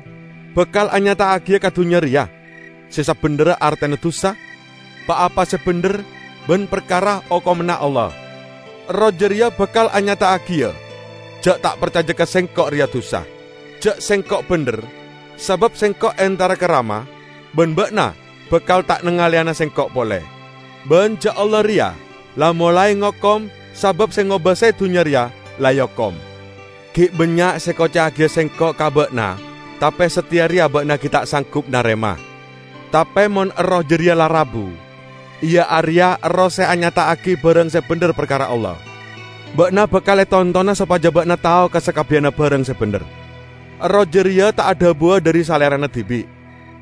bhâkal anyata'aghiyâ ka dhunnya rèya sè sabhendherra artèna dusa, pa-apa sè bhendher, bân parkara okomanna Allah. Erroh jârèya bhâkal anyata'aghiyâ jâ' ta' parcajâ ka Sèngko' rèya dusa, jâ' Sèngko' bhendher, sabâb Sèngko' entara ka Rama, bân ba'na bhâkal ta' nangalèyana Sèngko' polè. Bân jâ' Allah rèya la molaè ngokom, sabâb sè ngobâsaè dhunnya rèya la èokom. Ghi' bânnya' sè èkoca'aghiyâ Sèngko' ka ba'na, tapè satèya rèya ba'na ghi' ta' sanggup narèma. Tapè mon Erroh jârèya la rabu, iyâ arèya Erroh sè anyata'aghi bhârâng sè bhendher parkara Allah, ba'na bhâkal ètontona sopajâ ba'na tao ka sakabbiyanna bhârâng sè bhendher. Erroh jârèya ta' adhâbuwâ dhâri Salèrana dhibi',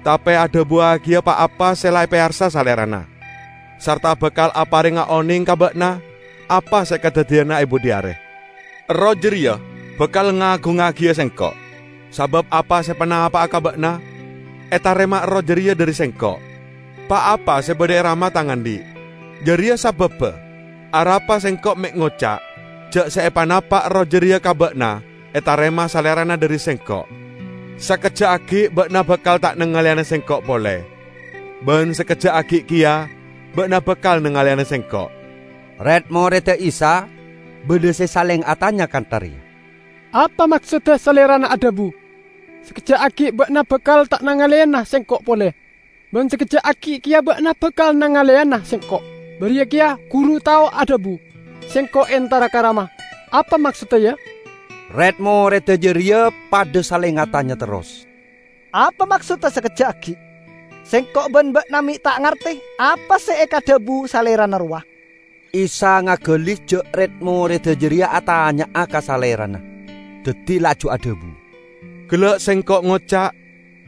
tapè adhâbuwâghiyâ pa-apa sè la èpèyarsa Salèrana, sarta bhâkal aparènga onèng ka ba'na apa sè kadhâddhiyânna è budi arè. Erroh jârèya bhâkal ngaghungagiyâ Sèngko', sabâb apa sè èpanapa'a ka ba'na ètarèma Erroh jârèya dhâri Sèngko'. Pa-apa sè bâdâ è Rama Tang andi', jârèya sabâbbhâ arapa Sèngko' mè' ngoca' jâ' sè èpanapa' Erroh jârèya ka ba'na ètarèma Salèrana dhâri Sèngko'. Sakejjhâ' aghi' ba'na bhâkal ta' nangalèyana Sèngko' polè, bân sakejjhâ' aghi' kèya ba'na bhâkal nangalèyana Sèngko'. Rèd-morèdda Isa bâdâ sè salèng atanya kantha rèya, "Apa maksodda Salèrana adhâbu, 'Sakejjhâ' aghi' ba'na bhâkal ta' nangalèyana Sèngko' polè, bân sakejjhâ' aghi' kèya ba'na bhâkal nangalèyana Sèngko''? Bâriyâ kèya Ghuru tao adhâbu, 'Sèngko' entara ka Rama.' Apa maksodda, yâ?" Rèd-morèdda jârèya padâ salèng atanya terros. "Apa maksodda sakejja'aghi? Sengko' ban ba'na me' ta' ngarte apa se ekadhabu Salerana rowa." Isa ngagali ja' red-moredda jareya atanya'a ka Salerana, daddi laju adhabu, "Gella' Sengko' ngoca',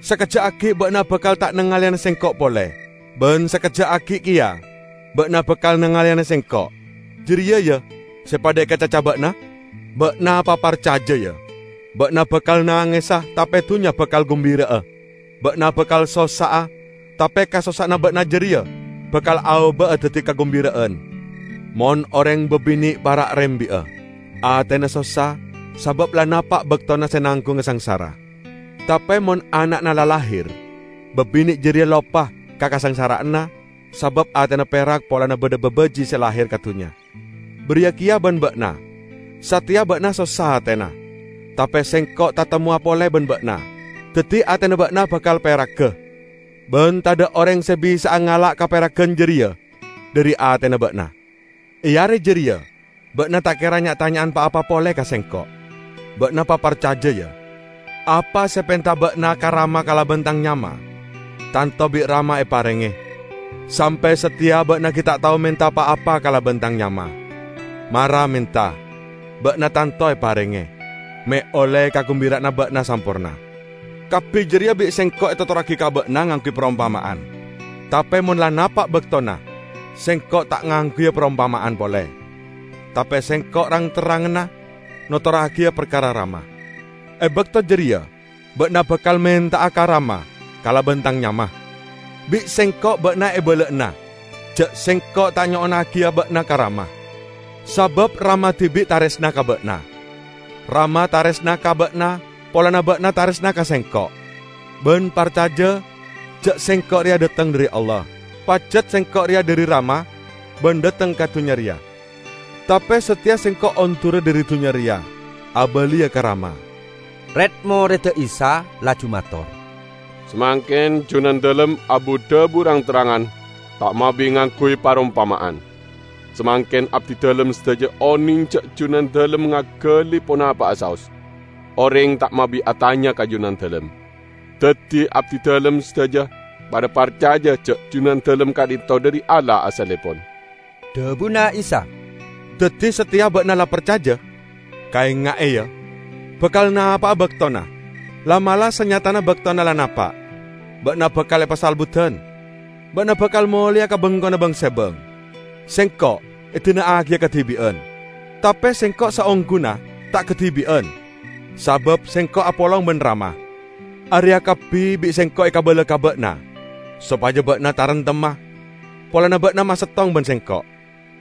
sakejja'aghi ba'na bakal ta' nangaleyana Sengko' pole, ban sakejja'aghi keya ba'na bakal nangaleyana Sengko'. Jareya, ya, se padha ekacaca ba'na? Ba'na paparcaja, ya! Ba'na bakal nangesa, tape dunnya bakal gumbira'a. Ba'na bakal sossa'a, tape kasossa'anna ba'na jareya bakal aoba'a daddi kagumbira'an. Mon oreng babine' para' rembi'a, atena sossa sabab la napa' baktona se nanggunga sangsara. Tape mon ana'na la lahir, babine' jareya loppa ka kasangsara'anna sabab atena perak polana badha babaji' se lahir ka dunnya. Bariya keya ban ba'na. Sateya ba'na sossa atena, tape Sengko' tatemmowa pole ban ba'na, daddi atena ba'na bakal peragga. Ban tadha' oreng se bisa'a ngala' kaperaggan jareya dhari atena ba'na. E are jareya, ba'na ta' kera nya'-tanya'an pa-apa pole ka Sengko'. Ba'na paparcaja, ya! Apa se epenta ba'na ka Rama kalaban tang nyama, tanto bi' Rama eparenge. Sampe sateya ba'na gi' ta' tao menta pa-apa kalaban tang nyama. Mara menta, ba'na tanto eparenge, me' olle kagumbira'anna ba'na samporna. Kabbi jareya bi' Sengko' etotorragi ka ba'na ngangguy parompama'an. Tape mon la napa' baktona, Sengko' ta' ngangguya parompama'an pole. Tape Sengko' rang-terranganna notorragiya parkara Rama. E bakto jareya ba'na bakal menta'a ka Rama kalaban tang nyama. Bi' Sengko' ba'na ebala'ana ja' Sengko' ta' nyo'onnagiya ba'na ka Rama, sabab Rama dibi' taresna ka ba'na. Rama taresna ka ba'na polana ba'na taresna ka Sengko', ban parcaja ja' Sengko' reya dhateng dhari Allah. Pajat Sengko' reya dhari Rama ban dhateng ka dunnya reya. Tape sateya Sengko' ondura dhari dunnya reya, abaliya ka Rama." Red-moredda Isa laju mator, "Samangken Junandalem abu-dhabu rang-terrangan, ta' mabi ngangguy parompama'an. Samangken abdidalem sadaja oneng ja' Junandalem ngagali ponapa'a saos. Oreng ta' mabi atanya ka Junandalem. Daddi abdidalem sadaja padha parcaja ja' Junandalem ka'dhinto dhari Allah asallepon." Dhabuna Isa, "Daddi sateya ba'na la parcaja? Kaenga'e, ya! Bakal napa'a baktona, la'-mala' sanyatana baktona la napa'. Ba'na bakal epasalbudan. Ba'na bakal moleya ka bengkona bang-sebang. Sengko' edina'agiya kadibi'an, tape Sengko' saongghuna ta' kadibi'an, sabab Sengko' apolong ban Rama. Areya kabbi bi' Sengko' ekabala ka ba'na, sopaja ba'na tarentemma, polana ba'na masettong ban Sengko'.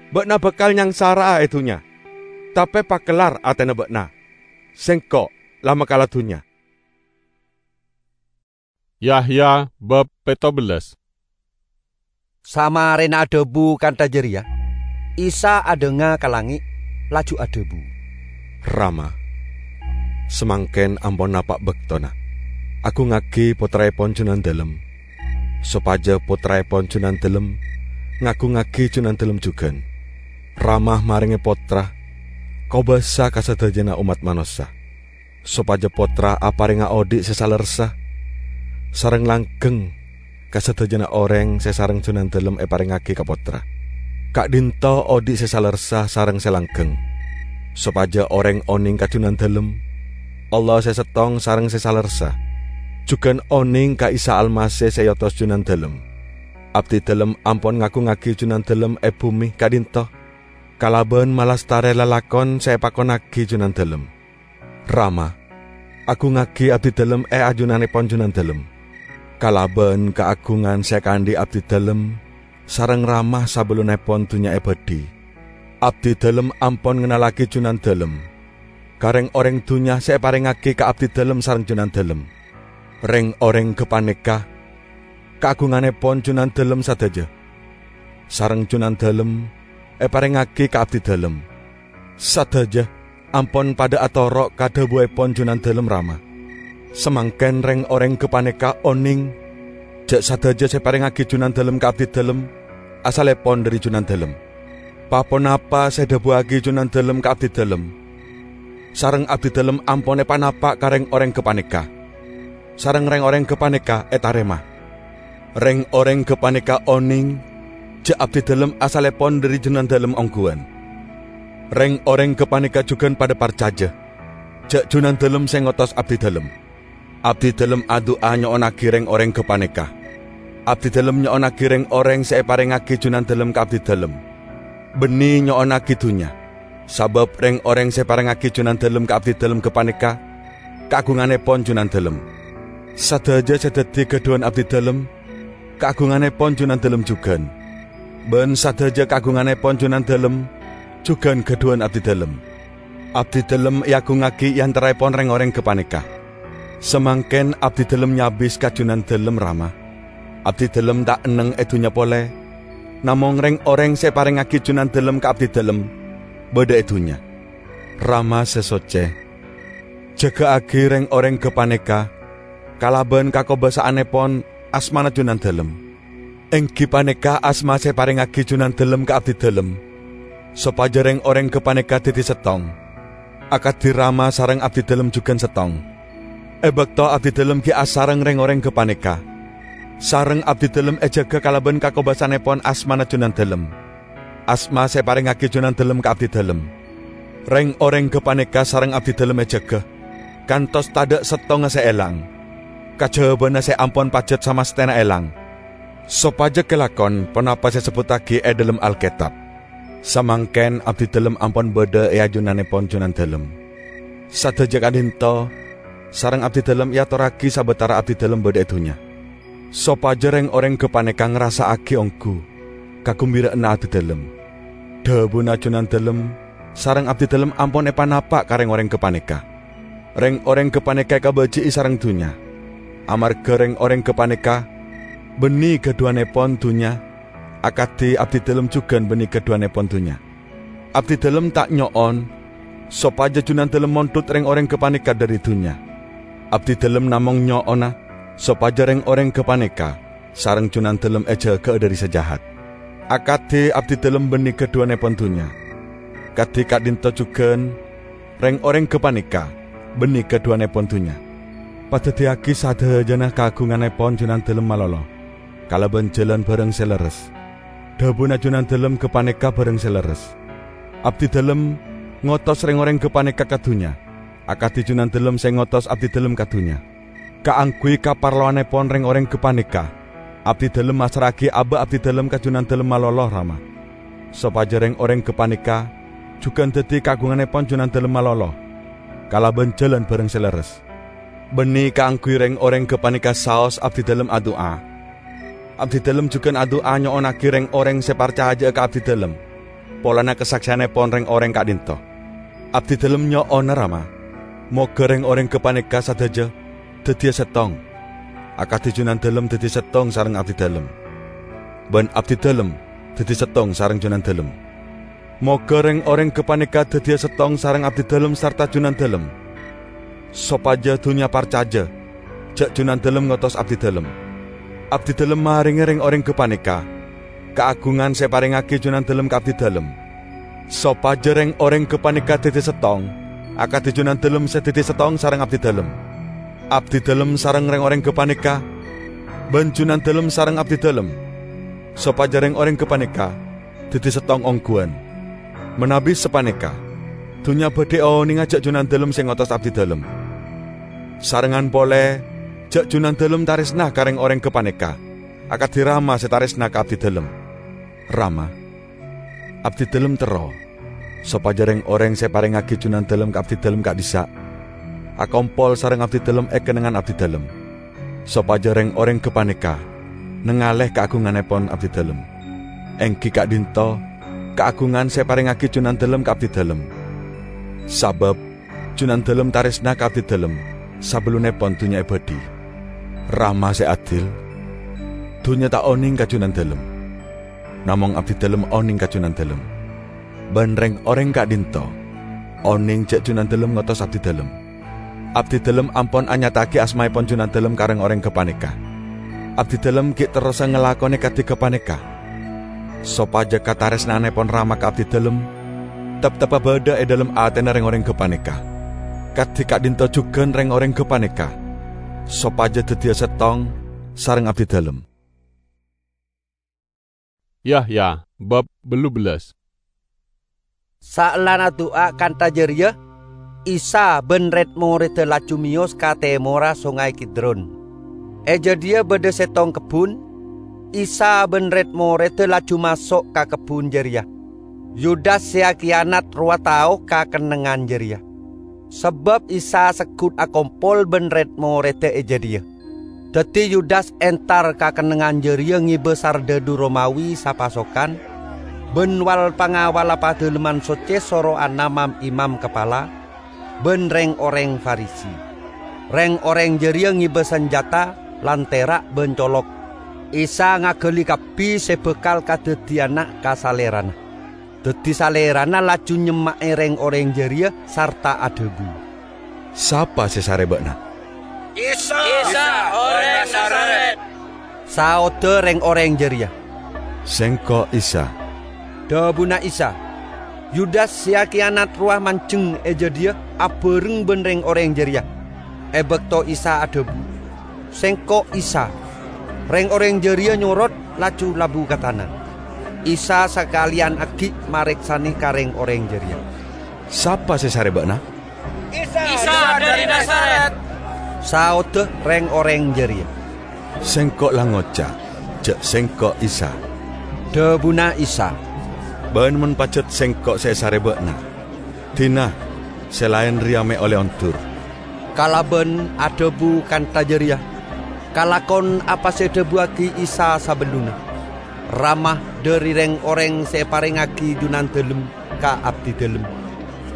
Ba'na bakal nyangsara'a e dunnya, tape pakellar atena ba'na. Sengko' la makala dunnya." Yahya bab petto bellas. Samarena adhabu kantha jareya, Isa adhanga ka langnge', laju adhabu, "Rama, samangken ampon napa' baktona. Agungngagi Pottraepon Junandalem, sopaja Pottraepon Junandalem ngagungngagi Junandalem jugan. Rama marenge Pottra kobasa ka sadajana ommat manossa, sopaja Pottra aparenga odhi' se salerressa sareng langgeng ka sadajana oreng se sareng Junandalem eparengngagi ka Pottra. Ka'dhinto odhi' se salerressa sareng se langgeng, sopaja oreng oneng ka Junandalem, Allah se settong sareng se salerressa, jugan oneng ka Isa Almasih se eotos Junandalem. Abdidalem ampon ngagungngagi Junandalem e bume ka'dhinto kalaban malastare lalakon se epakonnagi Junandalem. Rama, agungngagi abdidalem e ajunanepon Junandalem. Kalaban kaagungan se ekaandhi' abdidalem sareng Rama sabellunepon dunnya ebadhi, abdidalem ampon ngennallagi Junandalem ka reng-oreng dunnya se eparengngagi ka abdidalem sareng Junandalem. Reng-oreng gapaneka kaagunganepon Junandalem sadaja, sareng Junandalem eparengngagi ka abdidalem. Sadaja ampon padha atoro' ka dhabuepon Junandalem Rama. Samangken reng-oreng gapaneka oneng ja' sadaja se eparengngagi Junandalem ka abdidalem asallepon dhari Junandalem. Pa-ponapa se edhabuwagi Junandalem ka abdidalem, sareng abdidalem ampon epanapa' ka reng-oreng gapaneka. sareng reng-oreng gapaneka etarema. Reng-oreng gapaneka oneng ja' abdidalem asallepon dhari Junandalem ongghuwân. Reng-oreng gapaneka jugan padha parcaja ja' Junandalem se ngotos abdidalem. Abdidalem adu'a nyo'onnagi reng-oreng gapaneka. Abdidalem nyo'onnagi reng-oreng se eparengngagi Junandalem ka abdidalem, banne nyo'onnagi dunnya, sabab reng-oreng se eparengngagi Junandalem ka abdidalem gapaneka kaagungannepon Junandalem. Sadaja se daddi gadhuwan abdidalem kaagungannepon Junandalem jugan, ban sadaja kaagungannepon Junandalem jugan gadhuwan abdidalem. Abdidalem eagungngagi e antaraepon reng-oreng gapaneka. Samangken abdidalem nyabis ka Junandalem, Rama. Abdidalem ta' enneng e dunnya pole, namong reng-oreng se eparengngagi Junandalem ka abdidalem badha e dunnya. Rama se socce, jaga'agi reng-oreng gapaneka kalaban kakobasa'annepon asmana Junandalem, enggi paneka asma se eparengngagi Junandalem ka abdidalem, sopaja reng-oreng gapaneka daddi settong, akadi Rama sareng abdidalem jugan settong. E bakto abdidalem gi' asareng reng-oreng gapaneka, sareng abdidalem ejaga kalaban kakobasa'annepon asmana Junandalem, asma se eparengngagi Junandalem ka abdidalem. Reng-oreng gapaneka sareng abdidalem ejaga, kantos tadha' settonga se elang, kajabana se ampon pajat samastena elang, sopaja kalakon ponapa se esebbuttagi e dhalem Alketab, "Samangken abdidalem ampon badha e ajunannepon Junandalem." Sadaja ka'dhinto sareng abdidalem eatorragi sabatara abdidalem badha e dunnya, sopaja reng-oreng gapaneka ngrassa'agi onggu kagumbira'anna abdidalem. Dhabuna Junandalem sareng abdidalem ampon epanapa' ka reng-oreng gapaneka. Reng-oreng gapaneka ekabaji'i sareng dunnya, amarga reng-oreng gapaneka banne gadhuwannepon dunnya, akadi abdidalem jugan banne gadhuwannepon dunnya. Abdidalem ta' nyo'on sopaja Junandalem mondhut reng-oreng gapaneka dhari dunnya. Abdidalem namong nyo'ona sopaja reng-oreng gapaneka sareng Junandalem ejaga'a dhari se jahat, akadi abdidalem banne gadhuwannepon dunnya. Kadi ka'dhinto jugan, reng-oreng gapaneka banne gadhuwannepon dunnya. Padaddiyagi sadajana kaagungannepon Junandalem malolo kalaban jalan barang se lerres. Dhabuna Junandalem gapaneka barang se lerres. Abdidalem ngotos reng-oreng gapaneka ka dunnya, akadi Junandalem se ngotos abdidalem ka dunnya. Kaangguy kaparlowannepon reng-oreng gapaneka, abdidalem massra'agi aba' abdidalem ka Junandalem malolo, Rama, sopaja reng-oreng gapaneka jugan daddi kaagungannepon Junandalem malolo kalaban jalan barang se lerres. Banne kaangguy reng-oreng gapaneka saos abdidalem adu'a. Abdidalem jugan adu'a nyo'onnagi reng-oreng se parcaja'a ka abdidalem polana kasakseyannepon reng-oreng ka'dhinto. Abdidalem nyo'ona, Rama, moga reng-oreng gapaneka sadaja daddiya settong, akadi Junandalem daddi settong sareng abdidalem, ban abdidalem daddi settong sareng Junandalem. Moga reng-oreng gapaneka daddiya settong sareng abdidalem sarta Junandalem, sopaja dunnya parcaja ja' Junandalem ngotos abdidalem. Abdidalem marenge reng-oreng gapaneka kaagungan se eparengngagi Junandalem ka abdidalem, sopaja reng-oreng gapaneka daddi settong akadi Junandalem se daddi settong sareng abdidalem. Abdidalem sareng reng-oreng gapaneka, ban Junandalem sareng abdidalem, sopaja reng-oreng gapaneka daddi settong ongguwan. Manabi sapaneka, dunnya badhe onenga ja' Junandalem se ngotos abdidalem. Sarengngan pole ja' Junandalem taresna ka reng-oreng gapaneka, akadi Rama se taresna ka abdidalem. Rama, abdidalem terro sopaja reng-oreng se eparengngagi Junandalem ka abdidalem ka'dhissa' akompol sareng abdidalem e kennengngan abdidalem, sopaja reng-oreng gapaneka nangale kaagungannepon abdidalem, enggi ka'dhinto kaagungan se eparengngagi Junandalem ka abdidalem. Sabab Junandalem taresna ka abdidalem sabellunepon dunnya ebadhi. Rama se adil, dunnya ta' oneng ka Junandalem, namong abdidalem oneng ka Junandalem, ban reng-oreng ka'dhinto oneng ja' Junandalem ngotos abdidalem. Abdidalem ampon anyata'agi asmaepon Junandalem ka reng-oreng gapaneka. Abdidalem gi' terrosa ngalakone kadi gapaneka, sopaja kataresna'annepon Rama ka abdidalem tepteppa badha e dhalem atena reng-oreng gapaneka, kadi ka'dhinto jugan reng-oreng gapaneka, sopajâ dhâddhiyâ sèttong sareng abdidâlem. Yahya, bab bellu bellas. Saellana du'a kantha jârèya, Isa bân rèd-morèdda laju mèyos ka tèmorra Songay Kidron. È jâdiyâ bâdâ sèttong kebbhun. Isa bân rèd-morèdda laju maso' ka kebbhun jârèya. Yudas sè akiyanat rowa tao ka kennengngan jârèya, sabâb Isa segghut akompol bân rèd-morèdda è jâdiyâ. Dhâddhi Yudas entar ka kennengngan jârèya ngèbâ sardhâdhu Romawi sapasokan bân wal-pangawalla Padalemman Socce soro'anna mam-imam kapala bân rèng-orèng Farisi. Rèng-orèng jârèya ngèbâ sanjhâta lan tèra' bân colok. Isa ngaghâli kabbhi sè bhâkal kadhâddhiyâna ka Salèrana. Dhâddhi Salèrana laju nyemma'è rèng-orèng jârèya sarta adhâbu, "Sapa sè èsarè bâ'na?" "Isa, Isa, orèng Nazaret," saodda rèng-orèng jârèya. "Sèngko' Isa," dhâbuna Isa. Yudas sè akiyanat rowa manjeng è jâdiyâ abhâreng bân rèng-orèng jârèya. È bâkto Isa adhâbu, "Sèngko' Isa," rèng-orèng jârèya nyorot laju labu ka tana. Isa sakalèyan aghi' marèksanè ka rèng-orèng jârèya. "Sapa sè èsarè bâ'na?" "Isa, Isa dhâri Nazaret," saodda rèng-orèng jârèya. "Sèngko' la ngoca' jhâ' Sèngko' Isa," dhâbuna Isa. "Bân mon pajhât Sèngko' sè èsarè bâ'na, dina sè laèn rèya mè' ollè ondur." Kalabân adhâbu kantha jârèya, kalakon apa sè èdhâbuwaghi Isa sabellunna. Rama dhâri rèng-orèng sè èparèngaghi Junandâlem ka abdidâlem,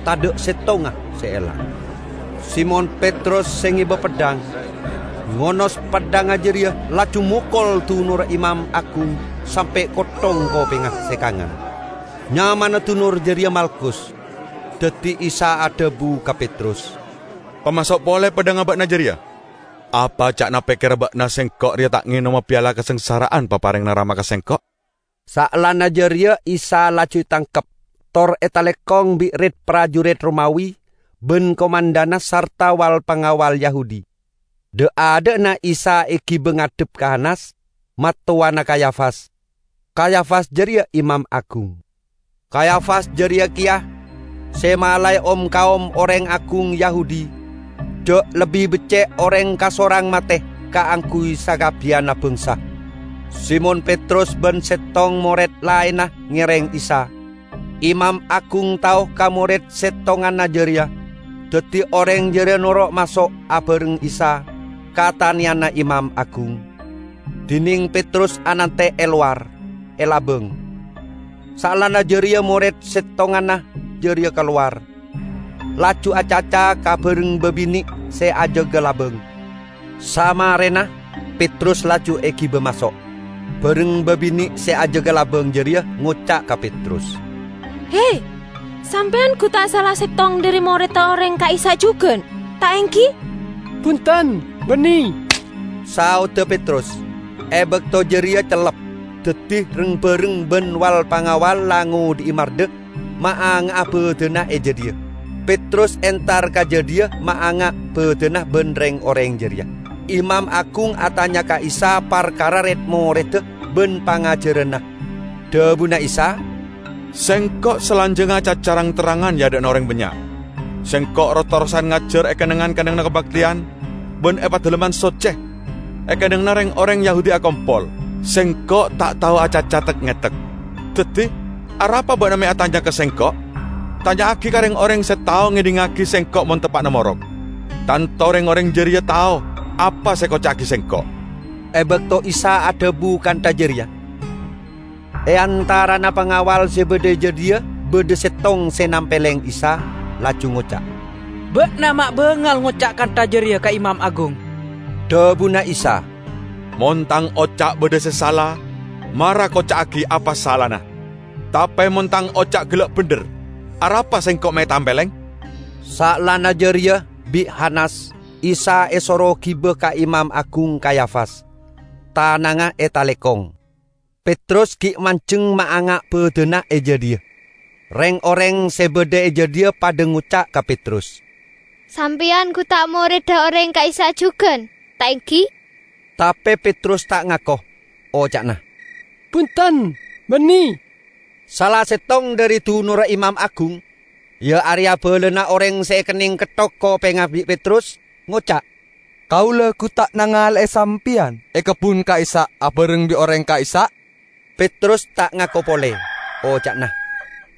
tadâ' sèttonga sè èlang. Simon Petrus sè ngèbâ peddhâng, ngonos peddhângnga jârèya laju mokol dunorra imam agung sampè' kotthong kopèngnga sè kangan. Nyamana dunor jârèya Malkus. Dhâddhi Isa adhâbu ka Petrus, "Pamaso' polè peddhângnga bâ'na jârèya! Apa ca'na pèkkèrra bâ'na Sèngko' rèya ta' ngènoma pèyala kasangsara'an paparèngana Rama ka Sèngko'?" Saellana jârèya Isa laju ètangkep, tor ètalèkong bi' rèd-parjurèd Romawi bân komandhanna sarta wal-pangawal Yahudi. Dâ'-adâ'na Isa èghibâ ngadhep ka Hanas, mattowana Kayafas. Kayafas jârèya imam agung. Kayafas jârèya kèya sè malaè om-kaom orèng agung Yahudi jhâ' lebbi beccè' orèng kasorang matè kaangghuy sakabbiyanna bhângsa. Simon Petrus bân sèttong morèd laènna ngèrèng Isa. Imam agung tao ka morèd sèttonganna jârèya, dhâddhi orèng jârèya noro' maso' abhâreng Isa ka tanèyanna imam agung. Dhinèng Petrus anantè' è lowar, è labâng. Saellana jârèya morèd sèttonganna jârèya kalowar, laju acaca ka bhâreng bâbinè' sè ajâgâ labâng. Samarèna, Petrus laju èghibâ maso'. Bhâreng bâbinè' sè ajâgâ labâng jârèya ngoca' ka Petrus, "He, sampèyan ghu ta' sala sèttong dhâri morèdda orèng ka'issa' jhughân, ta' èngghi?" "Bhunten, bânnè," saodda Petrus. È bâkto jârèya cellep, dhâddhi reng-bhâreng bân wal-pangawal la ngodhi'i mardhâ maanga'a bâdâna è jâdiyâ. Petrus entar ka jâdiyâ maanga' bâdâna bân rèng-orèng jârèya. Imam agung atanya ka Isa parkara rèd-morèdda bân pangajhârânna. Dhâbuna Isa, "Sèngko' salanjhângnga acaca rang-terrangan è adâ'na orèng bânnya'. Sèngko' ro-terrosan ngajhâr è kennengngan-kennengnganna kabhâktèyan bân è Padalemman Socce, è kennengnganna rèng-orèng Yahudi akompol. Sèngko' ta' tao acaca tek-ngètek. Dhâddhi, arapa bâ'na mè' atanya ka Sèngko'? Tanya'aghi ka rèng-orèng sè tao ngèdhingngaghi Sèngko' mon teppa'na morok. Tanto rèng-orèng jârèya tao apa sè èkoca'aghi Sèngko'." È bâkto Isa adhâbu kantha jârèya, è antarana pangawal sè bâdâ è jâdiyâ bâdâ sèttong sè nampèlèng Isa, laju ngoca', "Bâ'na ma' bângal ngoca' kantha jârèya ka imam agung." Dhâbuna Isa, "Mon Tang oca' bâdâ sè sala, mara koca'aghi apa salana. Tapè mon Tang oca' ghellâ' bhendher, arapa Sèngko' mè' ètampèlèng?" Saellana jârèya, bi' Hanas, Isa èsoro ghibâ ka Imam Agung Kayafas. Tanangnga ètalèkong. Petrus ghi' manjheng maanga' bâdâna è jâdiyâ. Rèng-orèng sè bâdâ è jâdiyâ padâ ngoca' ka Petrus, "Sampèyan ghu ta' morèdda orèng ka'issa' jhughân? ta' ènggi?" Tapè Petrus ta' ngako, oca'na, "Bhunten, bânnè." Sala sèttong dhâri dunorra imam agung, iyâ arèya bâlâna orèng sè èkennèng ketthok kopèngnga bi' Petrus, ngoca', "Kaulâ ghu ta' nangalè'è sampèyan è kebbhun ka'issa' abhâreng bi' orèng ka'issa'?" Petrus ta' ngako polè, oca'na,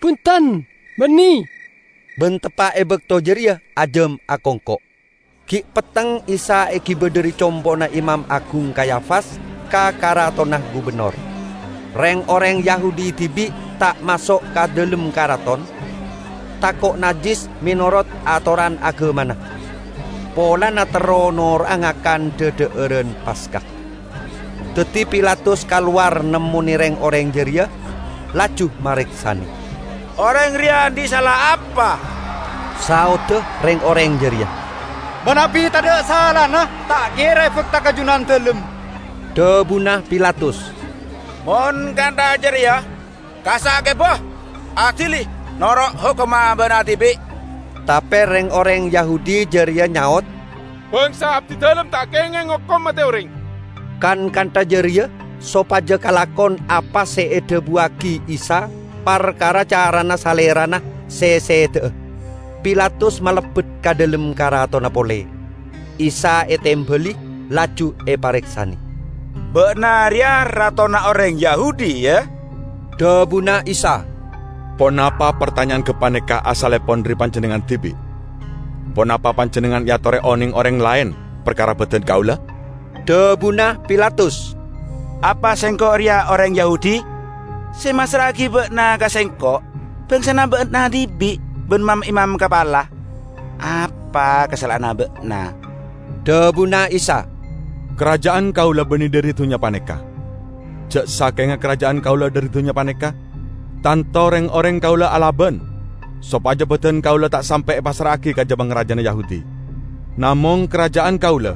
"Bhunten, bânnè." Bân teppa' è bâkto jârèya ajâm akongko'. Ghi' petteng Isa èghibâ dhâri compo'na Imam Agung Kayafas ka karatonna gubennor. Rèng-orèng Yahudi dhibi' ta' maso' ka dhâlem karaton, tako' najjhis mènorot atoran aghâmana, polana terro noro'a ngakan dhâdhâ'ârân Paska. Dhâddhi Pilatus kalowar nemmonè rèng-orèng jârèya, laju marèksanè. "Orèng rèya andi' sala apa?" saodda rèng-orèng jârèya. "Manabi tadâ' salana, ta' kèra èbâkta ka Junandalem," dhâbuna Pilatus. "Mon kantha jârèya, kassa' kèbâ, adili noro' hokomma bâ'na dhibi'." Tapè rèng-orèng Yahudi jârèya nyaot, "Bhângsa abdidalem ta' kèngèng ngokom matè orèng." Kan kantha jârèya sopajâ kalakon apa sè èdhâbuwâghi Isa parkara carana salèrana sè sèdhâ'â, Pilatus malebbet ka dhâlem karatonna polè. Isa ètèmbhâli, laju èparèksanè. "Bâ'na rèya ratona orèng Yahudi, yâ?" dhâbuna Isa. "Ponapa partanya'an ghâpanèka asalèpon dhâri panjhennengngan dhibi'? Ponapa panjhennengngan èatorè onèng orèng laèn parkara bâdân kaulâ?" dhâbuna Pilatus. "Apa sèngko' rèya orèng Yahudi? Sè massra'aghi bâ'na ka sèngko' bhângsana bâ'na dhibi' bân mam-imam kapala. Apa kasala'anna bâ'na?" Dhâbuna Isa, "Karaja'an kaulâ bânnè dhâri dhunnya panèka. Jhâ' sakènga karaja'an kaulâ dhâri dhunnya panèka, tanto rèng-orèng kaulâ alabân sopajâ bâdân kaulâ ta' sampè' èpassra'aghi ka ja-pangarajâna Yahudi. Namong karaja'an kaulâ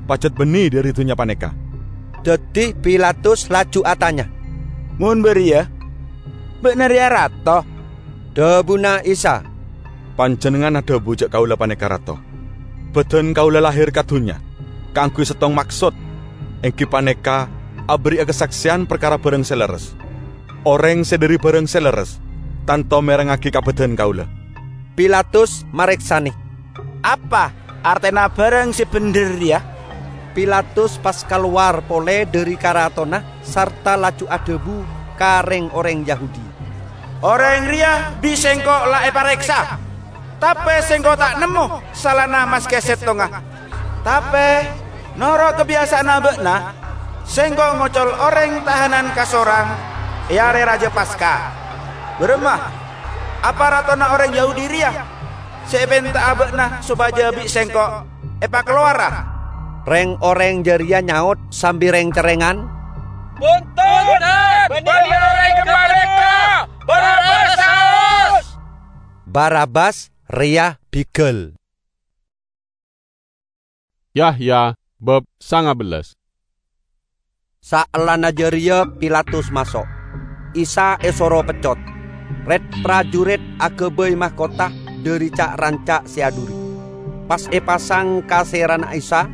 pajhât bânnè dhâri dhunnya panèka." Dhâddhi Pilatus laju atanya, "Mon bâriyâ, bâ'na rèya rato?" Dhâbuna Isa, "Panjhennengngan adhâbu jhâ' kaulâ panèka rato. Bâdân kaulâ lahèr ka dhunnya kaangghuy sèttong maksod, èngghi panèka aberri'a kasaksèyan parkara bhârâng sè lerres. Orèng sè dhâri bhârâng sè lerres tanto mèrengngaghi ka bâdân kaulâ." Pilatus marèksanè, "Apa artèna bhârâng sè bhendher rèya?" Pilatus pas kalowar polè dhâri karatonna sarta laju adhâbu ka rèng-orèng Yahudi, "Orèng rèya bi' sèngko' la èparèksa, tapè sèngko' ta' nemmo salana maskè sèttonga. Tapè, noro' kabiyasa'anna bâ'na, sèngko' ngocol orèng tahanan kasorang è arè rajâ Paska. Bârâmma? Apa ratona orèng Yahudi rèya sè èpènta'a bâ'na sopajâ bi' sèngko' èpakalowara?" Rèng-orèng jârèya nyaot sambi rèng-cerrèngan, "Bhunten! Bânnè orèng ghâpanèka! Barabbas saos!" Barabbas rèya bighâl. Yahya bab sanga bellas. Saellana jârèya Pilatus maso'. Isa èsoro peccot. Red-parjurit aghâbây mahkota dhâri ca'-ranca' sè adhuri, pas èpasang ka sèrana Isa.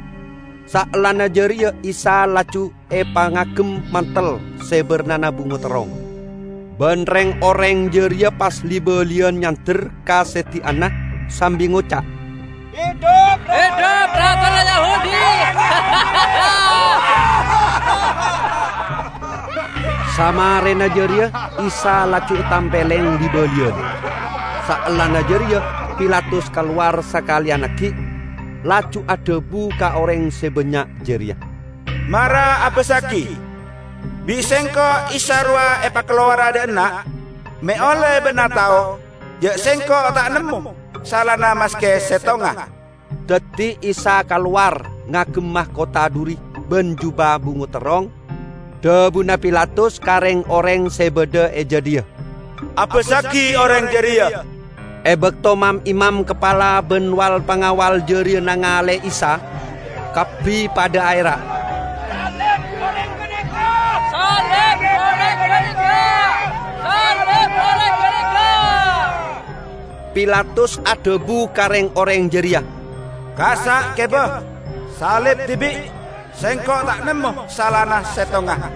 Saellana jârèya Isa laju èpangagem mantel sè bârnana bungo terrong. Bân rèng-orèng jârèya pas li-bâliyân nyander ka sèdhi'ânna sambi ngoca', "Hidup Ratona Yahudi!" Samarèna jârèya Isa laju ètampèlèng li-bâliyân. Saellana jârèya Pilatus kalowar sakalèyan aghi', laju adhâbu ka orèng sè bânnya' jârèya, "Mara abâssaghi, bi' sèngko' Isa rowa èpakalowara dâ' enna', mè' ollè bâ'na tao jhâ' sèngko' ta' nemmo salana maskè sèttonga." Dhâddhi Isa kalowar ngagem mahkota dhuri bân jubâ bungo terrong, dhâbuna Pilatus ka rèng-orèng sè bâdâ è jâdiyâ, "Abâssaghi orèng jârèya." È bâkto mam-imam kapala bân wal-pangawal jârèya nangalè Isa, kabbhi padâ aèra', "Salib orèng ghânèka! Salib orèng ghânèka!" Pilatus adhâbu ka rèng-orèng jârèya, "Kassa' kèbâ, "Salib dhibi', sengko' ta' nemmo salana settonga."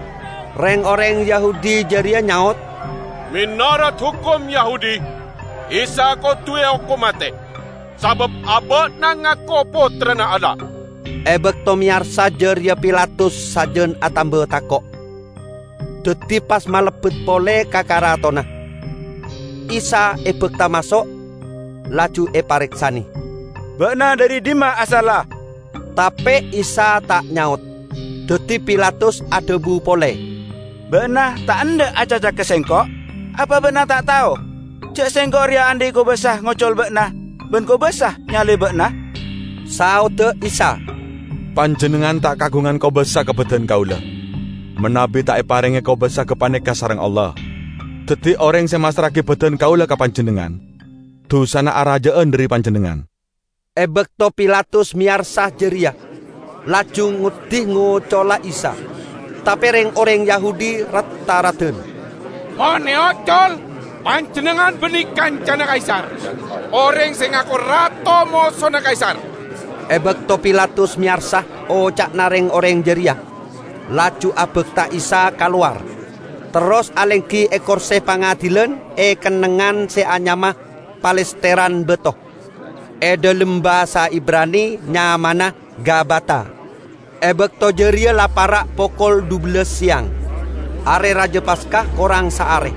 Reng-oreng Yahudi jareya nyaot, "Menorot hokom Yahudi, Isa kodu eokom mate, sabab aba'na ngako Pottrana Allah." E bakto meyarsa jareya Pilatus sajân atamba tako'. Daddi pas malebbet pole ka karatonna. Isa ebakta maso', laju epareksane. "Ba'na dhari dimma asalla?" Tape Isa ta' nyaot. Daddi Pilatus adhabu pole, "Ba'na ta' endha' acaca ka sengko'? Apa ba'na ta' tao ja' sengko' reya andhi' kobasa ngocol ba'na ban kobasa nyalib ba'na?" Saodda Isa, "Panjennengngan ta' kagungan kobasa ka badan kaula, manabi ta' eparenge kobasa gapaneka sareng Allah. Daddi oreng se massra'agi badan kaula ka panjennengngan, dusana araja'an dhari panjennengngan." E bakto Pilatus meyarsa jareya, laju ngoddi ngocola Isa. Tape reng-oreng Yahudi rat-taradan, "Mon eocol, panjennengngan banne kancana Kaisar. Oreng se ngako rato mosona Kaisar." E bakto Pilatus meyarsa oca'na reng-oreng jareya, laju abakta Isa kalowar, terros alenggi e korse pangadilan e kennengngan se anyama Palesteran Bato. E dhalem basa Ibrani nyamana Gabata. E bakto jareya la para' pokol dubellâs seyang. Are Raja Paska korang saare.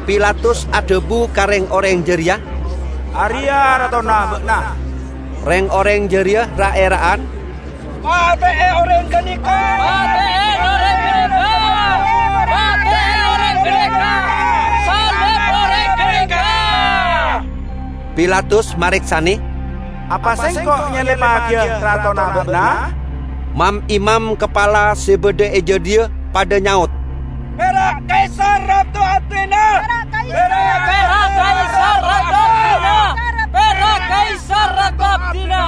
Pilatus adhabu ka reng-oreng jareya, "Areya ratona ba'na." Reng-oreng jareya ra'-era'an, "Pate'e oreng ganeka! Pate'e oreng ganeka! Pate'e oreng ganeka! Salib oreng ganeka!" Pilatus mareksane, "Apa sengko' nyalibbagiya ratona ba'na?" Mam-imam kapala se badha e jadhiya padha nyaot, "Pera' Kaisar rato abdina!" "Pera' Kaisar rato abdina! Pera' Kaisar rato abdina!"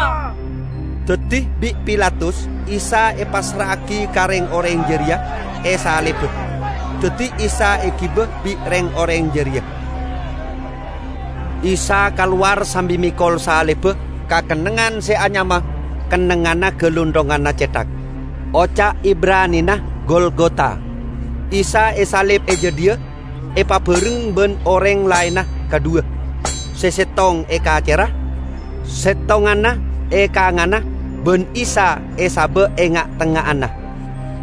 Daddi bi' Pilatus Isa epassra'agi ka reng-oreng jareya, esalibba. Daddi Isa egiba bi' reng-oreng jareya. Isa kalowar sambi mekol salibba ka kennengngan se anyama Kennengnganna Galunthonganna Cethak. Oca' Ibranina Golgota. Isa esalib e jadhiya, epabhâreng ban oreng laenna kadhuwa, se settong e kacerra, settonganna e kangana, ban Isa esaba' e nga'-tengnga'anna.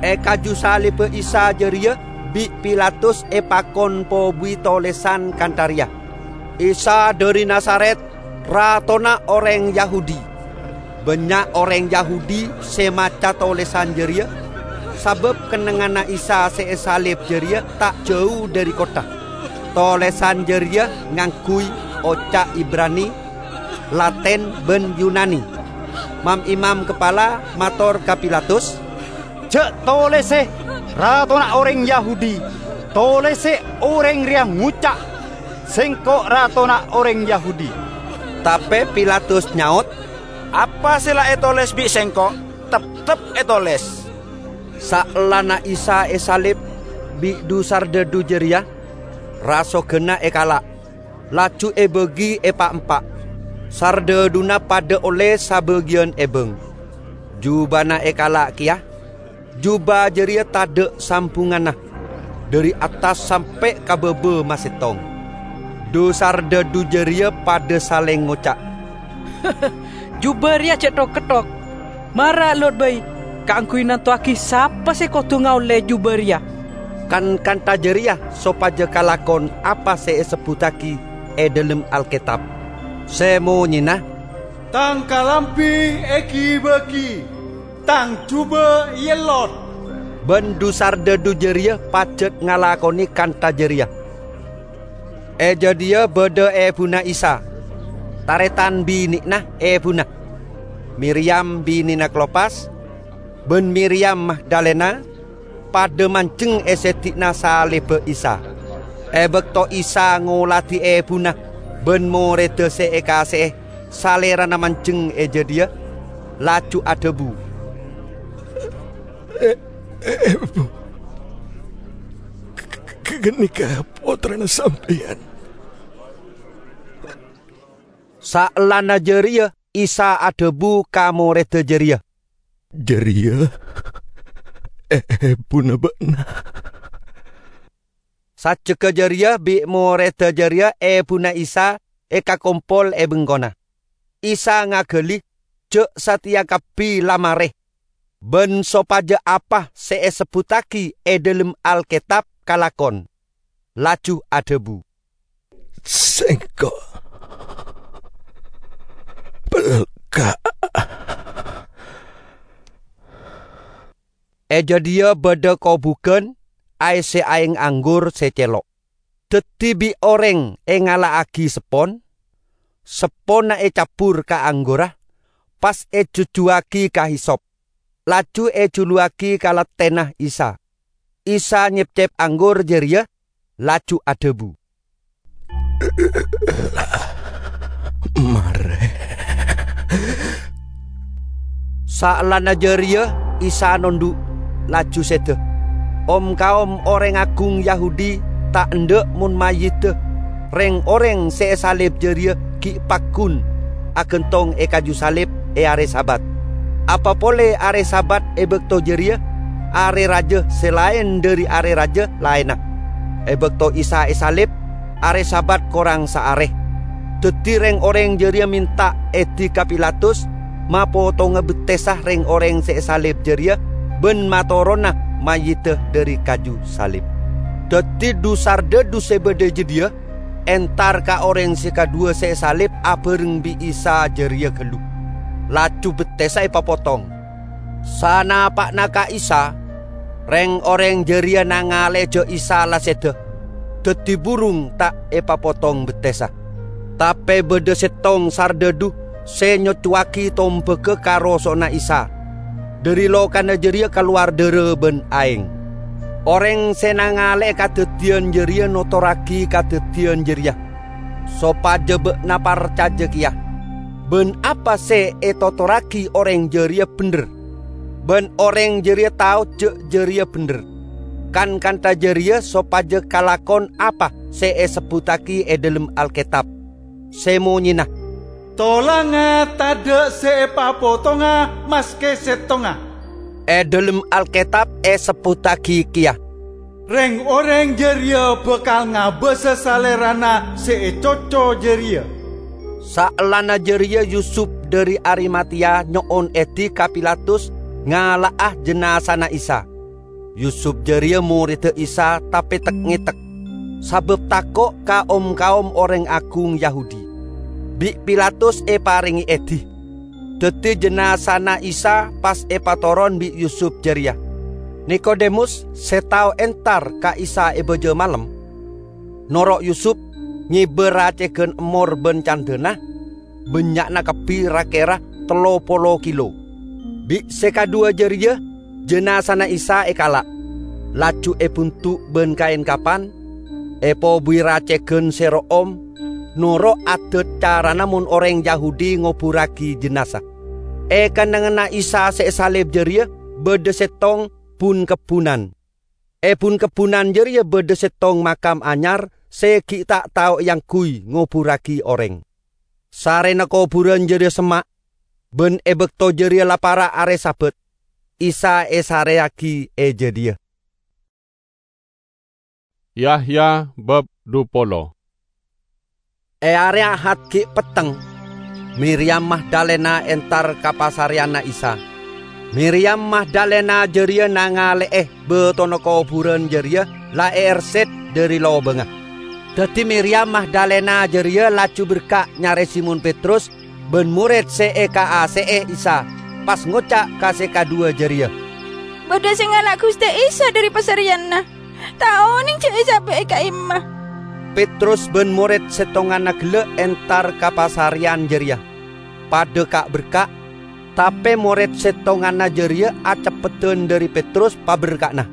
E kaju salibba Isa jareya bi' Pilatus epakon pobuwi tolesan kantha reya, "Isa dhari Nazaret, ratona oreng Yahudi." Bannya' oreng Yahudi se maca tolesan jareya, sabab kennengnganna Isa se esalib jareya ta' jau dhari kottha. Tolesan jareya ngangguy oca' Ibrani, Latin, ban Yunani. Mam-imam kapala mator ka Pilatus, "Ja' tolese, 'Ratona oreng Yahudi.' Tolese oreng reya ngoca', 'Sengko' ratona oreng Yahudi.'" Tape Pilatus nyaot, "Apa se la etoles bi' sengko', teptep etoles." Saellana Isa esalib bi' dhu-sardhadhu jareya, rasoganna ekala', laju ebagi epa'-empa'. Sardhadhuna padha olle sabagiyan ebang. Jubana ekala' keya, juba jareya tadha' sambunganna, dhari attas sampe' ka baba masettong. Dhu-sardhadhu jareya padha saleng ngoca', "Juba reya ce' thok-ketthok! Mara lot bai kaangguy nantowagi sapa se kodu ngaolle juba reya!" Kan-kantha jareya sopaja kalakon apa se esebbuttagi e dhalem Alketab, se monyena, "Tang kalambi egi-bagi, tang juba eellot." Ban dhu-sardhadhu jareya pajat ngalakone kantha jareya. E jadhiya badha ebuna Isa, taretan binena ebuna, Miriyam binena Klopas, ban Miriyam Magdalena, padha manjeng e seddi'na salibba Isa. E bakto Isa ngoladi ebuna ban moredda se ekase'e, Salerana manjeng e jadhiya, laju adhabu, "E-, e-, Ebu, g-, g-, ganeka Pottrana Sampeyan." Saellana jareya Isa adhabu ka moredda jareya, "Jârèya èbhuna bâ'na." Sajjhegghâ jârèya bi' morèdda jârèya èbhuna Isa èkakompol è bengkona. Isa ngaghâli jhâ' satèya kabbhi la marè, bân sopajâ apa sè èsebbhuttaghi è dhâlem Alkètab kalakon, laju adhâbu, "Sèngko' pelka'." È jâdiyâ bâdâ kobhugân aèssè aèng anggur sè cèlo'. Dhâddhi bi' orèng èngala'aghi seppon, sepponna ècabbhur ka anggurra, pas èjhujhuwâghi ka hisop, laju èjhuluwâghi ka lattèna Isa. Isa nyepcep anggur jârèya, laju adhâbu, "La marè." Saellana jârèya Isa nondhu', laju sèdhâ. Om-kaom orèng agung Yahudi ta' endâ' mon mayyidda rèng-orèng sè èsalib jârèya ghi' paggun aghântong è kaju salib è arè Sabat. Apa polè arè Sabat è bâkto jârèya arè rajâ sè laèn dhâri arè rajâ laènna. È bâkto Isa èsalib, arè Sabat korang saarè. Dhâddhi rèng-orèng jârèya mènta èdhi ka Pilatus mapotonga bettessa rèng-orèng sè èsalib jârèya bân matoronna mayyidda dhâri kaju salib. Dhâddhi dhu-sardhâdhu sè bâdâ è jâdiyâ entar ka orèng sè kadhuwâ sè èsalib abhâreng bi' Isa jârèya ghâllu, laju bettessa èpapotong. Sanapa'na ka Isa, rèng-orèng jârèya nangalè jhâ' Isa la sèdhâ, dhâddhi burung ta' èpapotong bettessa. Tapè bâdâ sèttong sardhâdhu sè nyoccowaghi tombhâghâ ka roso'na Isa. Dhâri lokana jârèya kalowar dârâ bân aèng. Orèng sè nangalè kadhâddhiyân jârèya notorraghi kadhâddhiyân jârèya, sopajâ bâ'na parcajâ kèya. Bân apa sè ètotorraghi orèng jârèya bhendher, bân orèng jârèya tao jhâ' jârèya bhendher. Kan-kantha jârèya sopajâ kalakon apa sè èsebbhuttaghi è dhâlem Alkètab, sè monyèna, "Tolangnga tadhâ' sè èpapotonga maskè sèttongnga." È dhâlem Alkètab èsebbhuttaghi kèya, "Rèng-orèng jârèya bhâkal ngabâsa Salèrana sè ècoco jârèya." Saellana jârèya Yusup dhâri Arimatea nyo'on èdhi ka Pilatus ngala'a jinazana Isa. Yusup jârèya morèdda Isa tapè tek-ngètek, sabâb tako' ka om-kaom orèng agung Yahudi. Bi' Pilatus èparèngè èdhi. Dhâddhi jinazana Isa pas èpatoron bi' Yusup jârèya. Nikodemus sè tao entar ka Isa è bâjâ malem, noro' Yusup ngèbâ racèghân emmor bân candhâna, bânnya'na kabbhi ra-kèra tello polo kilo. Bi' sè kadhuwâ jârèya jinazana Isa èkala', laju èbuntu' bân kaèn kapan, èpobuwi racèghân sè ro'om, noro' adât carana mon orèng Yahudi ngoburraghi jinaza. È kennengnganna Isa sè èsalib jârèya bâdâ sèttong bun-kebbhunan. È bun-kebbhunan jârèya bâdâ sèttong makam anyar sè ghi' ta' tao èangghuy ngoburraghi orèng. Sarèna kobhurân jârèya semma', bân è bâkto jârèya la para' arè Sabat, Isa èsarèyaghi è jâdiyâ. Yahya bab dhu polo. È arè Ahad ghi' petteng, Miriyam Magdalena entar ka pasarèyanna Isa. Miriyam Magdalena jârèya nangalè'è bâtona kobhurân jârèya la èèrset dhâri lobângnga. Dhâddhi Miriyam Magdalena jârèya laju berka' nyarè Simon Petrus bân morèd sè èkaase'è Isa, pas ngoca' ka sè kadhuwâ jârèya, "Bâdâ sè ngala' Ghustè Isa dhâri pasarèyanna. Ta' onèng jhâ' èsabâ'â ka'imma." Petrus bân morèd sèttonganna ghellâ' entar ka pasarèyan jârèya, padâ ka'-berka', tapè morèd sèttonganna jârèya aceppedhân dhâri Petrus paberka'na,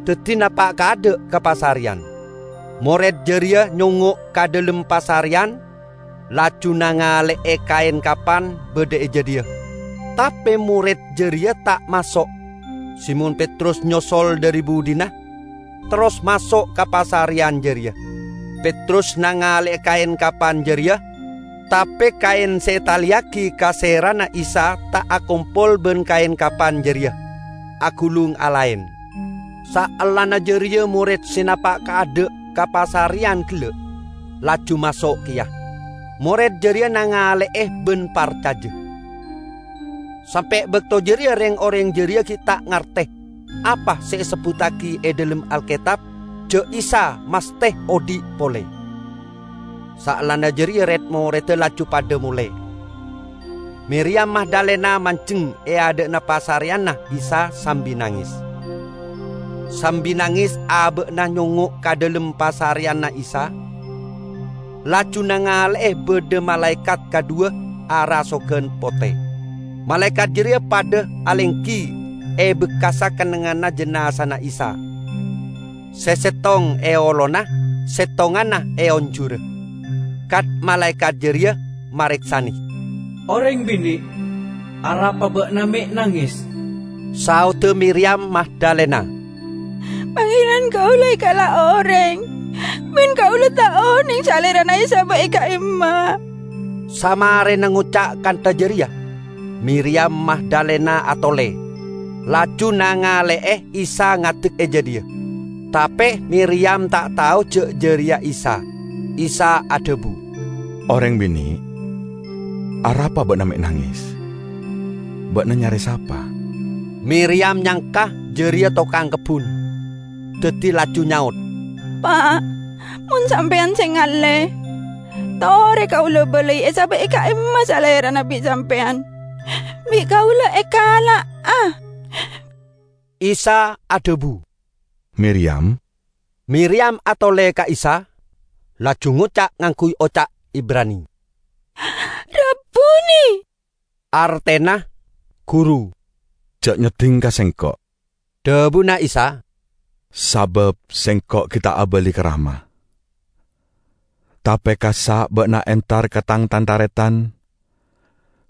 dhâddhi napa' kaadâ' ka pasarèyan. Morèd jârèya nyongngo' ka dhâlem pasarèyan, laju nangalè'è kaèn kapan bâdâ è jâdiyâ. Tapè morèd jârèya ta' maso'. Simon Petrus nyosol dhâri budina, terros maso' ka pasarèyan jârèya. Petrus nangalè'è kaèn kapan jârèya, Tape kaen se etaleyagi ka serana Isa ta' akompol ban kaen kapan jareya, agulung alaen. Saellana jareya mored se napa' kaadha' ka pasareyan gella', laju maso' keya. Mored jareya nangale'e ban parcaja. Sampe' bakto jareya reng-oreng jareya gi' ta' ngarte apa se esebbuttagi e dhalem Alketab ja' Isa masthe odhi' pole. Saellana jareya red-moredda laju padha mole. Miriyam Magdalena manjeng e adha'na pasareyanna Isa sambi nanges. Sambi nanges aba'na nyongngo' ka dhalem pasareyanna Isa, laju nangale'e badha malaekat kadhuwa arasogan pote. Malaekat jareya padha alenggi e bekkassa kennengnganna jinazana Isa. Se settong e olona, settonganna e onjhura. Kat-malaekat jareya mareksane. "Oreng binne', arapa ba'na me' nanges?" Saodda Miriyam Magdalena, "Pangeran kaula ekala' oreng, ban kaula ta' oneng Salerana esaba' e ka'imma." Samarena ngoca' kantha jareya, Miriyam Magdalena atole, laju nangale'e Isa ngadek e jadhiya. Tape Miriyam ta' tao ja' jareya Isa. Isa adhabu, "Oreng binne', arapa ba'na me' nanges? Ba'na nyare sapa?" Miriyam nyangka jareya tokang kebbun, daddi laju nyaot, "Pa', mon sampeyan se ngalle, tore kaula balai esaba' e ka'imma Salerana bi' sampeyan. Bi' kaula ekala'a." Isa adhabu, "Miriyam." Miriyam atole ka Isa, laju ngoca' ngangguy oca' Ibrani, "Rabbuni!" artena, "Guru." "Ja' nyedding ka Sengko'," dhabuna Isa, "sabab Sengko' gi' ta' abali ka Rama. Tape kassa' ba'na entar ka Tang tan-taretan,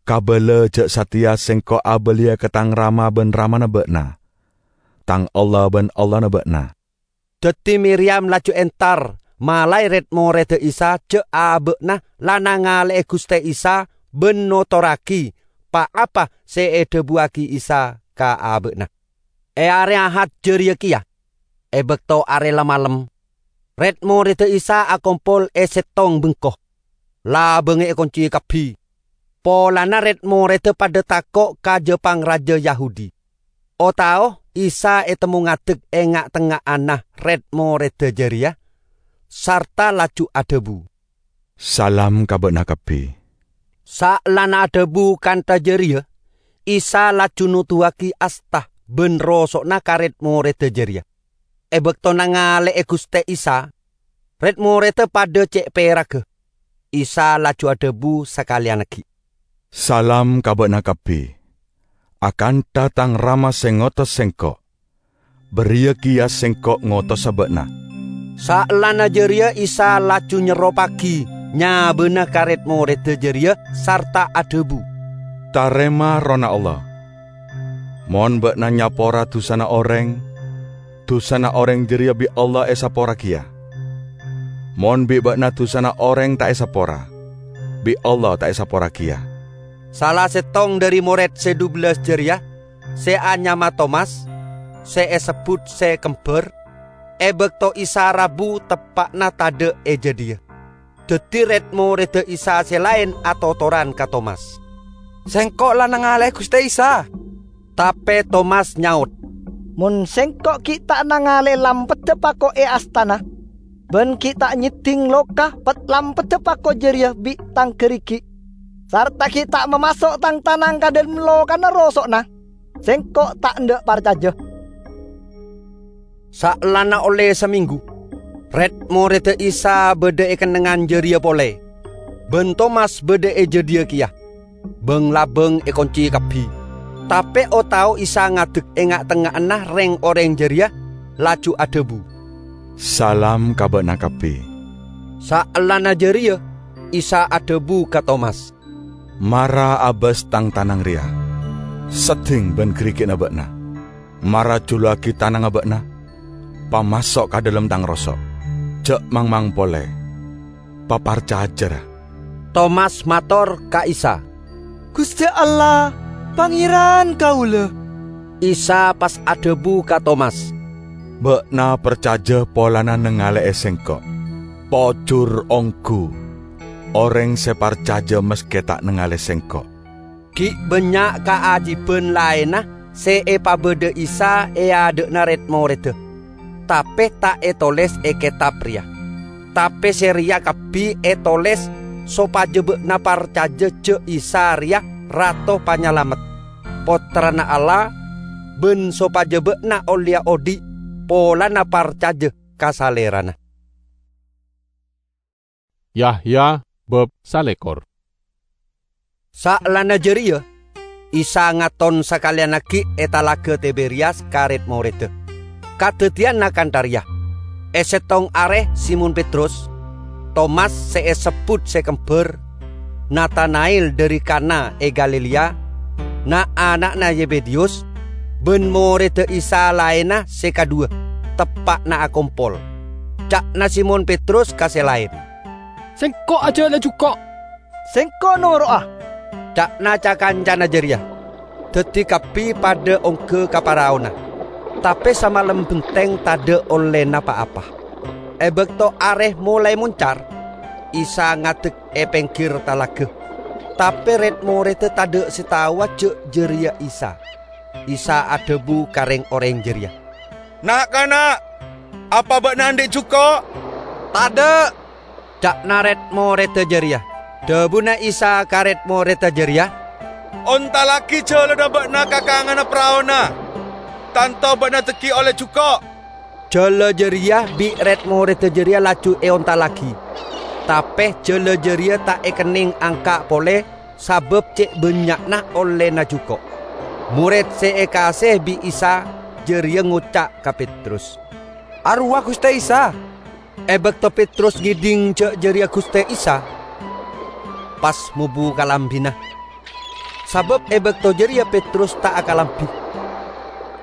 kabala ja' sateya Sengko' abaliya ka Tang Rama ban Ramana ba'na, Tang Allah ban Allahna ba'na." Daddi Miriyam laju entar malae red-moredda Isa ja' aba'na la nangale'e Guste Isa ban notorragi pa-apa se edhabuwagi Isa ka aba'na. E are Ahad jareya keya, e bakto are la-malem, red-moredda Isa akompol e settong bengko. Labangnga ekonce kabbi, polana red-moredda padha tako' ka ja-pangraja Yahudi. O-tao Isa etemmo ngadek e nga'-tengnga'anna red-moredda jareya, sarta laju adhabu, "Salam ka ba'na kabbi." Saellana adhabu kantha jareya, Isa laju noduwagi asta ban roso'na ka red-moredda jareya. E bakto nangale'e Guste Isa, red-moredda padha ce' peraga. Isa laju adhabu sakaleyannagi, "Salam ka ba'na kabbi. Akantha Tang Rama se ngotos Sengko', bariya keya Sengko' ngotosa ba'na." Saellana jareya Isa laju nyerropagi nyabana ka red-moredda jareya sarta adhabu, "Tarema Errohna Allah. Mon ba'na nyapora dusana oreng, dusana oreng jareya bi' Allah esapora keya. Mon bi' ba'na dusana oreng ta' esapora, bi' Allah ta' esapora keya." Sala settong dhari mored se dhubellas jareya, se anyama Tomas, se esebbut se Kembar, e bakto Isa rabu teppa'na tadha' e jadhiya. Daddi red-moredda Isa se laen atotoran ka Tomas, "Sengko' la nangale'e Guste Isa." Tape Tomas nyaot, "Mon sengko' gi' ta' nangale'e lampedda pako' e astana, ban gi' ta' nyedding loka pet-lampedda pako' jareya bi' tang garigi', sarta gi' ta' mamaso' tang tanang ka dhalem lokana roso'na, sengko' ta' endha' parcaja." Saellana olle samenggu, red-moredda Isa badha e kennengngan jareya pole, ban Tomas badha e jadhiya keya. Bang-labang ekonce kabbi. Tape o-tao Isa ngadek e nga'-tengnga'anna reng-oreng jareya, laju adhabu, "Salam ka ba'na kabbi." Saellana jareya, Isa adhabu ka Tomas, "Mara abas tang tanang reya, sedding ban garigi'na ba'na. Mara juluwagi tanangnga ba'na, pamaso' ka dhalem tang roso'. Ja' mangmang pole, paparcaja, ra." Tomas mator ka Isa, "Guste Allah, Pangeran kaula." Isa pas adhabu ka Tomas, "Ba'na parcaja polana nangale'e Sengko'. Pojur onggu, oreng se parcaja maske ta' nangale Sengko'." Gi' bannya' kaajiban laenna se epabadha Isa e adha'na red-moredda, tape ta' etoles e ketab reya. Tape se reya kabbi etoles sopaja ba'na parcaja ja' Isa reya Rato Panyalamet, Pottrana Allah, ban sopaja ba'na ollea odhi' polana parcaja ka Salerana. Yahya bab salekor. Saellana jareya, Isa ngaton sakaleyannagi e Talaga Tiberiyas ka red-moredda. Kadaddiyanna kantha reya: E settong are Simon Petrus, Tomas se esebbut se kembar, Natanael dhari Kana e Galilea, na'-ana'na Yebediyus, ban moredda Isa laenna se kadhuwa, teppa'na akompol. Ca'na Simon Petrus ka se laen, "Sengko' ajala juko'." "Sengko' noro'a," ca'na ca-kancana jareya. Daddi kabbi padha ongga ka paraona, tape samalem benteng tadha' ollena pa-apa. E bakto are molae moncar, Isa ngadek e penggir talaga, tape red-moredda tadha' se taowa ja' jareya Isa. Isa adhabu ka reng-oreng jareya, "Na'-kana', apa ba'na andhi' juko'?" "Tadha'," ca'na red-moredda jareya. Dhabuna Isa ka red-moredda jareya, "Ontallagi jalanna ba'na ka kanganna paraona. Tanto ba'na dhaggi' olle juko'." Jala jareya bi' red-moredda jareya laju eontallagi. Tape jala jareya ta' ekenneng angka' pole, sabab ce' bannya'na ollena juko'. Mored se ekaase'e bi' Isa jareya ngoca' ka Petrus, "Arowa Guste Isa!" E bakto Petrus ngedhing ja' jareya Guste Isa, pas mobu kalambina, sabab e bakto jareya Petrus ta' akalambi,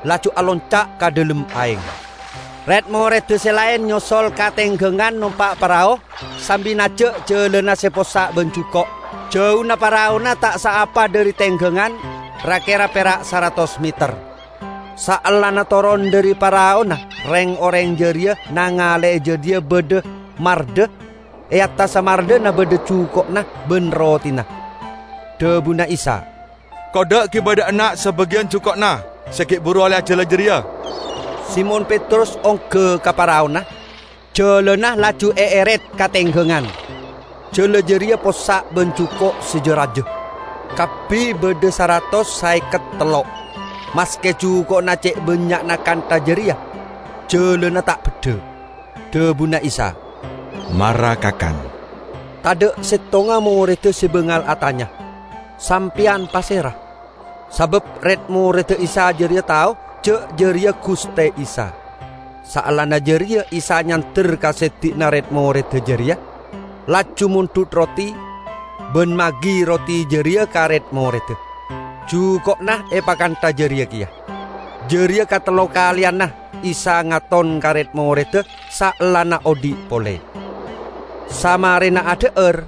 laju alonca' ka dhalem aeng. Red-moredda se laen nyosol ka tenggangan nompa' parao sambi naja' jalana se possa' ban juko'. Jauna paraona ta' saapa dhari tenggangan, ra-kera pera' saratos meter. Saellana toron dhari paraona, reng-oreng jareya nangale'e jadhiya badha mardha, e attassa mardhana badha juko'na ban rotena. Dhabuna Isa, "Kodda' gi' badha enna' sabagiyan juko'na se gi' buru olle ajala jareya." Simon Petrus ongga ka paraona, jalana laju eeret ka tenggangan. Jala jareya possa' ban juko' se ja-raja. Kabbi badha saratos saeket tello'. Maske juko'na ce' bannya'na kantha jareya, jalana ta' beddha. Dhabuna Isa, "Mara kakan." Tadha' settonga moredda se bangal atanya, "Sampeyan pasera?" Sabab red-moredda Isa jareya tao ja' jareya Guste Isa. Saellana jareya Isa nyander ka seddi'na red-moredda jareya, laju mondhut roti, ban magi roti jareya ka red-moredda. Juko'na epakantha jareya keya. Jareya katello kaleyanna Isa ngaton ka red-moredda saellana odhi' pole. Samarena adha'ar,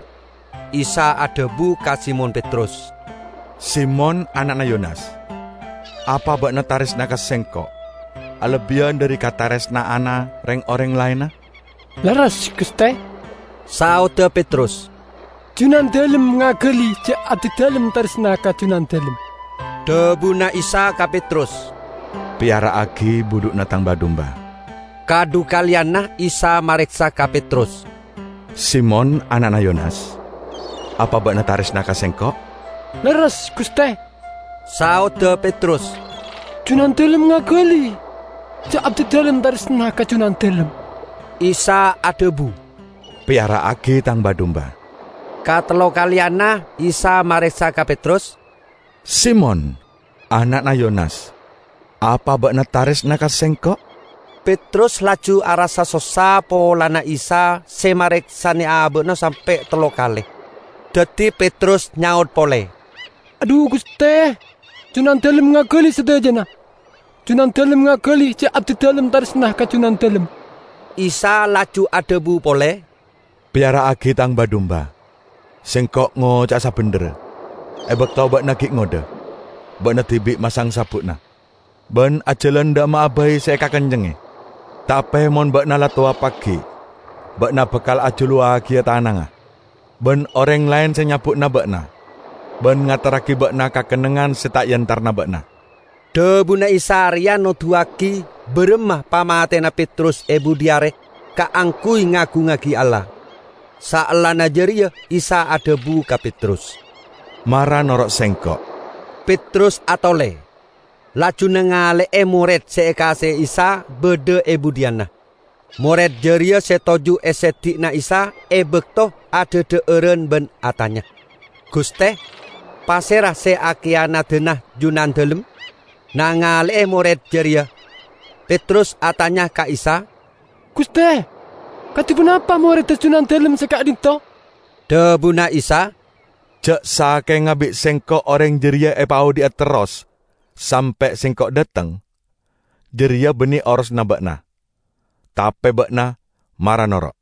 Isa adhabu ka Simon Petrus, "Simon, ana'na Yonas, apa ba'na taresna ka Sengko' alebbiyan dhari kataresna'anna reng-oreng laenna?" "Lerres, Guste," saodda Petrus. "Junandalem ngagali ja' abdidalem taresna ka Junandalem." Dhabuna Isa ka Petrus, "Peyara'agi budhu'na Tang ba-dumba." Kadhu kaleyanna Isa mareksa ka Petrus, "Simon, ana'na Yonas, apa ba'na taresna ka Sengko'?" "Lerres, Guste," saodda Petrus. "Junandalem ngagali ja' abdidalem taresna ka Junandalem." Isa adhabu, "Peyara'agi Tang ba-dumba." Katello kaleyanna Isa mareksa ka Petrus, "Simon, ana'na Yonas, apa ba'na taresna ka Sengko'?" Petrus laju arassa sossa polana Isa se mareksane aba'na sampe' tello kale. Daddi Petrus nyaot pole, "Adhu, Guste, Junandalem ngagali sadajana. Junandalem ngagali ja' abdidalem taresna ka Junandalem." Isa laju adhabu pole, "Peyara'agi Tang ba-dumba. Sengko' ngoca'a sabendherra. E bakto ba'na gi' ngodha, ba'na dibi' masang sabbu'na, ban ajalan dha' emma'a bai se ekakencenge. Tape mon ba'na la towa pagi, ba'na bakal ajuluwagiya tanangnga, ban oreng laen se nyabbu'na ba'na, ban ngaterragi ba'na ka kennengngan se ta' entarna ba'na." Dhabuna Isa reya noduwagi baramma pamatena Petrus e budhi are kaangguy ngagungngagi Allah. Saellana jareya Isa adhabu ka Petrus, "Mara noro' Sengko'." Petrus atole, laju nangale'e mored se ekase Isa badha e budhiyanna. Mored jareya se toju' e seddi'na Isa e bakto adhadha'aran ban atanya, "Guste, pasera se akiyanadana Junandalem?" Nangale'e mored jareya, Petrus atanya ka Isa, "Guste, kadi ponapa moredda Junandalem se ka'dhinto'?" Dhabuna Isa, "Ja' sakenga bi' Sengko' oreng jareya epaodhi'a terros sampe' Sengko' dhateng, jareya banne orosanna ba'na. Tape ba'na mara noro'."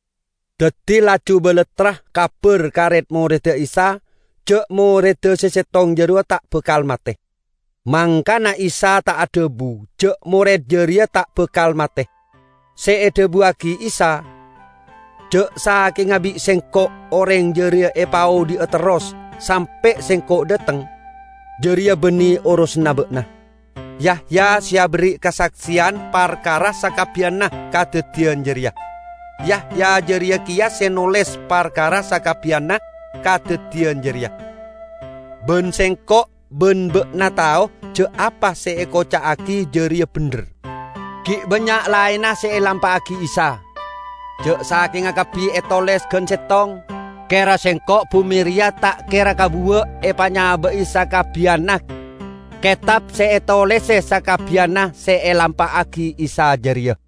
Daddi laju balattra kabar ka red-moredda Isa ja' moredda se settong jarowa ta' bakal mate. Mangkana Isa ta' adhabu ja' mored jareya ta' bakal mate. Se edhabuwagi Isa, "Ja' sakenga bi' Sengko' oreng jareya epaodhi'a terros sampe' Sengko' dhateng, jareya banne orosanna ba'na. Yahya se aberri' kasakseyan parkara sakabbiyanna kadaddiyan jareya. Yahya jareya keya se noles parkara sakabbiyanna kadaddiyan jareya. Ban Sengko' ban ba'na tao ja' apa se ekoca'agi jareya bendher." Gi' bannya' laenna se elampa'agi Isa. Ja' sakenga kabbi etoles gan settong, kera Sengko' bume reya ta' kera kabuwa' epanyaba'i sakabbiyanna ketab se etolese sakabbiyanna se elampa'agi Isa jareya.